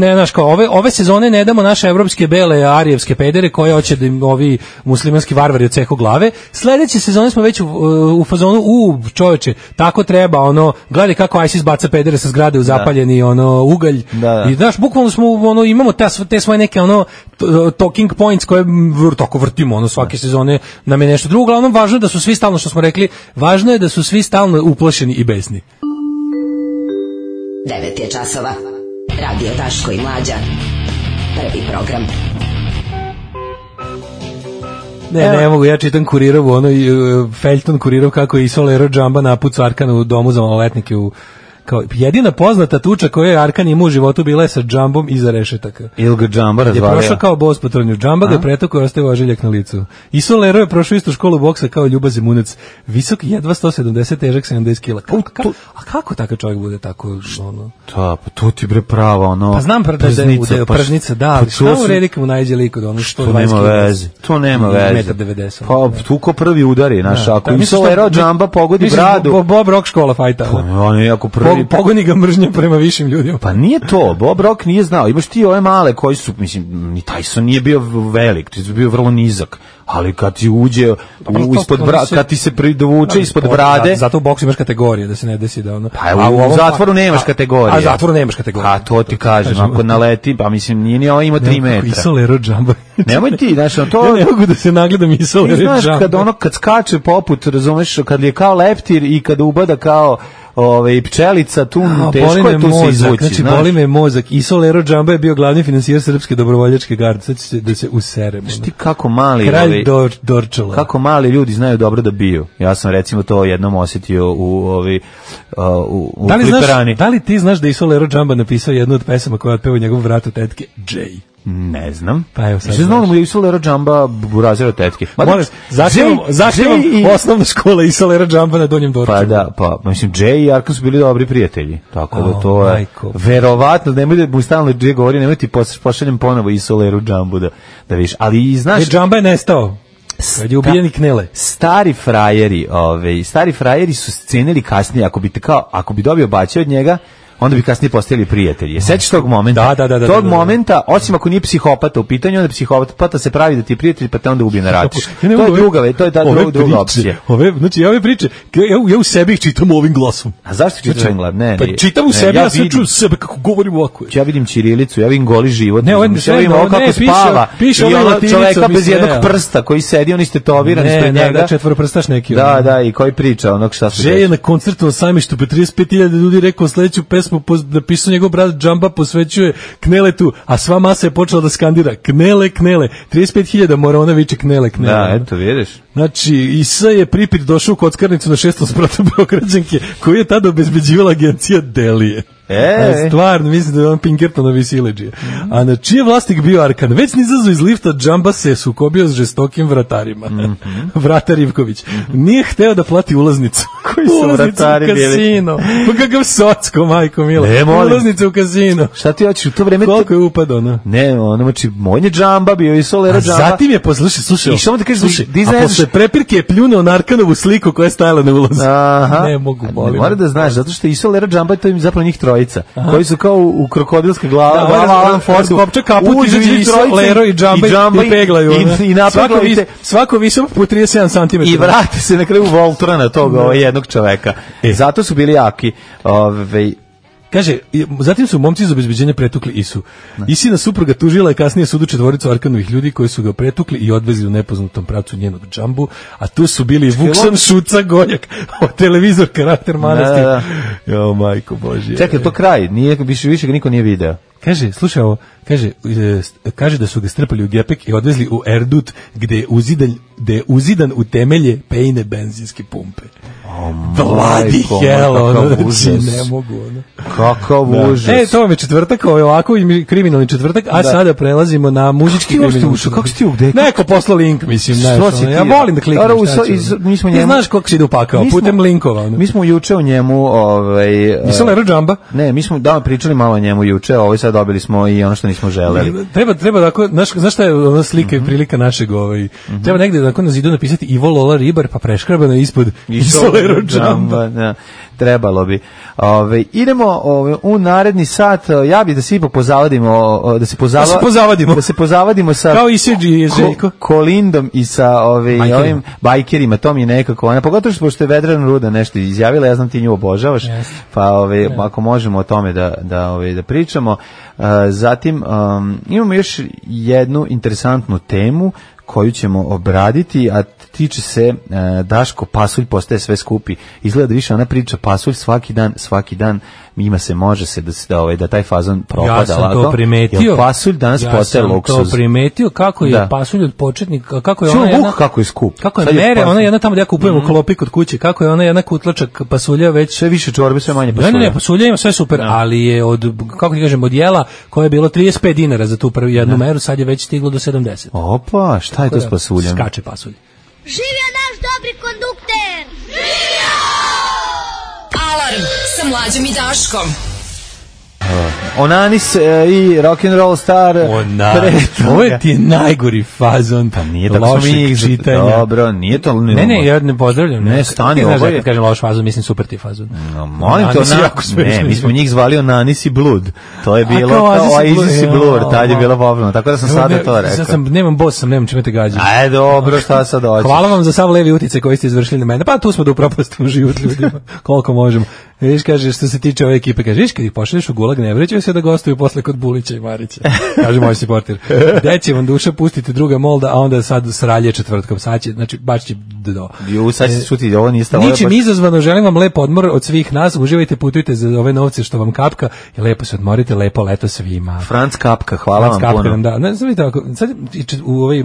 ove sezone ne damo naše evropske bele arijevske pedere koje hoće da im ovi muslimanski varvari odseku glave. Sledeće sezone smo već u fazonu, čoveče, tako treba, gledaj kako ISIS baca pedere sa zgrade u zapaljeni ugalj. Da. I znaš, bukvalno smo, imamo te svoje neke talking points koje tako vrtimo, svake sezone nam je nešto drugo. Uglavnom, važno je da su svi stalno, što smo rekli, važno je da su svi stalno uplašeni i besni. 9 je časova. Radio Daško i Mlađa. Prvi program. Ne mogu, ja čitam Kurirovu, Feljton Kurirov kako je Isolero Džamba napucu Arkana u domu za maloletnike kao jedina poznata tuča koju je Arkan imao u životu bila je sa Džambom iza rešetaka. Ili ga Džamba razvalio? Je prošao kao bos po trnju. Džamba ga je pretukao i ostavio ožiljak na licu. Isolero je prošao istu školu boksa kao Ljuba Zemunac. Visok jedva 170, težak 70 kila. A kako takav čovjek bude tako? Pa to ti bre prava, Pa znam pržnica, da, ali šta u redi kad mu najde lik od 120 kila? To nema veze. 1,90 m. Pa tu ko prvi udari, ako Isolero Džamba pogodi bradu. Bob Rock škola fajta. On je jako prvi. Pogoni ga mržnja prema višim ljudima. Pa nije to, Bob Rock nije znao. Imaš ti ove male koji su, mislim, ni Tyson nije bio velik, ti je bio vrlo nizak. Ali kad ti uđe ispod kad ti se dovuče ispod brade, zato u boksu imaš kategorije, da se ne desi da Pa u zatvoru nemaš kategorije. A zatvoru nemaš kategorije. A to ti kažem, ako naleti, pa mislim nije ni ima 3 metra. Isolero Džamba. Nemoj ti, znaš, to ne mogu da se nagledam Isolero Džamba. Znaš, kad skače poput, razumeš, kad je kao leptir i kad ubada kao pčelica, tu teško je tu se izvući. Znači, boli me mozak. Isolero Džamba je bio glavni finansijer Srpske dobrovoljačke garde. Sad će da se useremo. Ti kako mali Dorčala. Kako mali ljudi znaju dobro da biju. Ja sam recimo to jednom osjetio u Fliperani. Da li ti znaš da je Isolero Džamba napisao jednu od pesama koja otpeva njegov vrat od tetke? Jay. Ne znam. Pa evo sad. Znam da mu je Isolero Džamba burazir od tetke. Zahtjevom osnovna škola Isolero Džamba na Donjem Dorčalu. Pa da, mislim, Jay i Arkan su bili dobri prijatelji. Tako da to je verovatno, nemoj da mu stalno Jay govori, nemoj ti pošaljem ponovo Isolero Džambu da vidiš. Ali znaš... Džamba je nestao. Kad je ubijeni Knele. Stari frajeri su cenili kasnije, ako bi dobio bačaj od njega, onda bi kasnije postali prijatelji. Sećaš tog momenta? Da. Tog momenta, osim ako nije psihopata u pitanju, onda psihopata se pravi da ti je prijatelj, pa te onda ubije na ratiš. To je ta druga opcija. Ove priče, ja u sebi ih čitam ovim glasom. A zašto čitaš ovim glasom? Pa čitam u sebi, ja sam čuo sebe kako govorim ovako. Ja vidim ćirilicu, ja vidim goli život. Ne, vidim ovo kako spava. Piše i ono čoveka bez jednog prsta koji sedi, on istetoviran ispred njega. Da, četvoroprstaš neki. Da, i koji priča onog šta se je na koncertu na Sajmištu, 35.000 ljudi rekao sledeću pesmu napisao njegov brat Džamba, posvećuje Kneletu, a sva masa je počela da skandira Knele, 35.000 mora ona viče Knele. Da, eto, vidiš. Znači, Isa je pripit došao u kockarnicu na 6. spratu Beograđanke, koju je tada obezbeđivala agencija Delije. Stvarno, mislim da je on Pinkertonovi sileđije. A na čije vlasnik bio Arkan? Već nizazo iz lifta Džamba se sukobio s žestokim vratarima. Vratar Ivković. Nije hteo da plati ulaznicu. Koji su vratari bili? Kasino. Pa kakav socko, majko mila. Ulaznicu u kasino. Šta ti hoćeš u to vreme? Koliko je upadao, no? Ne, znači, moj je Džamba bio i Solera Džamba. A zatim je slušaj, a posle prepirke je pljunuo na Arkanovu sliku koja je stajala na ulazu. Ne mogu, molim. Mora da znaš, zato što i Solera Džamba, to im zapravo njih trojica, koji su kao u krokodilske glava Alan Fordu, skopče kaput, izađe i Lero i Džamba i peglaju. Svako visok po 37 cm. I vrate se na kraju Voltrana tog jednog čoveka. Zato su bili jaki. Kaže, zatim su momci iz obezbeđenja pretukli Isu. Isina supruga tužila je kasnije sudu četvoricu Arkanovih ljudi koji su ga pretukli i odvezli u nepoznatom pravcu njenog Džambu, a tu su bili Vuksan, Šuca, Goljak, televizor, karakter manastir. Jo, majko Božje. Čekaj, to kraj, više ga niko nije video. Kaže, slušaj ovo, kaže da su ga strpali u gepek i odvezli u Erdut gde je uzidan u temelje pejne benzinske pumpe. Vladi helo, ne mogu. Kakav užas. To vam je četvrtak, ovo je ovako kriminalni četvrtak, a sada prelazimo na muzički kriminalni. Kako si ti ugde? Neko posla link, mislim. Ja volim da kliknem. Ti znaš kako si ide upakao, putem linkova. Mi smo juče o njemu... Nisam Lero Džamba? Ne, mi smo pričali malo o njemu juče, sad dobili smo i ono što nismo želeli. Treba da, znaš šta je ona slika i prilika našeg, treba negde da na zidu napisati Ivo Lola Ribar, pa preškrabano ispod Lero Džamba. Trebalo bi. Idemo u naredni sat. Ja bih da se ipak pozavadimo, da se pozavadimo sa kao i Seđi Željko Kolindom i sa ovim bajkerima. To mi je nekako, pogotovo što pošto je Vedrana Ruda nešto izjavila, ja znam ti nju obožavaš, pa ako možemo o tome da pričamo. Zatim imamo još jednu interesantnu temu koju ćemo obraditi, a tiče se Daško, pasulj postaje sve skupi. Izgleda više ona priča pasulj svaki dan ima se, može se da taj fazon propada. Ja sam to primetio. Pasulj danas postaje luksuz. Ja sam to primetio kako je pasulj od početnika, kako je ona jedna... kako je skup. Kako je mere, ona jedna tamo da ja kupujem u klopi kod kuće, kako je ona jedna kutlačak pasulja već... Sve više čorbe, sve manje pasulja. Ne, pasulja ima sve super, ali je kako ti kažem, od jela koje je bilo 35 dinara za tu prvu jednu meru, sad je već stiglo do 70. Opa, šta je to s pasuljem? Skače pasulj. Živio naš dobri kondukter! Živio! Alarm sa Mlađom i Daškom. Onanis i rock'n'roll star. Ovo ti je najgori fazon. Pa nije da smo mi čitanja. Dobro, nije to... Ne, ja ne pozdravljam. Ne, stani, ovo je... Kad kažem loš fazon, mislim super ti fazon. Molim te, ne, mi smo njih zvali Onanis i Blood. To je bilo kao Oasis i Blur, tad je bilo popularno. Tako da sam sada to rekao. Nemam boss, nemam čime te gađam. Ajde, dobro, šta sad hoćeš? Hvala vam za sav levi utice koji ste izvršili na mene. Pa tu smo da upropastimo život ljudima. Koliko možemo. Viš, kaže, što se tiče ove ekipe, kaže, viš, kad ih pošalješ u gulag, ne vrećaju se da gostuju posle kod Bulića i Marića, kaže moj supporter. Gde će vam duša pustiti druga molda, a onda sad sralje četvrtkom, sad će, znači, baš će do. Sad će čuti, ovo nije stavljeno. Ničim izazvano, želim vam lep odmor od svih nas, uživajte, putujte za ove novce što vam kapka i lepo se odmorite, lepo leto svima. Franc Kapka, hvala vam puno. Da, ne, sad vidite, sad u ovoj...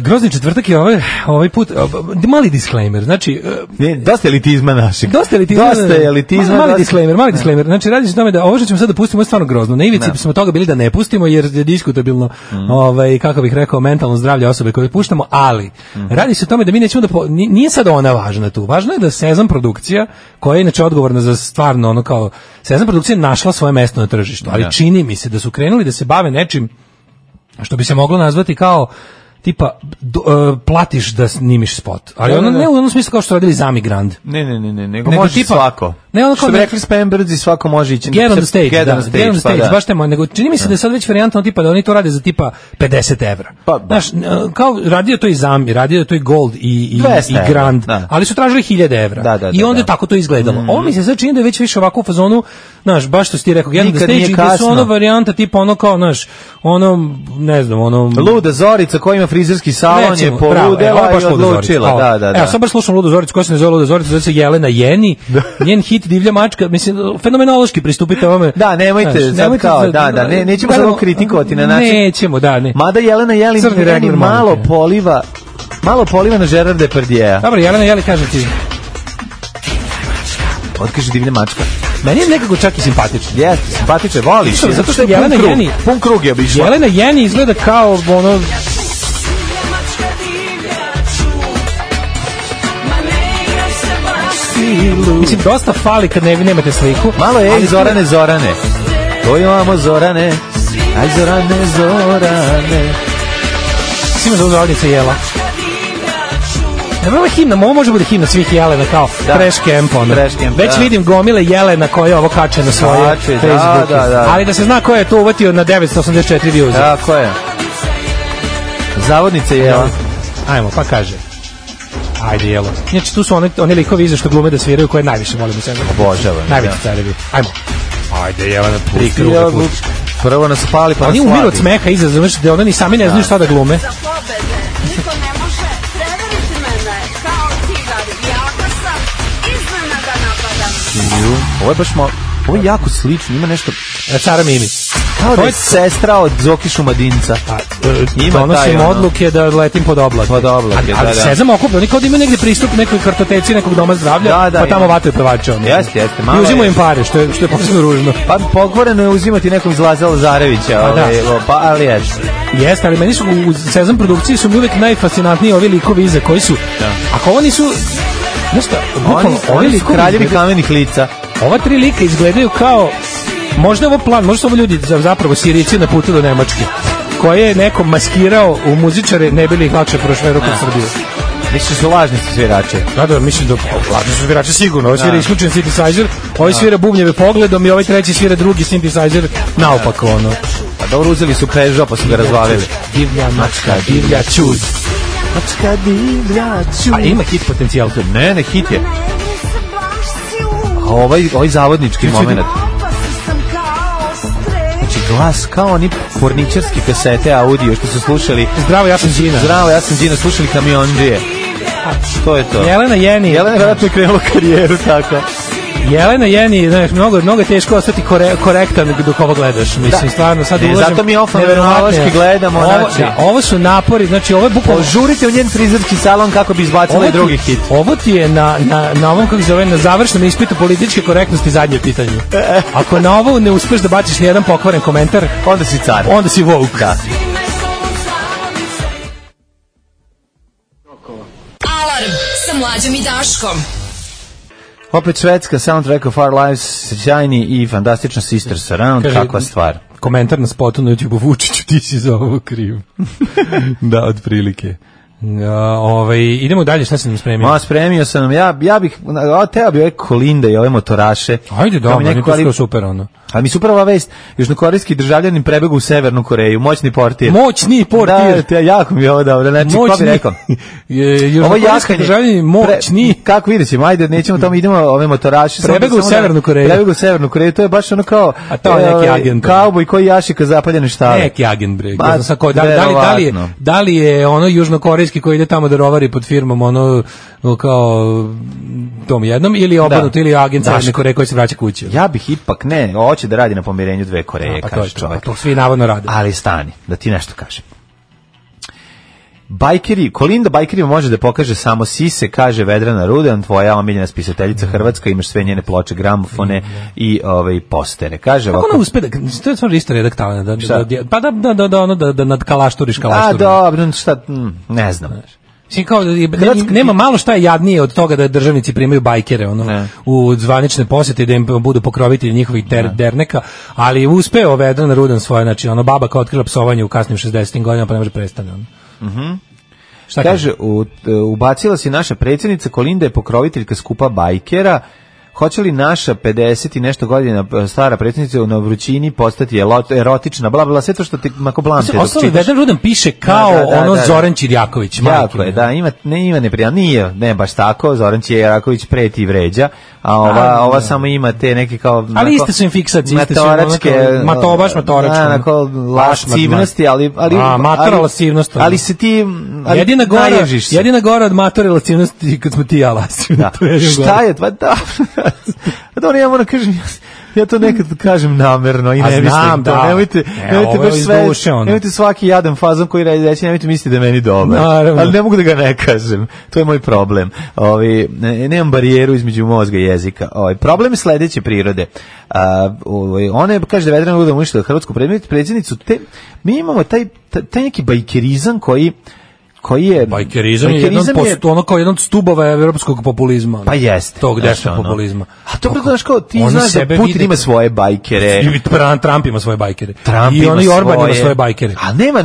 Grozni četvrtak je ovaj put mali disclaimer, znači dosta elitizma našeg. Dosta elitizma. Mali disclaimer. Znači radi se o tome da ovo što ćemo sad da pustimo je stvarno grozno. Na ivici smo toga bili da ne pustimo jer je diskutabilno kako bih rekao mentalno zdravlje osobe koje puštamo, ali radi se o tome da mi nećemo da nije sad ona važna tu. Važno je da Sezam produkcija, koja je inače odgovorna za stvarno ono kao Sezam produkcija našla svoje mesto na tržištu, ali čini mi se da su krenuli da se bave nečim što bi se moglo nazvati kao tipa platiš da snimiš spot. Ali ono ne u onom smislu kao što radili Zami Grand. Ne, nego može tipa, svako. Ne, ono što bi rekli Spamberds i svako može ići. Get on the stage, baš tema. Nego čini mi se da je sad već varijantno tipa da oni to rade za tipa 50 evra. Znaš, kao radio to i Zami, radio to i Gold i Grand, ali su tražili 1000 evra. I onda tako to izgledalo. Ovo mi se sad čini da je već više ovako u fazonu, znaš, baš što si ti rekao, Get on the stage, gde su ono varijanta tipa ono kao, znaš, ono, ne znam, ono... Luda Zorica koja ima frizerski salon je poludela i odlučila. Evo, sad baš slušam Ludu Zoricu, koja se ne zove Luda Zorica, zove se Jelena Jeni, njen hit Divlja mačka, mislim, fenomenološki pristupite ovome. Da, nemojte sad kao, nećemo sad ovo kritikovati na način. Nećemo, ne. Mada Jelena Jeli malo poliva na Gerard Depardieu. Dobro, Jelena Jeli kaže ti. Otkaže Divlja mačka. Meni je nekako čak i simpatično. Jeste, simpatično, voliš je. Zato što je Jelena Jeni... Pun krug je obišla. Jelena Jeni izgleda kao ono... Mislim, dosta fali kad nemate sliku. Malo je Zorane. To imamo Zorane. Aj Zorane. Sima za uzrodnica Jela. Ovo je himna, ovo može bude himna svih Jelena kao Trash Camp. Već vidim gomile Jelena koje ovo kače na svoje Facebook. Ali da se zna ko je to uvatio na 984 views. Tako je. Zavodnica Jela. Ajmo, pa kaže. Ajde, Jelo. Znači, tu su oni likovi iza što glume da sviraju koje najviše volim u sebi. Obožavam. Najveći carevi. Ajmo. Ajde, Jelena, pusti. Prvo nas pali, pa nas slavi. Oni umiru od smeha iza, znači da oni sami ne znaju šta da glume. Niko ne može prevariti mene kao tigar. Jako sam, iznenada napadam. Ovo je baš ovo je jako slično, ima nešto... Cara Mimi. Kao da je sestra od Zoki Šumadinca. Donosim odluke da letim pod oblake. Ali Sezam okuplja, oni kao da imaju negde pristup nekoj kartoteci nekog doma zdravlja, pa tamo vataju pevače. Jeste. I uzimaju im pare, što je posebno ružno. Pa pokvareno je uzimati nekom iz Laza Lazarevića, ali jeste, ali meni su u Sezam produkciji su mi uvek najfascinantniji ovi likovi iza koji su... Ako ovo nisu... Oni su kraljevi kamenih lica. Ova 3 lika izgledaju kao... Možda je ovo plan, možda su ovo ljudi zapravo Sirici na putu do Nemačke, koje je neko maskirao u muzičare, ne bili ih lakše prošveru kod Srbije. Misliš su lažni svirače? Da, mislim da lažni su svirače sigurno. Ovo svira isključen synthesizer, ovaj svira bubnjeve pogledom i ovaj treći svira drugi synthesizer naopako ono. A dobro, uzeli su Peugeot pa su ga razvalili. Divlja mačka, divlja čud. Mačka, divlja čud. A ima hit potencijal tu? Ne, hit je. A ovaj zavodnički moment. Glas kao oni porničarski kasete audio što su slušali. Zdravo, ja sam Đina. Slušali Kamiondžije. To je to. Jelena Jeni. Jelena je vjerojatno krenula karijeru tako. Jelena Jeni, znaš, mnogo je teško ostati korektan dok ovo gledaš. Mislim, stvarno, sad ulažem... Zato mi ofanoverološki gledamo. Ovo su napori, znači ovo je bukvalno... Požurite u njen frizerski salon kako bi izbacila i drugi hit. Ovo ti je na ovom, kako se zove, na završnom ispitu političke korektnosti zadnje pitanje. Ako na ovo ne uspeš da baciš nijedan pokvaren komentar, onda si car. Onda si woke. Da. Alarm sa Mlađom i Daškom. Opet švedska soundtrack of Our Lives, sjajni i fantastično Sisters Around, kakva stvar. Komentar na spotu na YouTube, Vučiću, ti si za ovo kriv. Da, otprilike. Idemo dalje, šta si nam spremio? Spremio sam nam, ja bih, teo bi ove Kolinda i ove motoraše. Ajde, dobro, to je super ono. Ali mi super ova vest, južnokorejski državljanin prebegu u Severnu Koreju, moćni portir. Da, jako mi je ovo dobro, znači, ko bi rekao? Južnokorejski državljanin moćni. Kako vidjet ćemo, ajde, nećemo tamo, idemo ove motoraše. Prebegu u Severnu Koreju. To je baš ono kao... A to je neki agent. Kauboj koji jaši ka zapaljene štale. Neki agent, bre. Da li je ono južnokorejski koji ide tamo da rovari pod firmom, ono kao tom jednom, ili obrnuto, ili agent Severne Koreje koji se vraća kući? Ja bih ipak hoće da radi na pomirenju dve Koreje, kaže čovjek. To svi navodno rade. Ali stani, da ti nešto kažem. Kolinda bajkerima može da pokaže samo sise, kaže Vedrana Rudan, tvoja omiljena spisateljica hrvatska, imaš sve njene ploče, gramofone i postere. Kaže ovako. Kako ona uspe to je stvarno isto redak talent, da nadkalašturiš kalašturi. Dobro, šta, ne znam. Kao, nema malo šta je jadnije od toga da državnici primaju bajkere u zvanične posete, da im budu pokrovitelji njihovih derneka, ali uspeo Vedrana Rudan svoje, znači baba kao otkrila psovanje u kasnim 60. godinama pa ne može prestane. Kaže, ubacila si naša predsjednica Kolinda je pokroviteljka skupa bajkera. Hoće li naša 50 i nešto godina stara predsjednica na vrućini postati erotična, bla, bla, sve to što ti mako blamte. Ostali Vedran Rudan piše kao Zoran Čirjaković. Jako je, da, ima neprijatno, nije baš tako, Zoran Čirjaković preti i vređa, a ova samo ima te neke kao... Ali iste su im fiksacije, iste su matoračke. Onako lascivnosti, ali... Matora lascivnost. Ali se ti... Jedina gora od matore lascivnosti kad smo ti ja lascivni. Šta je? Pa da... Dobro, ja moram kažem, ja to nekad kažem namerno i ne mislim to. Nemojte baš sve, nemojte svaki jadan fazon koji reći, nemojte misliti da je meni dobar. Ali ne mogu da ga ne kažem. To je moj problem. Nemam barijeru između mozga i jezika. Problem je sledeće prirode. Ona je, kaže da Vedran Rudan uništila hrvatsku predsjednicu. Mi imamo taj neki bajkerizam koji je... Bajkerizam je ono kao jedan od stubova evropskog populizma. Pa jeste. Tog desnog populizma. A to znaš kao, ti znaš da Putin ima svoje bajkere. I Trump ima svoje bajkere. I oni Orban ima svoje bajkere. A nema,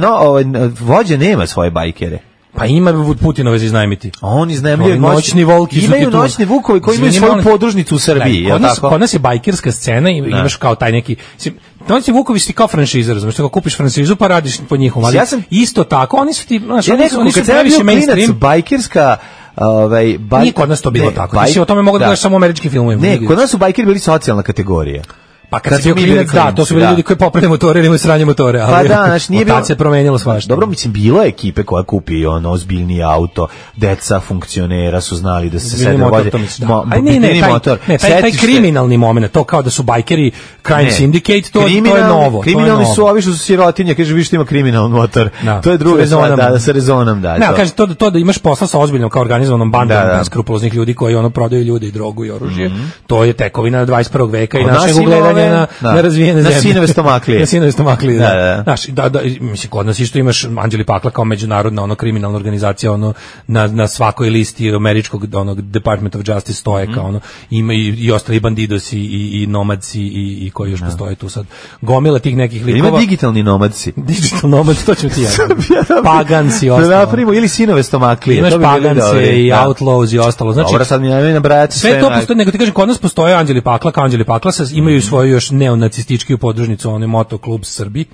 vođa nema svoje bajkere. Pa ima Putinove za iznajmiti. Oni iznajmljuju noćni volki. Imaju noćni vukovi koji imaju svoju podružnicu u Srbiji. Kod nas je bajkerska scena i imaš kao taj neki... Noćni vukovi su ti kao franšiza, razumiješ, tako kupiš franšizu pa radiš po njihovom, ali isto tako, oni su ti... Oni su previše mainstream. Bajkerska... Nije kod nas to bilo tako. Ti si o tome mogu da gledaš samo u američkim filmovima. Ne, kod nas su bajkeri bili socijalna kategorija. Pa kad si bio klinac, da, to su bili ljudi koji popravljaju motore ili imaju sranje motore, ali pa da, znači nije bilo... Tad se promenilo svašta. Dobro, mislim, bilo je ekipe koja kupi ozbiljni auto, deca funkcionera su znali da se sede vođe. Taj kriminalni moment, to kao da su bajkeri crime syndicate, to je novo. Kriminalni su ovi što su sirotinje, kaže, vi što ima kriminalni motor. To je druga stvar, da, sa rezonom, da. Ne, kaže, to da imaš posla sa ozbiljnom kao organizovanom bandom beskrupuloznih ljudi koji prodaju ljude i drogu i oružje, to je tekovina 21. veka i našeg ugledanja na razvijene zemlje. Na sinove stomaklije. Na sinove stomaklije, da. Znaš, mislim, kod nas isto imaš Anđeli Pakla kao međunarodna kriminalna organizacija, na svakoj listi američkog Department of Justice stoje kao ima i ostali bandidosi i nomadci i koji još postoje tu sad. Gomila tih nekih likova. Ima digitalni nomadci. Digital nomadci, to ćemo ti ja. Paganci i ostalo. Da napravimo ili sinove stomaklije. Imaš Pagance i Outlaws i ostalo. Znači, dobro, sad mi ne nabrajati sve to postoji, nego ti kažem, kod nas postoje Anđeli Pakla, kao Anđeli Pakla, imaju svoju još neonacistički podružnicu, onaj motoklub Srbi.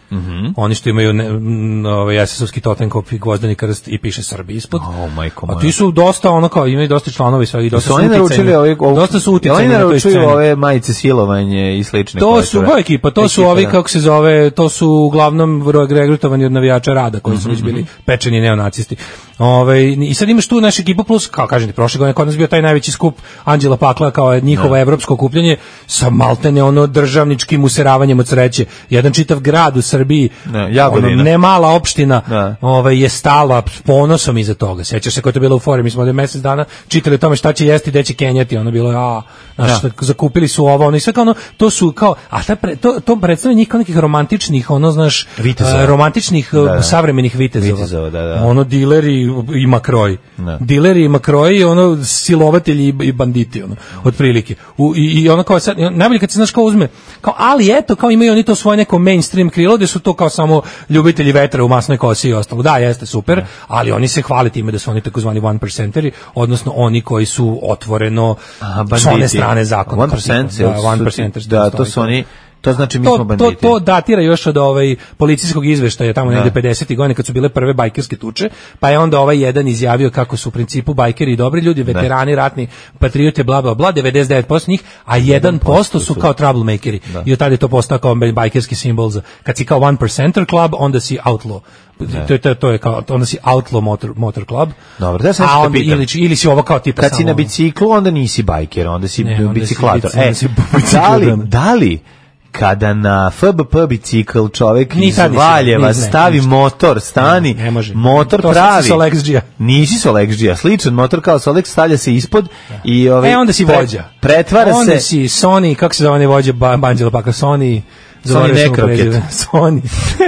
Oni što imaju SS-ovski totenkop i gvozdeni krst i piše Srbi ispod. A ti su dosta imaju dosta članova i sve i dosta su uticajni. Dosta su uticajni na toj sceni. Oni naručuju ove majice silovanje i slične. To su ekipa, to su ovi, kako se zove, to su uglavnom regrutovani od navijača rada koji su već bili pečeni neonacisti. I sad imaš tu naš ekipa plus, kao kažem ti, prošle godine kod nas bio taj najveći skup Anđela Pakla kao njihovo evropsko okupljanje sa maltene državničkim useravanjem od sreće. Jedan čitav grad u Srbiji, ne mala opština, je stala s ponosom iza toga. Sećaš se kako je to bilo u fori, mi smo ovdje mjesec dana čitali o tome šta će jesti, gde će kenjati, bilo zakupili su ovo, i sve kao to su kao, a to predstavlja njih kao nekih romantičnih, romantičnih savremenih vitezova. Dileri i makroj. Dileri i makroj, silovatelji i banditi, otprilike. I kao sad, najbolje kad se znaš kao uzme, kao, ali eto, kao imaju oni to svoje neko mainstream krilo, gde su to kao samo ljubitelji vetra u masnoj kosi i ostalo. Da, jeste super, ali oni se hvale time da su oni takozvani one percenteri, odnosno oni koji su otvoreno s one strane zakona. One percenters. Da, to su oni. To znači mi smo banditi. To datira još od policijskog izveštaja tamo negde 50. godine kad su bile prve bajkerske tuče, pa je onda jedan izjavio kako su u principu bajkeri dobri ljudi, veterani, ratni patriote, bla bla bla, 99% njih, a 1% su kao troublemakeri. I od tada je to postao kao bajkerski simbol za kad si kao one percenter club, onda si outlaw. To je kao, onda si outlaw motor club. Dobro, da sam se pitam. Ili si ovo kao tipa kad si na biciklu, onda nisi bajker, onda si biciklator. Da li kada na FBP bicikl čovjek iz Valjeva stavi motor, motor pravi. Nisi Solexđija, sličan motor kao Solex, stavlja se ispod i onda si vođa. Pretvara se. Onda si Sony, kako se zove vođa Anđela Pakla, Sony Nekroket.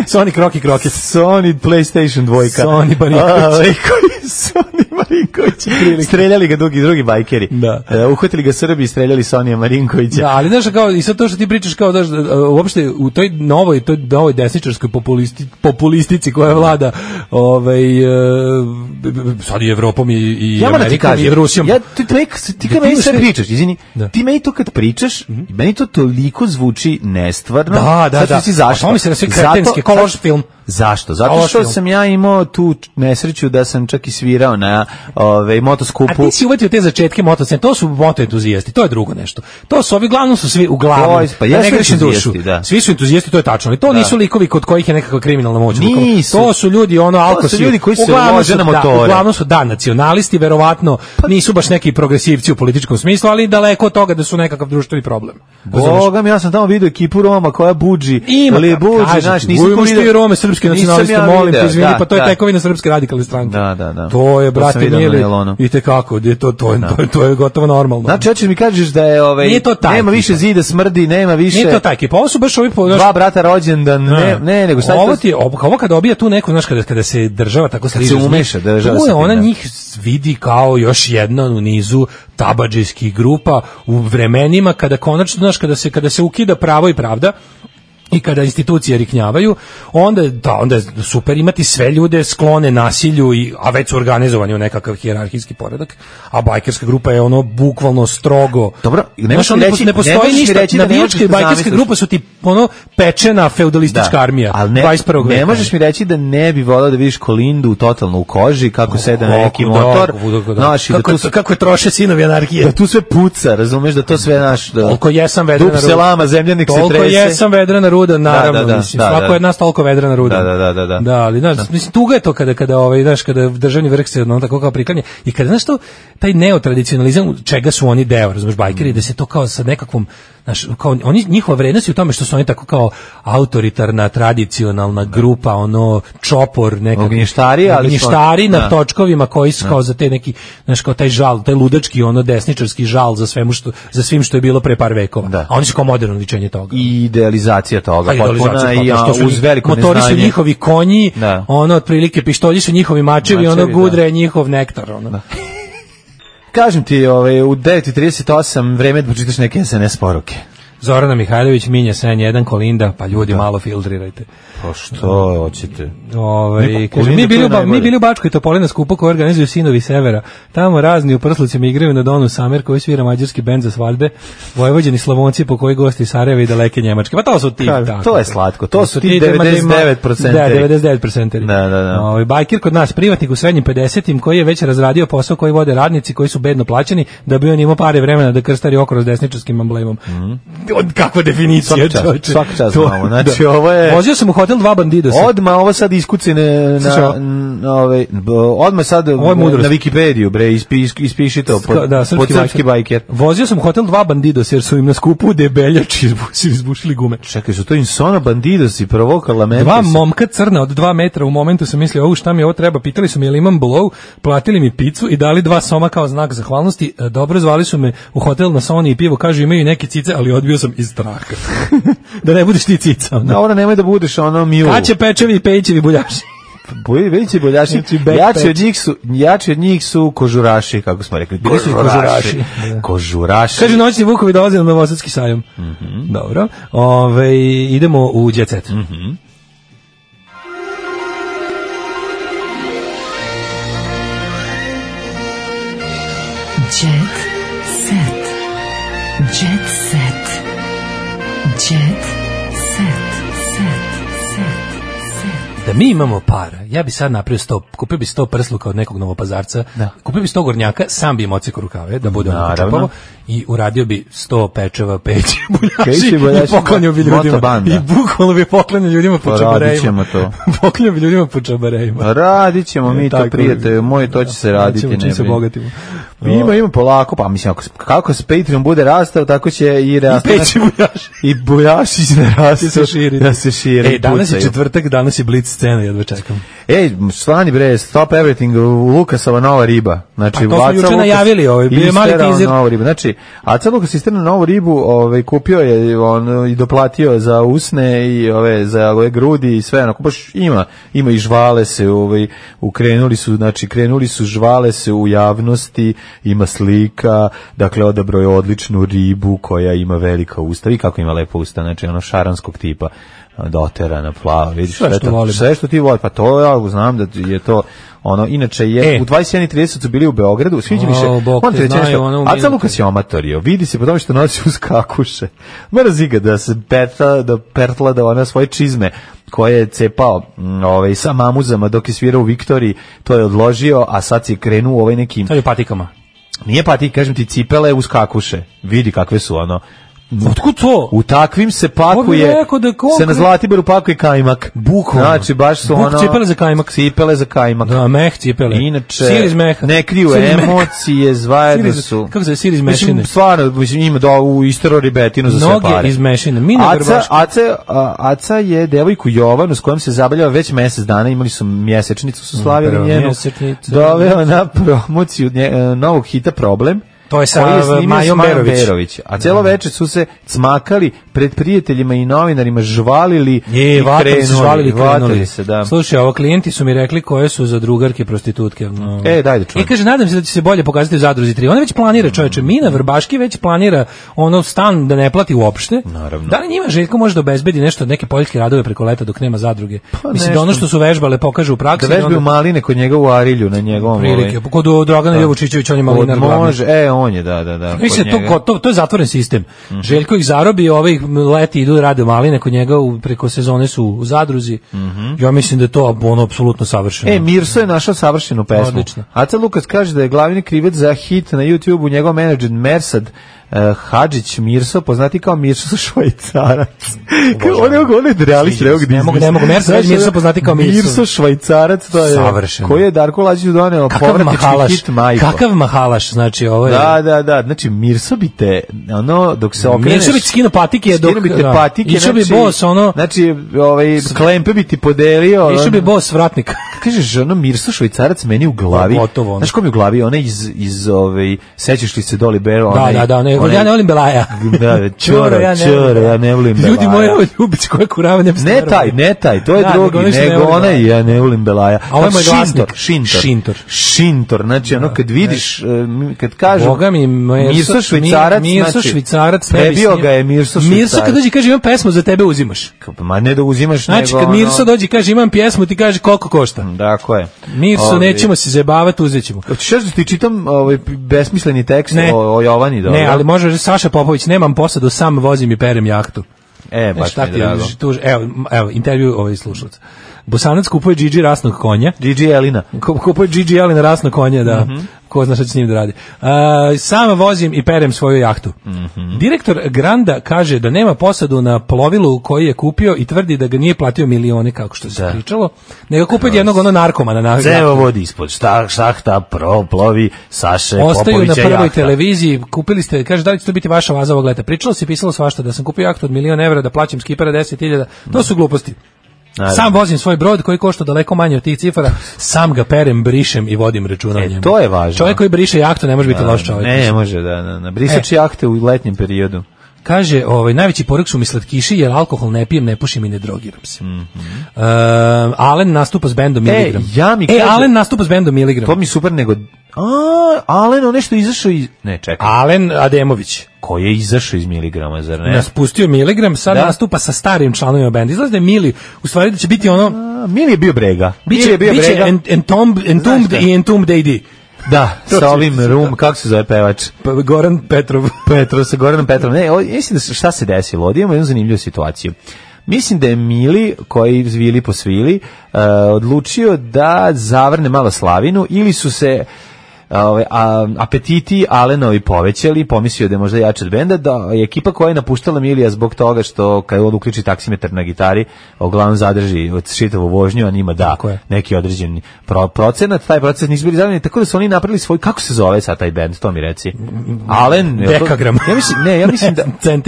Sony Kroki Kroket. Sony PlayStation 2. Sony Baniković. Sony Marinkovića. Streljali ga drugi bajkeri. Uhvatili ga Srbi i streljali Sonija Marinkovića. Da, ali znaš, kao, i sad to što ti pričaš, kao da uopšte u toj novoj desničarskoj populistici koja vlada sad i Evropom i Amerikom i Rusijom. Ti kad meni sve pričaš, izvini, ti meni to kad pričaš, meni to toliko zvuči nestvarno. Da. Zašto? To mi se na sve kretenske, kao loš film. Zašto? Zato što sam ja imao tu nesreću da sam čak i svirao na motoskupu. A ti si uvatio te začetke motoscene, to su motoentuzijasti, to je drugo nešto. To su uglavnom, pa ne grešim dušu. Svi su entuzijasti, to je tačno, ali to nisu likovi kod kojih je nekakva kriminalna moć. To su ljudi, to su ljudi koji se voze na motore. Uglavnom su, nacionalisti, verovatno, nisu baš neki progresivci u političkom smislu, ali daleko od toga da su nekakav društveni problem. Bogam, ja sam tamo vidio ekipu Roma koja buđi, znaš, nisam to vidio Rome, srpski nacionalista, molim te, izvini, pa to je tekovina Srpske radikalne stranke. Da. To je, brate, nije i tekako, to je gotovo normalno. Znači, hoćeš mi kažeš da je nema više zida, smrdi, nema više. Nije to taj ekipa, ovo su baš ovi dva brata rođendan, ne, nego šta je to? Ovo kada obija tu neko, znaš, kada se država tako sliže, se umeša, država se ona njih vidi kao još jedna u nizu tabadžijskih grupa u vremenima kada konačno, znaš, kada se ukida pravo i pravda i kada institucije riknjavaju, onda je super imati sve ljude sklone nasilju, a već su organizovani u nekakav hijerarhijski poredak, a bajkerska grupa je ono bukvalno strogo. Dobro, ne postoji ništa, navijačka i bajkerska grupa su ti ono pečena feudalistička armija 21. veka. Ne možeš mi reći da ne bi volao da vidiš Kolindu totalno u koži, kako sede na neki motor. Kako je troše sinovi anarhije. Da tu sve puca, razumeš, da to sve naš... Toliko jesam vedrana ruda. Dup se lama, zemljanik se trese. Toliko jesam vedrana ruda, naravno, mislim, svako je od nas toliko vedrana ruda. Da, ali, znaš, mislim, tuga je to kada državni vrh se tako kao priklanja i kada, znaš, to, taj neotradicionalizam, čega su oni deo, razumeš, bajkeri, da se to kao sa nekakvom, znaš, kao, njihova vrednost je u tome što su oni tako kao autoritarna, tradicionalna grupa, čopor, ognještari na točkovima koji su kao za te neki, znaš, kao taj žal, taj ludački, desničarski žal za svim što je bilo pre par vekova. A oni su kao moderno ličenje toga. I idealizacija toga, potpuna i uz veliko neznanje. Motori su njihovi konji, otprilike pištolji su njihovi mačevi, gudre je njihov nektar, Kažem ti, u 9:38 vreme da pročitaš neke SNS poruke. Zorana Mihajlović, Minja, Sen 1, Kolinda, pa ljudi malo filtrirajte. Pa što hoćete? Kaže, mi bili u Bačkoj Topoli na skupu koju organizuju Sinovi Severa. Tamo razni u prslucima igraju na Donu Samer koji svira mađarski bend za svadbe, Vojvođani Slavonci po koji gosti Sarajeva i daleke Njemačke. Pa to su ti. To je slatko. To su ti 99%. Da, 99%. Da. Bajkir kod nas, privatnik u srednjim 50-im koji je već razradio posao koji vode radnici koji su bedno plaćeni da bi on imao pare vremena da krstari okolo s desničarskim emblemom. Kakva definicija, čovječe. Svaka čast malo. Znači, ovo je... Vozio sam u hotel Dva bandidosa. Odmah ovo sad iskuci odmah sad na Wikipediju, bre, ispiši to pod srpski bajker. Vozio sam u hotel Dva bandidosa jer su im na skupu debeljači izbušili gume. Čekaj, su to Insona bandidosi, provokala mente. Dva momka crna od 2 metra, u momentu sam mislio, šta mi ovo treba, pitali su mi je li imam blow, platili mi picu i dali 2 soma kao znak zahvalnosti. Dobro, zvali su me u hotel na Sony i pivo, kažu imaju neke cice, ali odbio sam iz straha. Da ne budeš ti cica. Dobro, nemoj da budeš mju. Kaće, pečevi i pejićevi buljaši. Buljaši. Jači od njih su kožuraši, kako smo rekli. Kožuraši. Kaže, noćni vukovi dolaze na Novosadski sajam. Dobro. Idemo u Jet Set. Jet Set. Jet Set. Jet Set. Da mi imamo para, ja bi sad napravio 100, kupio bi 100 prsluka od nekog Novopazarca, kupio bi 100 gornjaka, sam bi im ocekao rukave, da bude ono počapavo, i uradio bi 100 pečeva, peći, buljaši, i poklanio bi ljudima. I bukvalno bi poklanio ljudima po čabarejima. Poklanio bi ljudima po čabarejima. Radit ćemo mi to, prijatelju moji, to će se raditi. Čim se bogatimo. Ima polako, pa mislim, kako se Patreon bude rastao, tako će i rastao. I peći buljaši. I buljaši će rastao. Da se širi. Da se širi. Danas je četvrtak, danas je Blitz scena, jedva čekam. Svani bre, Stop Everything, Lukasova nova riba. Znači, to smo juče najavili, bio je mali teaser. Znači, Aca Lukas isterao novu ribu, kupio je i doplatio za usne i za ove grudi i sve, onako baš ima i žvale se, krenuli su žvale se u javnosti, ima slika, dakle odabrao je odličnu ribu koja ima velika usta i kako ima lepa usta, znači ono šaranskog tipa, doterana, plava, vidiš sve što ti voli, pa to ja znam da je to inače je u 21:30 su bili u Beogradu, sviđa mi se. On te nešto. Aca Lukas je amatorio. Vidi se po tome što nosi uz kakuše. Mora ziga da se pertla da ona svoje čizme koje je cepao sa mamuzama dok je svirao u Viktoriji, to je odložio, a sad se krenuo nekim. Sad je patikama. Nije patik, kažem ti, cipele uz kakuše. Vidi kakve su Otkud to? U takvim se pakuje, se na Zlatiboru pakuje kajmak. Bukvalno. Znači, baš su cipele za kajmak. Da, meh cipele. Inače, ne kriju emocije, zajedno su. Kako se sir iz mešine? Stvarno, ima u istero ribetinu za sve pare. Noge iz mešine. Aca je devojku Jovanu s kojom se zabavljava već mjesec dana, imali su mjesečnicu, su slavili njenu. Doveo na promociju novog hita Problem. To je sa Majom Berović. A cijelo večer su se cmakali pred prijateljima i novinarima, žvalili i krenuli se. Da. Slušaj, klijenti su mi rekli koje su za drugarke prostitutke. Daj da čujem. Kaže, nadam se da će se bolje pokazati u Zadruzi 3. Ona već planira, čoveče, Mina Vrbaški već planira stan da ne plati uopšte. Naravno. Da li njima Željko može da obezbedi nešto od neke poljske radove preko leta dok nema zadruge? Mislim da ono što su vežbale pokaže u praksi. Da vežbaju maline kod njega u Arilju na njegovom. Prilike, kod Dragana Jovučićevića on je malinar glavni. Može, on je, da. Mislim, to je zatvoren sistem. Željko ih zarobi, leti idu rade maline kod njega, preko sezone su u Zadruzi. Ja mislim da je to apsolutno savršeno. Mirso je našao savršenu pesmu. Odlično. Aca Lukas kaže da je glavni krivac za hit na YouTube-u njegov menadžer Mersad Hadžić Mirso, poznati kao Mirso Švajcarac. On je realist Reog Disney. Ne mogu, Mirso poznati kao Mirso. Mirso Švajcarac, to je savršeno. Koji je Darko Lađić doneo povratnički hit Majko. Kakav mahalaš, znači ovo je. Da, znači Mirso bi te, dok se okreneš. Mirso bi skino patike, išao bi bos, znači, klempe bi ti podelio. Išao bi bos vratnika. Kažeš, Mirso Švajcarac meni u glavi. Znaš ko mi u glavi? Ona iz sećaš li se Doli Bero? Da, ja ne volim Belaja. Čoro, ja ne volim Belaja. Ljudi moji, ovo Ljubić koja kurava ne postavljaju. Ne taj, to je drugi, nego onaj, ja ne volim Belaja. A ovo je moj glasnik. Šintor, znači kad vidiš, kad kažu Mirso Švajcarac, prebio ga je Mirso Švajcarac. Mirso kad dođe kaže imam pesmu za tebe uzimaš. Ma ne da uzimaš, nego... Znači kad Mirso dođe kaže imam pjesmu ti kaže koliko košta. Tako je. Mirso, nećemo se zajebavati, uzet ćemo. Hoćeš da ti čitam besmisleni tekst o Jovani? Ne, ali može Saša Popović, nemam posadu, sam vozim i perem jahtu. Baš mi drago. Evo, intervju slušalac. Bosanac kupuje Gigi rasnog konja. Gigi Elina. Kupuje Gigi Elina rasnog konja, da. Ko zna šta će s njim da radi. Sam vozim i perem svoju jahtu. Direktor Granda kaže da nema posadu na plovilu koji je kupio i tvrdi da ga nije platio milione, kako što se pričalo, nego kupio jednog narkomana. Zevo vodi ispod šahta, plovi Saše Popovića. Ostaju na prvoj televiziji, kupili ste, kaže da li će to biti vaša vaza ovog leta. Pričalo se, pisalo svašta, da sam kupio jahtu od €1.000.000, da plaćam skipera 10.000, to su gluposti. Sam vozim svoj brod koji košta daleko manje od tih cifara, sam ga perem, brišem i vodim računa o njemu. To je važno. Čovjek koji briše jahtu ne može biti loš čovjek. Ne može, da. Brisač jahte u letnjem periodu. Kaže, najveći porok su mi slatkiši, jer alkohol ne pijem, ne pušim i ne drogiram se. Alen nastupa s bendom Miligram. Alen nastupa s bendom Miligram. To mi super, nego... Alen, on nešto izašao iz... Ne, čekaj. Alen Ademović. Ko je izašao iz Miligrama, zar ne? Nas pustio Miligram, sad nastupa sa starim članovima benda. Izgleda da je Mili, u stvari da će biti ono... Mili je bio Brega. Biće Entombed i Entombed AD. Da, sa ovim kako se zove pevač? Goran Petrov. Sa Goranom Petrovom. Ne, mislim da šta se desilo? Ovdje imamo jednu zanimljivu situaciju. Mislim da je Mili, koji zvili po svili, odlučio da zavrne malo slavinu, ili su se apetiti Alenovi povećali, pomislio da je možda jači od benda, da je ekipa koja je napuštala Milija zbog toga što kad on uključi taksimetar na gitari, uglavnom zadrži od čitavu vožnju, a njima da neki određeni procenat, taj procenat nisu bili zadovoljni, tako da su oni napravili svoj, kako se zove sad taj bend, to mi reci. Alen, Dekagram.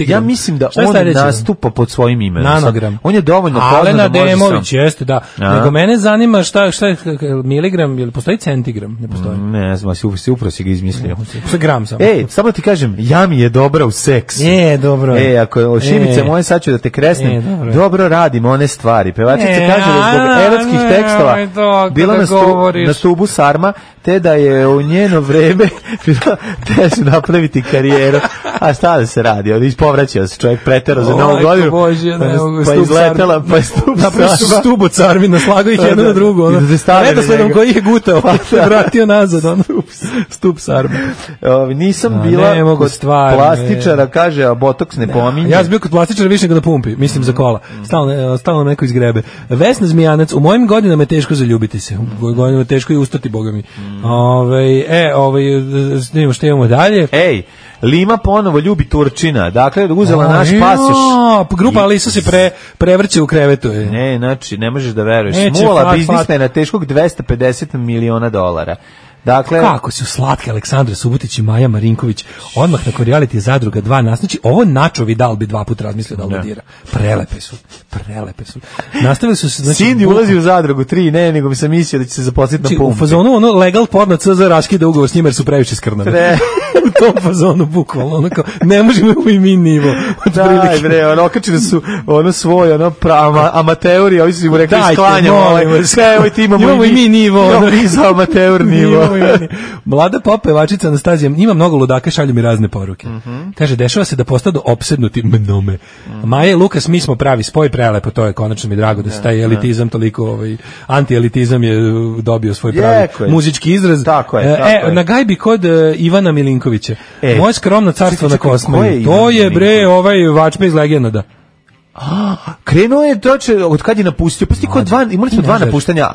Ja mislim da on nastupa pod svojim imenom. Nanogram. On je dovoljno poznat. Alena Demović, jeste, da. Nego mene zanima šta je miligram, ili postoji centigram? Ne postoji. Ne znam, upravo si ga izmislio. Gram samo. Samo ti kažem, Jami je dobra u seksu. Dobro. Ako Šimice moje sad ću da te kresnem, dobro radim one stvari. Pevačica kaže da zbog erotskih tekstova bila na stubu sarma, te da je u njeno vreme teže napraviti karijeru. A šta da se radi? On ispovraćao se, čovjek preterao za novu godinu, pa izletela, pa je stup od sarmi, naslagao ih jedno na drugo. Redosledom koji je gutao, pa se vratio nazad. Stup sarma. Nisam bila kod plastičara, kaže, a botoks ne pominje. Ja sam bio kod plastičara više nego na pumpi, mislim za kola. Stalno neko izgrebe. Vesna Zmijanac, u mojim godinama je teško zaljubiti se. U godinama je teško i ustati, boga mi. Snimamo što imamo dalje. Lima ponovo ljubi Turčina. Dakle, uzela naš pasoš. Grupa Alisa se prevrće u krevetu. Ne, znači, ne možeš da veruješ. Smula biznismena teškog $250 miliona. Dakle, kako su slatke Aleksandra Subotić i Maja Marinković odmah nakon reality Zadruga 2 znači ovo Načo Vidal bi 2 puta razmislio da dira. Prelepe su. Nastavili su se, znači Cindy ulazi u Zadrugu 3, ne, nego mi sam mislio da će se zaposliti na pumpi. U fazonu ono legal porno CZ raskida ugovor s njima jer su previše skrnani. U tom fazonu bukvalno ono kao ne možemo i mi nivo. Daj bre, ono okačili su ono svoj ono amateuri, ovi su mu rekli sklanjamo. Evo ti imamo i mi nivo. Imamo za amateur nivo. Mlada pop pevačica Anastazija ima mnogo ludaka, šalju mi razne poruke. Kaže, dešava se da postanu opsednuti mnome. Maja i Lukas, mi smo pravi spoj, prelepo, to je konačno mi drago da se taj elitizam toliko, anti-elitizam je dobio svoj pravi muzički izraz. Tako je. Na gajbi kod Ivana Milinkovića. Moje skromno carstvo na Kosmaju. To je bre ovaj vačpe iz Legenda. Krenuo je od kad je napustio, pa kod imali smo 2 napuštanja,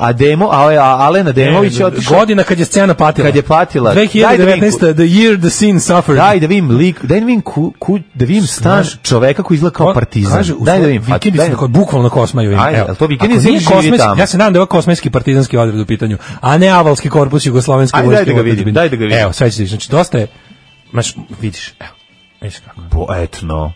Alena Demović godina kad je scena patila. Kad je patila. 2019 the year the scene suffered. Daj da vidim stan čoveka koji izgleda kao partizan. Daj da vidim. Bukvalno Kosmaju. Evo, to vikendica živi tamo. Ja se nadam da je ovo kosmajski partizanski odred u pitanju, a ne avalski korpus jugoslovenske vojske. Daj da ga vidim. Evo, sve ćeš, znači dosta je. Vidiš, evo. Etno.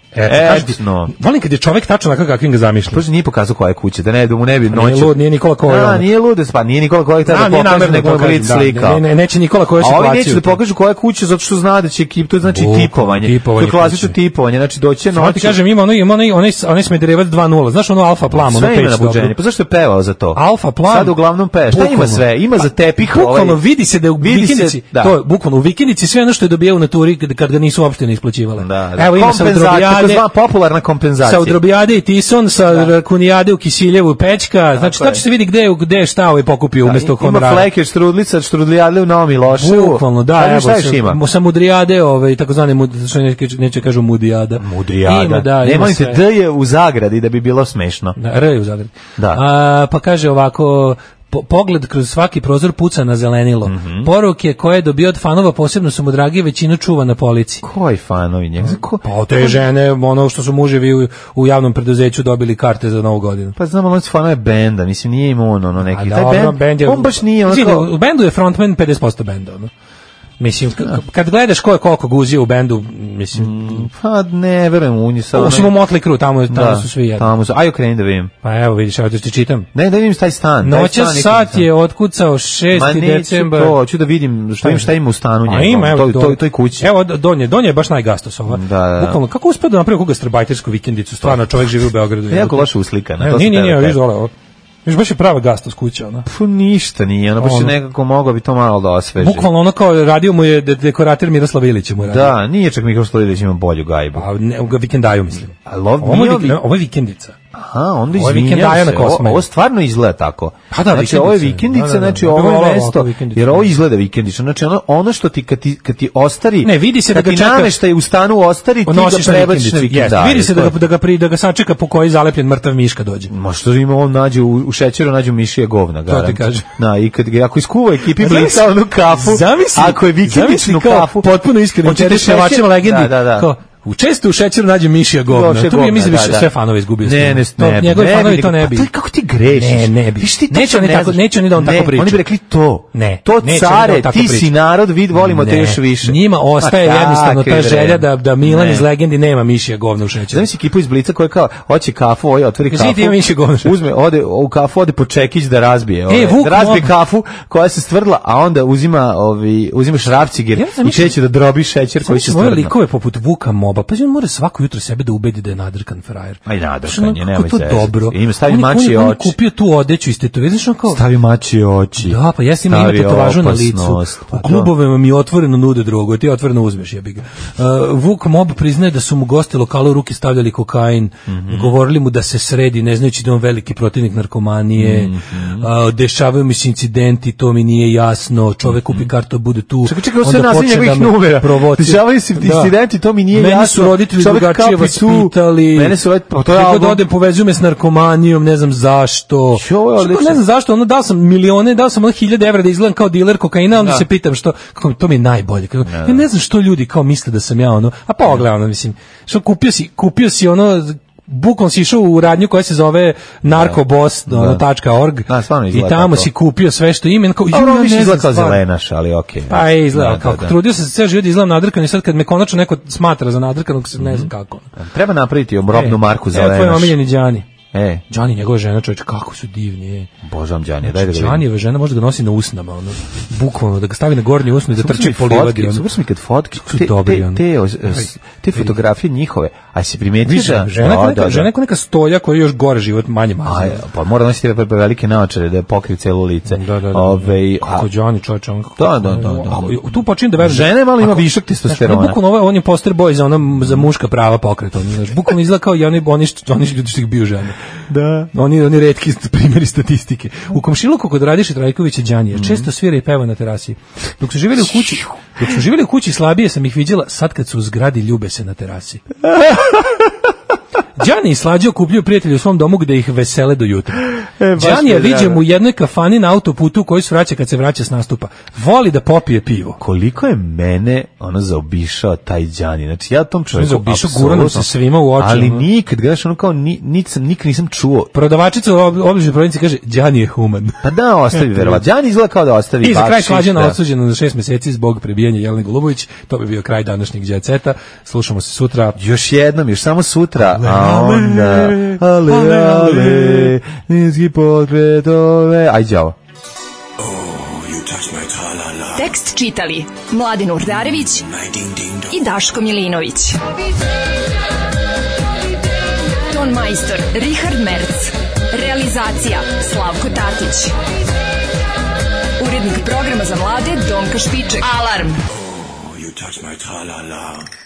Volim kad je čovjek tačno onako kakvim ga zamišlja. Prosto nije pokazao koja je kuća, da ne mu ne bi noću. Nije Nikola Kojo. Nije lud, pa nije Nikola Kojo tada pokaže nego blic slika. Neće Nikola Kojo situaciju. A ovi neće da pokažu koja je kuća zato što zna da će ekip, to znači tipovanje. To je klasično tipovanje, znači doće noć. Samo ti kažem, ima onaj Smederevac 2:0. Znaš ono Alfa Plam, ono peć dobro. Pa zašto je pevao za to? Alfa Plam. Sad uglavnom peva. Šta ima sve? Ima za tepih, bukvalno vidi se da u vikendici, to je bukvalno u vikendici sve ono što je dobijao na turi kad ga nisu uopšte ne isplaćivale. Evo ima popularna kompenzacija. Sa Udrobijade i Tison, sa Rakunijade u Kisiljevu Pećka, znači tačno se vidi gde šta ovaj pokupio umjesto honorara. Ima Fleker, Štrudlica, Štrudlijade u Novom Miloševu. Bukvalno, da, evo, sa Mudrijade, takozvane, što neće kažu Mudijada. Mudrijada. Nemojte, D je u zagradi da bi bilo smešno. R je u zagradi. Pa kaže ovako, pogled kroz svaki prozor puca na zelenilo. Poruke koje je dobio od fanova posebno su mu dragi, većinu čuva na polici. Koji fanovi njega? Pa te žene, ono što su muževi u javnom preduzeću dobili karte za Novu godinu. Pa znamo, oni su fanove benda, mislim, nije im ono neki. Taj bend, on baš nije ono. U bendu je frontman 50% benda, ono. Mislim, kad gledaš ko je koliko guzio u bendu, mislim... Pa ne, verujem u njih sad... Osim u Motley Crue, tamo su svi jedni. Tamo su, aj okreni da vidim. Pa evo vidiš, evo da ti čitam. Ne, da vidim taj stan. Noćas sat je otkucao 6. decembar. Ma neću to, ću da vidim šta ima u stanu njegov. Ima, evo, toj kući. Evo, donje je baš najgastos ova. Bukvalno, kako uspio da napravi koga strabajtersku vikendicu, stvarno čovjek živi u Beogradu. Jako loše uslikana. Nije, viš dole, viš baš je prava gastos kuća, ona. Ništa nije, ona baš je nekako mogao bi to malo da osveži. Bukvalno ono kao radio mu je dekorator Miroslav Ilić mu radio. Da, nije čak Miroslav Ilić ima bolju gajbu. U vikendaju mislim. Ovo je vikendica. onda izvinjam se, ovo stvarno izgleda tako. Pa da, znači, ovo je vikendica, znači ovo je mesto, jer ovo izgleda vikendično. Znači, ono što ti, kad ti ostari, ne, vidi se da ga čeka, nameštaj u stanu ostari, ti ga prebaciš na vikendicu. Vidi se da ga sačeka po koji zalepljen mrtav miška dođe. Ma što ima, on nađe u šećeru, nađu mišije govna, garant. To ti kaže. Da, i ako iskuva ekipi Blica onu kafu, ako je vikendičnu kafu, potpuno iskreno, pevačima legendi, često u šećeru nađe mišija govna. To mi je mislim sve fanove izgubio. Njegovi fanovi to ne bi. Pa kako ti grešiš? Ne bi. Neće oni da on tako priča. Oni bi rekli to. Ne. To care, ti si narod, volimo te još više. Njima ostaje jednostavno ta želja da Milan iz legendi nema mišija govna u šećeru. Znaš si ekipu iz Blica koja kao hoće kafu, otvori kafu. Uzme, ode u kafu, ode po čekić da razbije. Da razbije kafu koja se stvrdla, a onda uzima šrafciger i kreće da drobi šećer koji se stvrdla. Moje likove poput Vuka Moba, pa on mora svako jutro sebe da ubedi da je nadrkan frajer. Aj nadrkan je, nema to dobro. Ima stavi mačije oči. On kupio tu odeću iz tetovaže, znači kao stavi mačije oči. Da, pa jesi ima tetovažu na licu. U klubovima mi otvoreno nude drogu, ti otvoreno uzmeš, jebi ga. Vuk Mob priznaje da su mu gosti lokala u ruke stavljali kokain, govorili mu da se sredi, ne znajući da je on veliki protivnik narkomanije. Dešavaju mi se incidenti, to mi nije jasno. Čovek kupi kartu, bude tu. Čekaj, sve naziv njegovih numera. Dešavaju se incidenti, to mi nije jasno. Meni su roditelji drugačije vaspitali. Mene su kada odem povezuju me s narkomanijom, ne znam zašto. Ne znam zašto, ono dao sam milione, dao sam 1000 evra da izgledam kao diler kokaina, onda se pitam što, kako to mi je najbolje. Ja ne znam što ljudi kao misle da sam ja ono, a pogledaj ono, mislim, što kupio si ono, bukvalno si išao u radnju koja se zove narkoboss.org i tamo si kupio sve što ima. Ono više izgleda kao zelenaš, ali okej. Pa je izgleda kao, trudio sam se sve život da izgledam nadrkan i sad kad me konačno neko smatra za nadrkanog, ne znam kako. Treba napraviti robnu marku zelenaš. Tvoj omiljeni Đani. Đani, njegova žena, čovječe, kako su divni. Božam Đani, daj da ga vidim. Đanijeva žena može da ga nosi na usnama, ono, bukvalno, da ga stavi na gornji usnu i da trči po livadi. Super su mi kad fotke, te fotografije njihove, a si primetio da... Žena je neka stolja koja je još gore život, manje mazio. Pa mora nositi velike naočare da pokrivi celo lice. Kako Đani, čovječe, on... Da. Tu počinje da veruje. Žena je malo ima višak testosterona. Bukvalno, on je poster boy za muška prava pokret. Bukvalno izgleda kao i oni ljudi što ih bio žene. Da. Oni retki primjeri statistike. U komšiluku kod Radiše Trajkovića Đanija često svira i peva na terasi. Dok su živjeli u kući slabije sam ih viđela, sad kad su u zgradi ljube se na terasi. Đani i Slađe okupljuju prijatelje u svom domu gde ih vesele do jutra. Đanija viđem u jednoj kafani na autoputu u kojoj se vraća kad se vraća s nastupa. Voli da popije pivo. Koliko je mene zaobišao taj Đani. Znači ja tom čovjeku zaobišao, gurano se svima u oči. Ali nikad, gledaš, ono kao nikad nisam čuo. Prodavačica u obližnoj prodavnici kaže Đani je human. Pa da, ostavi verovatno. Đani izgleda kao da ostavi. I za kraj Slađana osuđena za 6 meseci zbog prebijanja Jelene Golubović. To bi bio kraj današnjeg Jet Seta. Slušamo se sutra. Još samo sutra. Onda, ale, niski pokretove. Aj, đavo. Tekst čitali Mladin Urdarević i Daško Milinović. Ton majstor Richard Merc. Realizacija Slavko Tatić. Urednik programa za mlade Donka Špiček. Alarm! You touch my tra-la-la.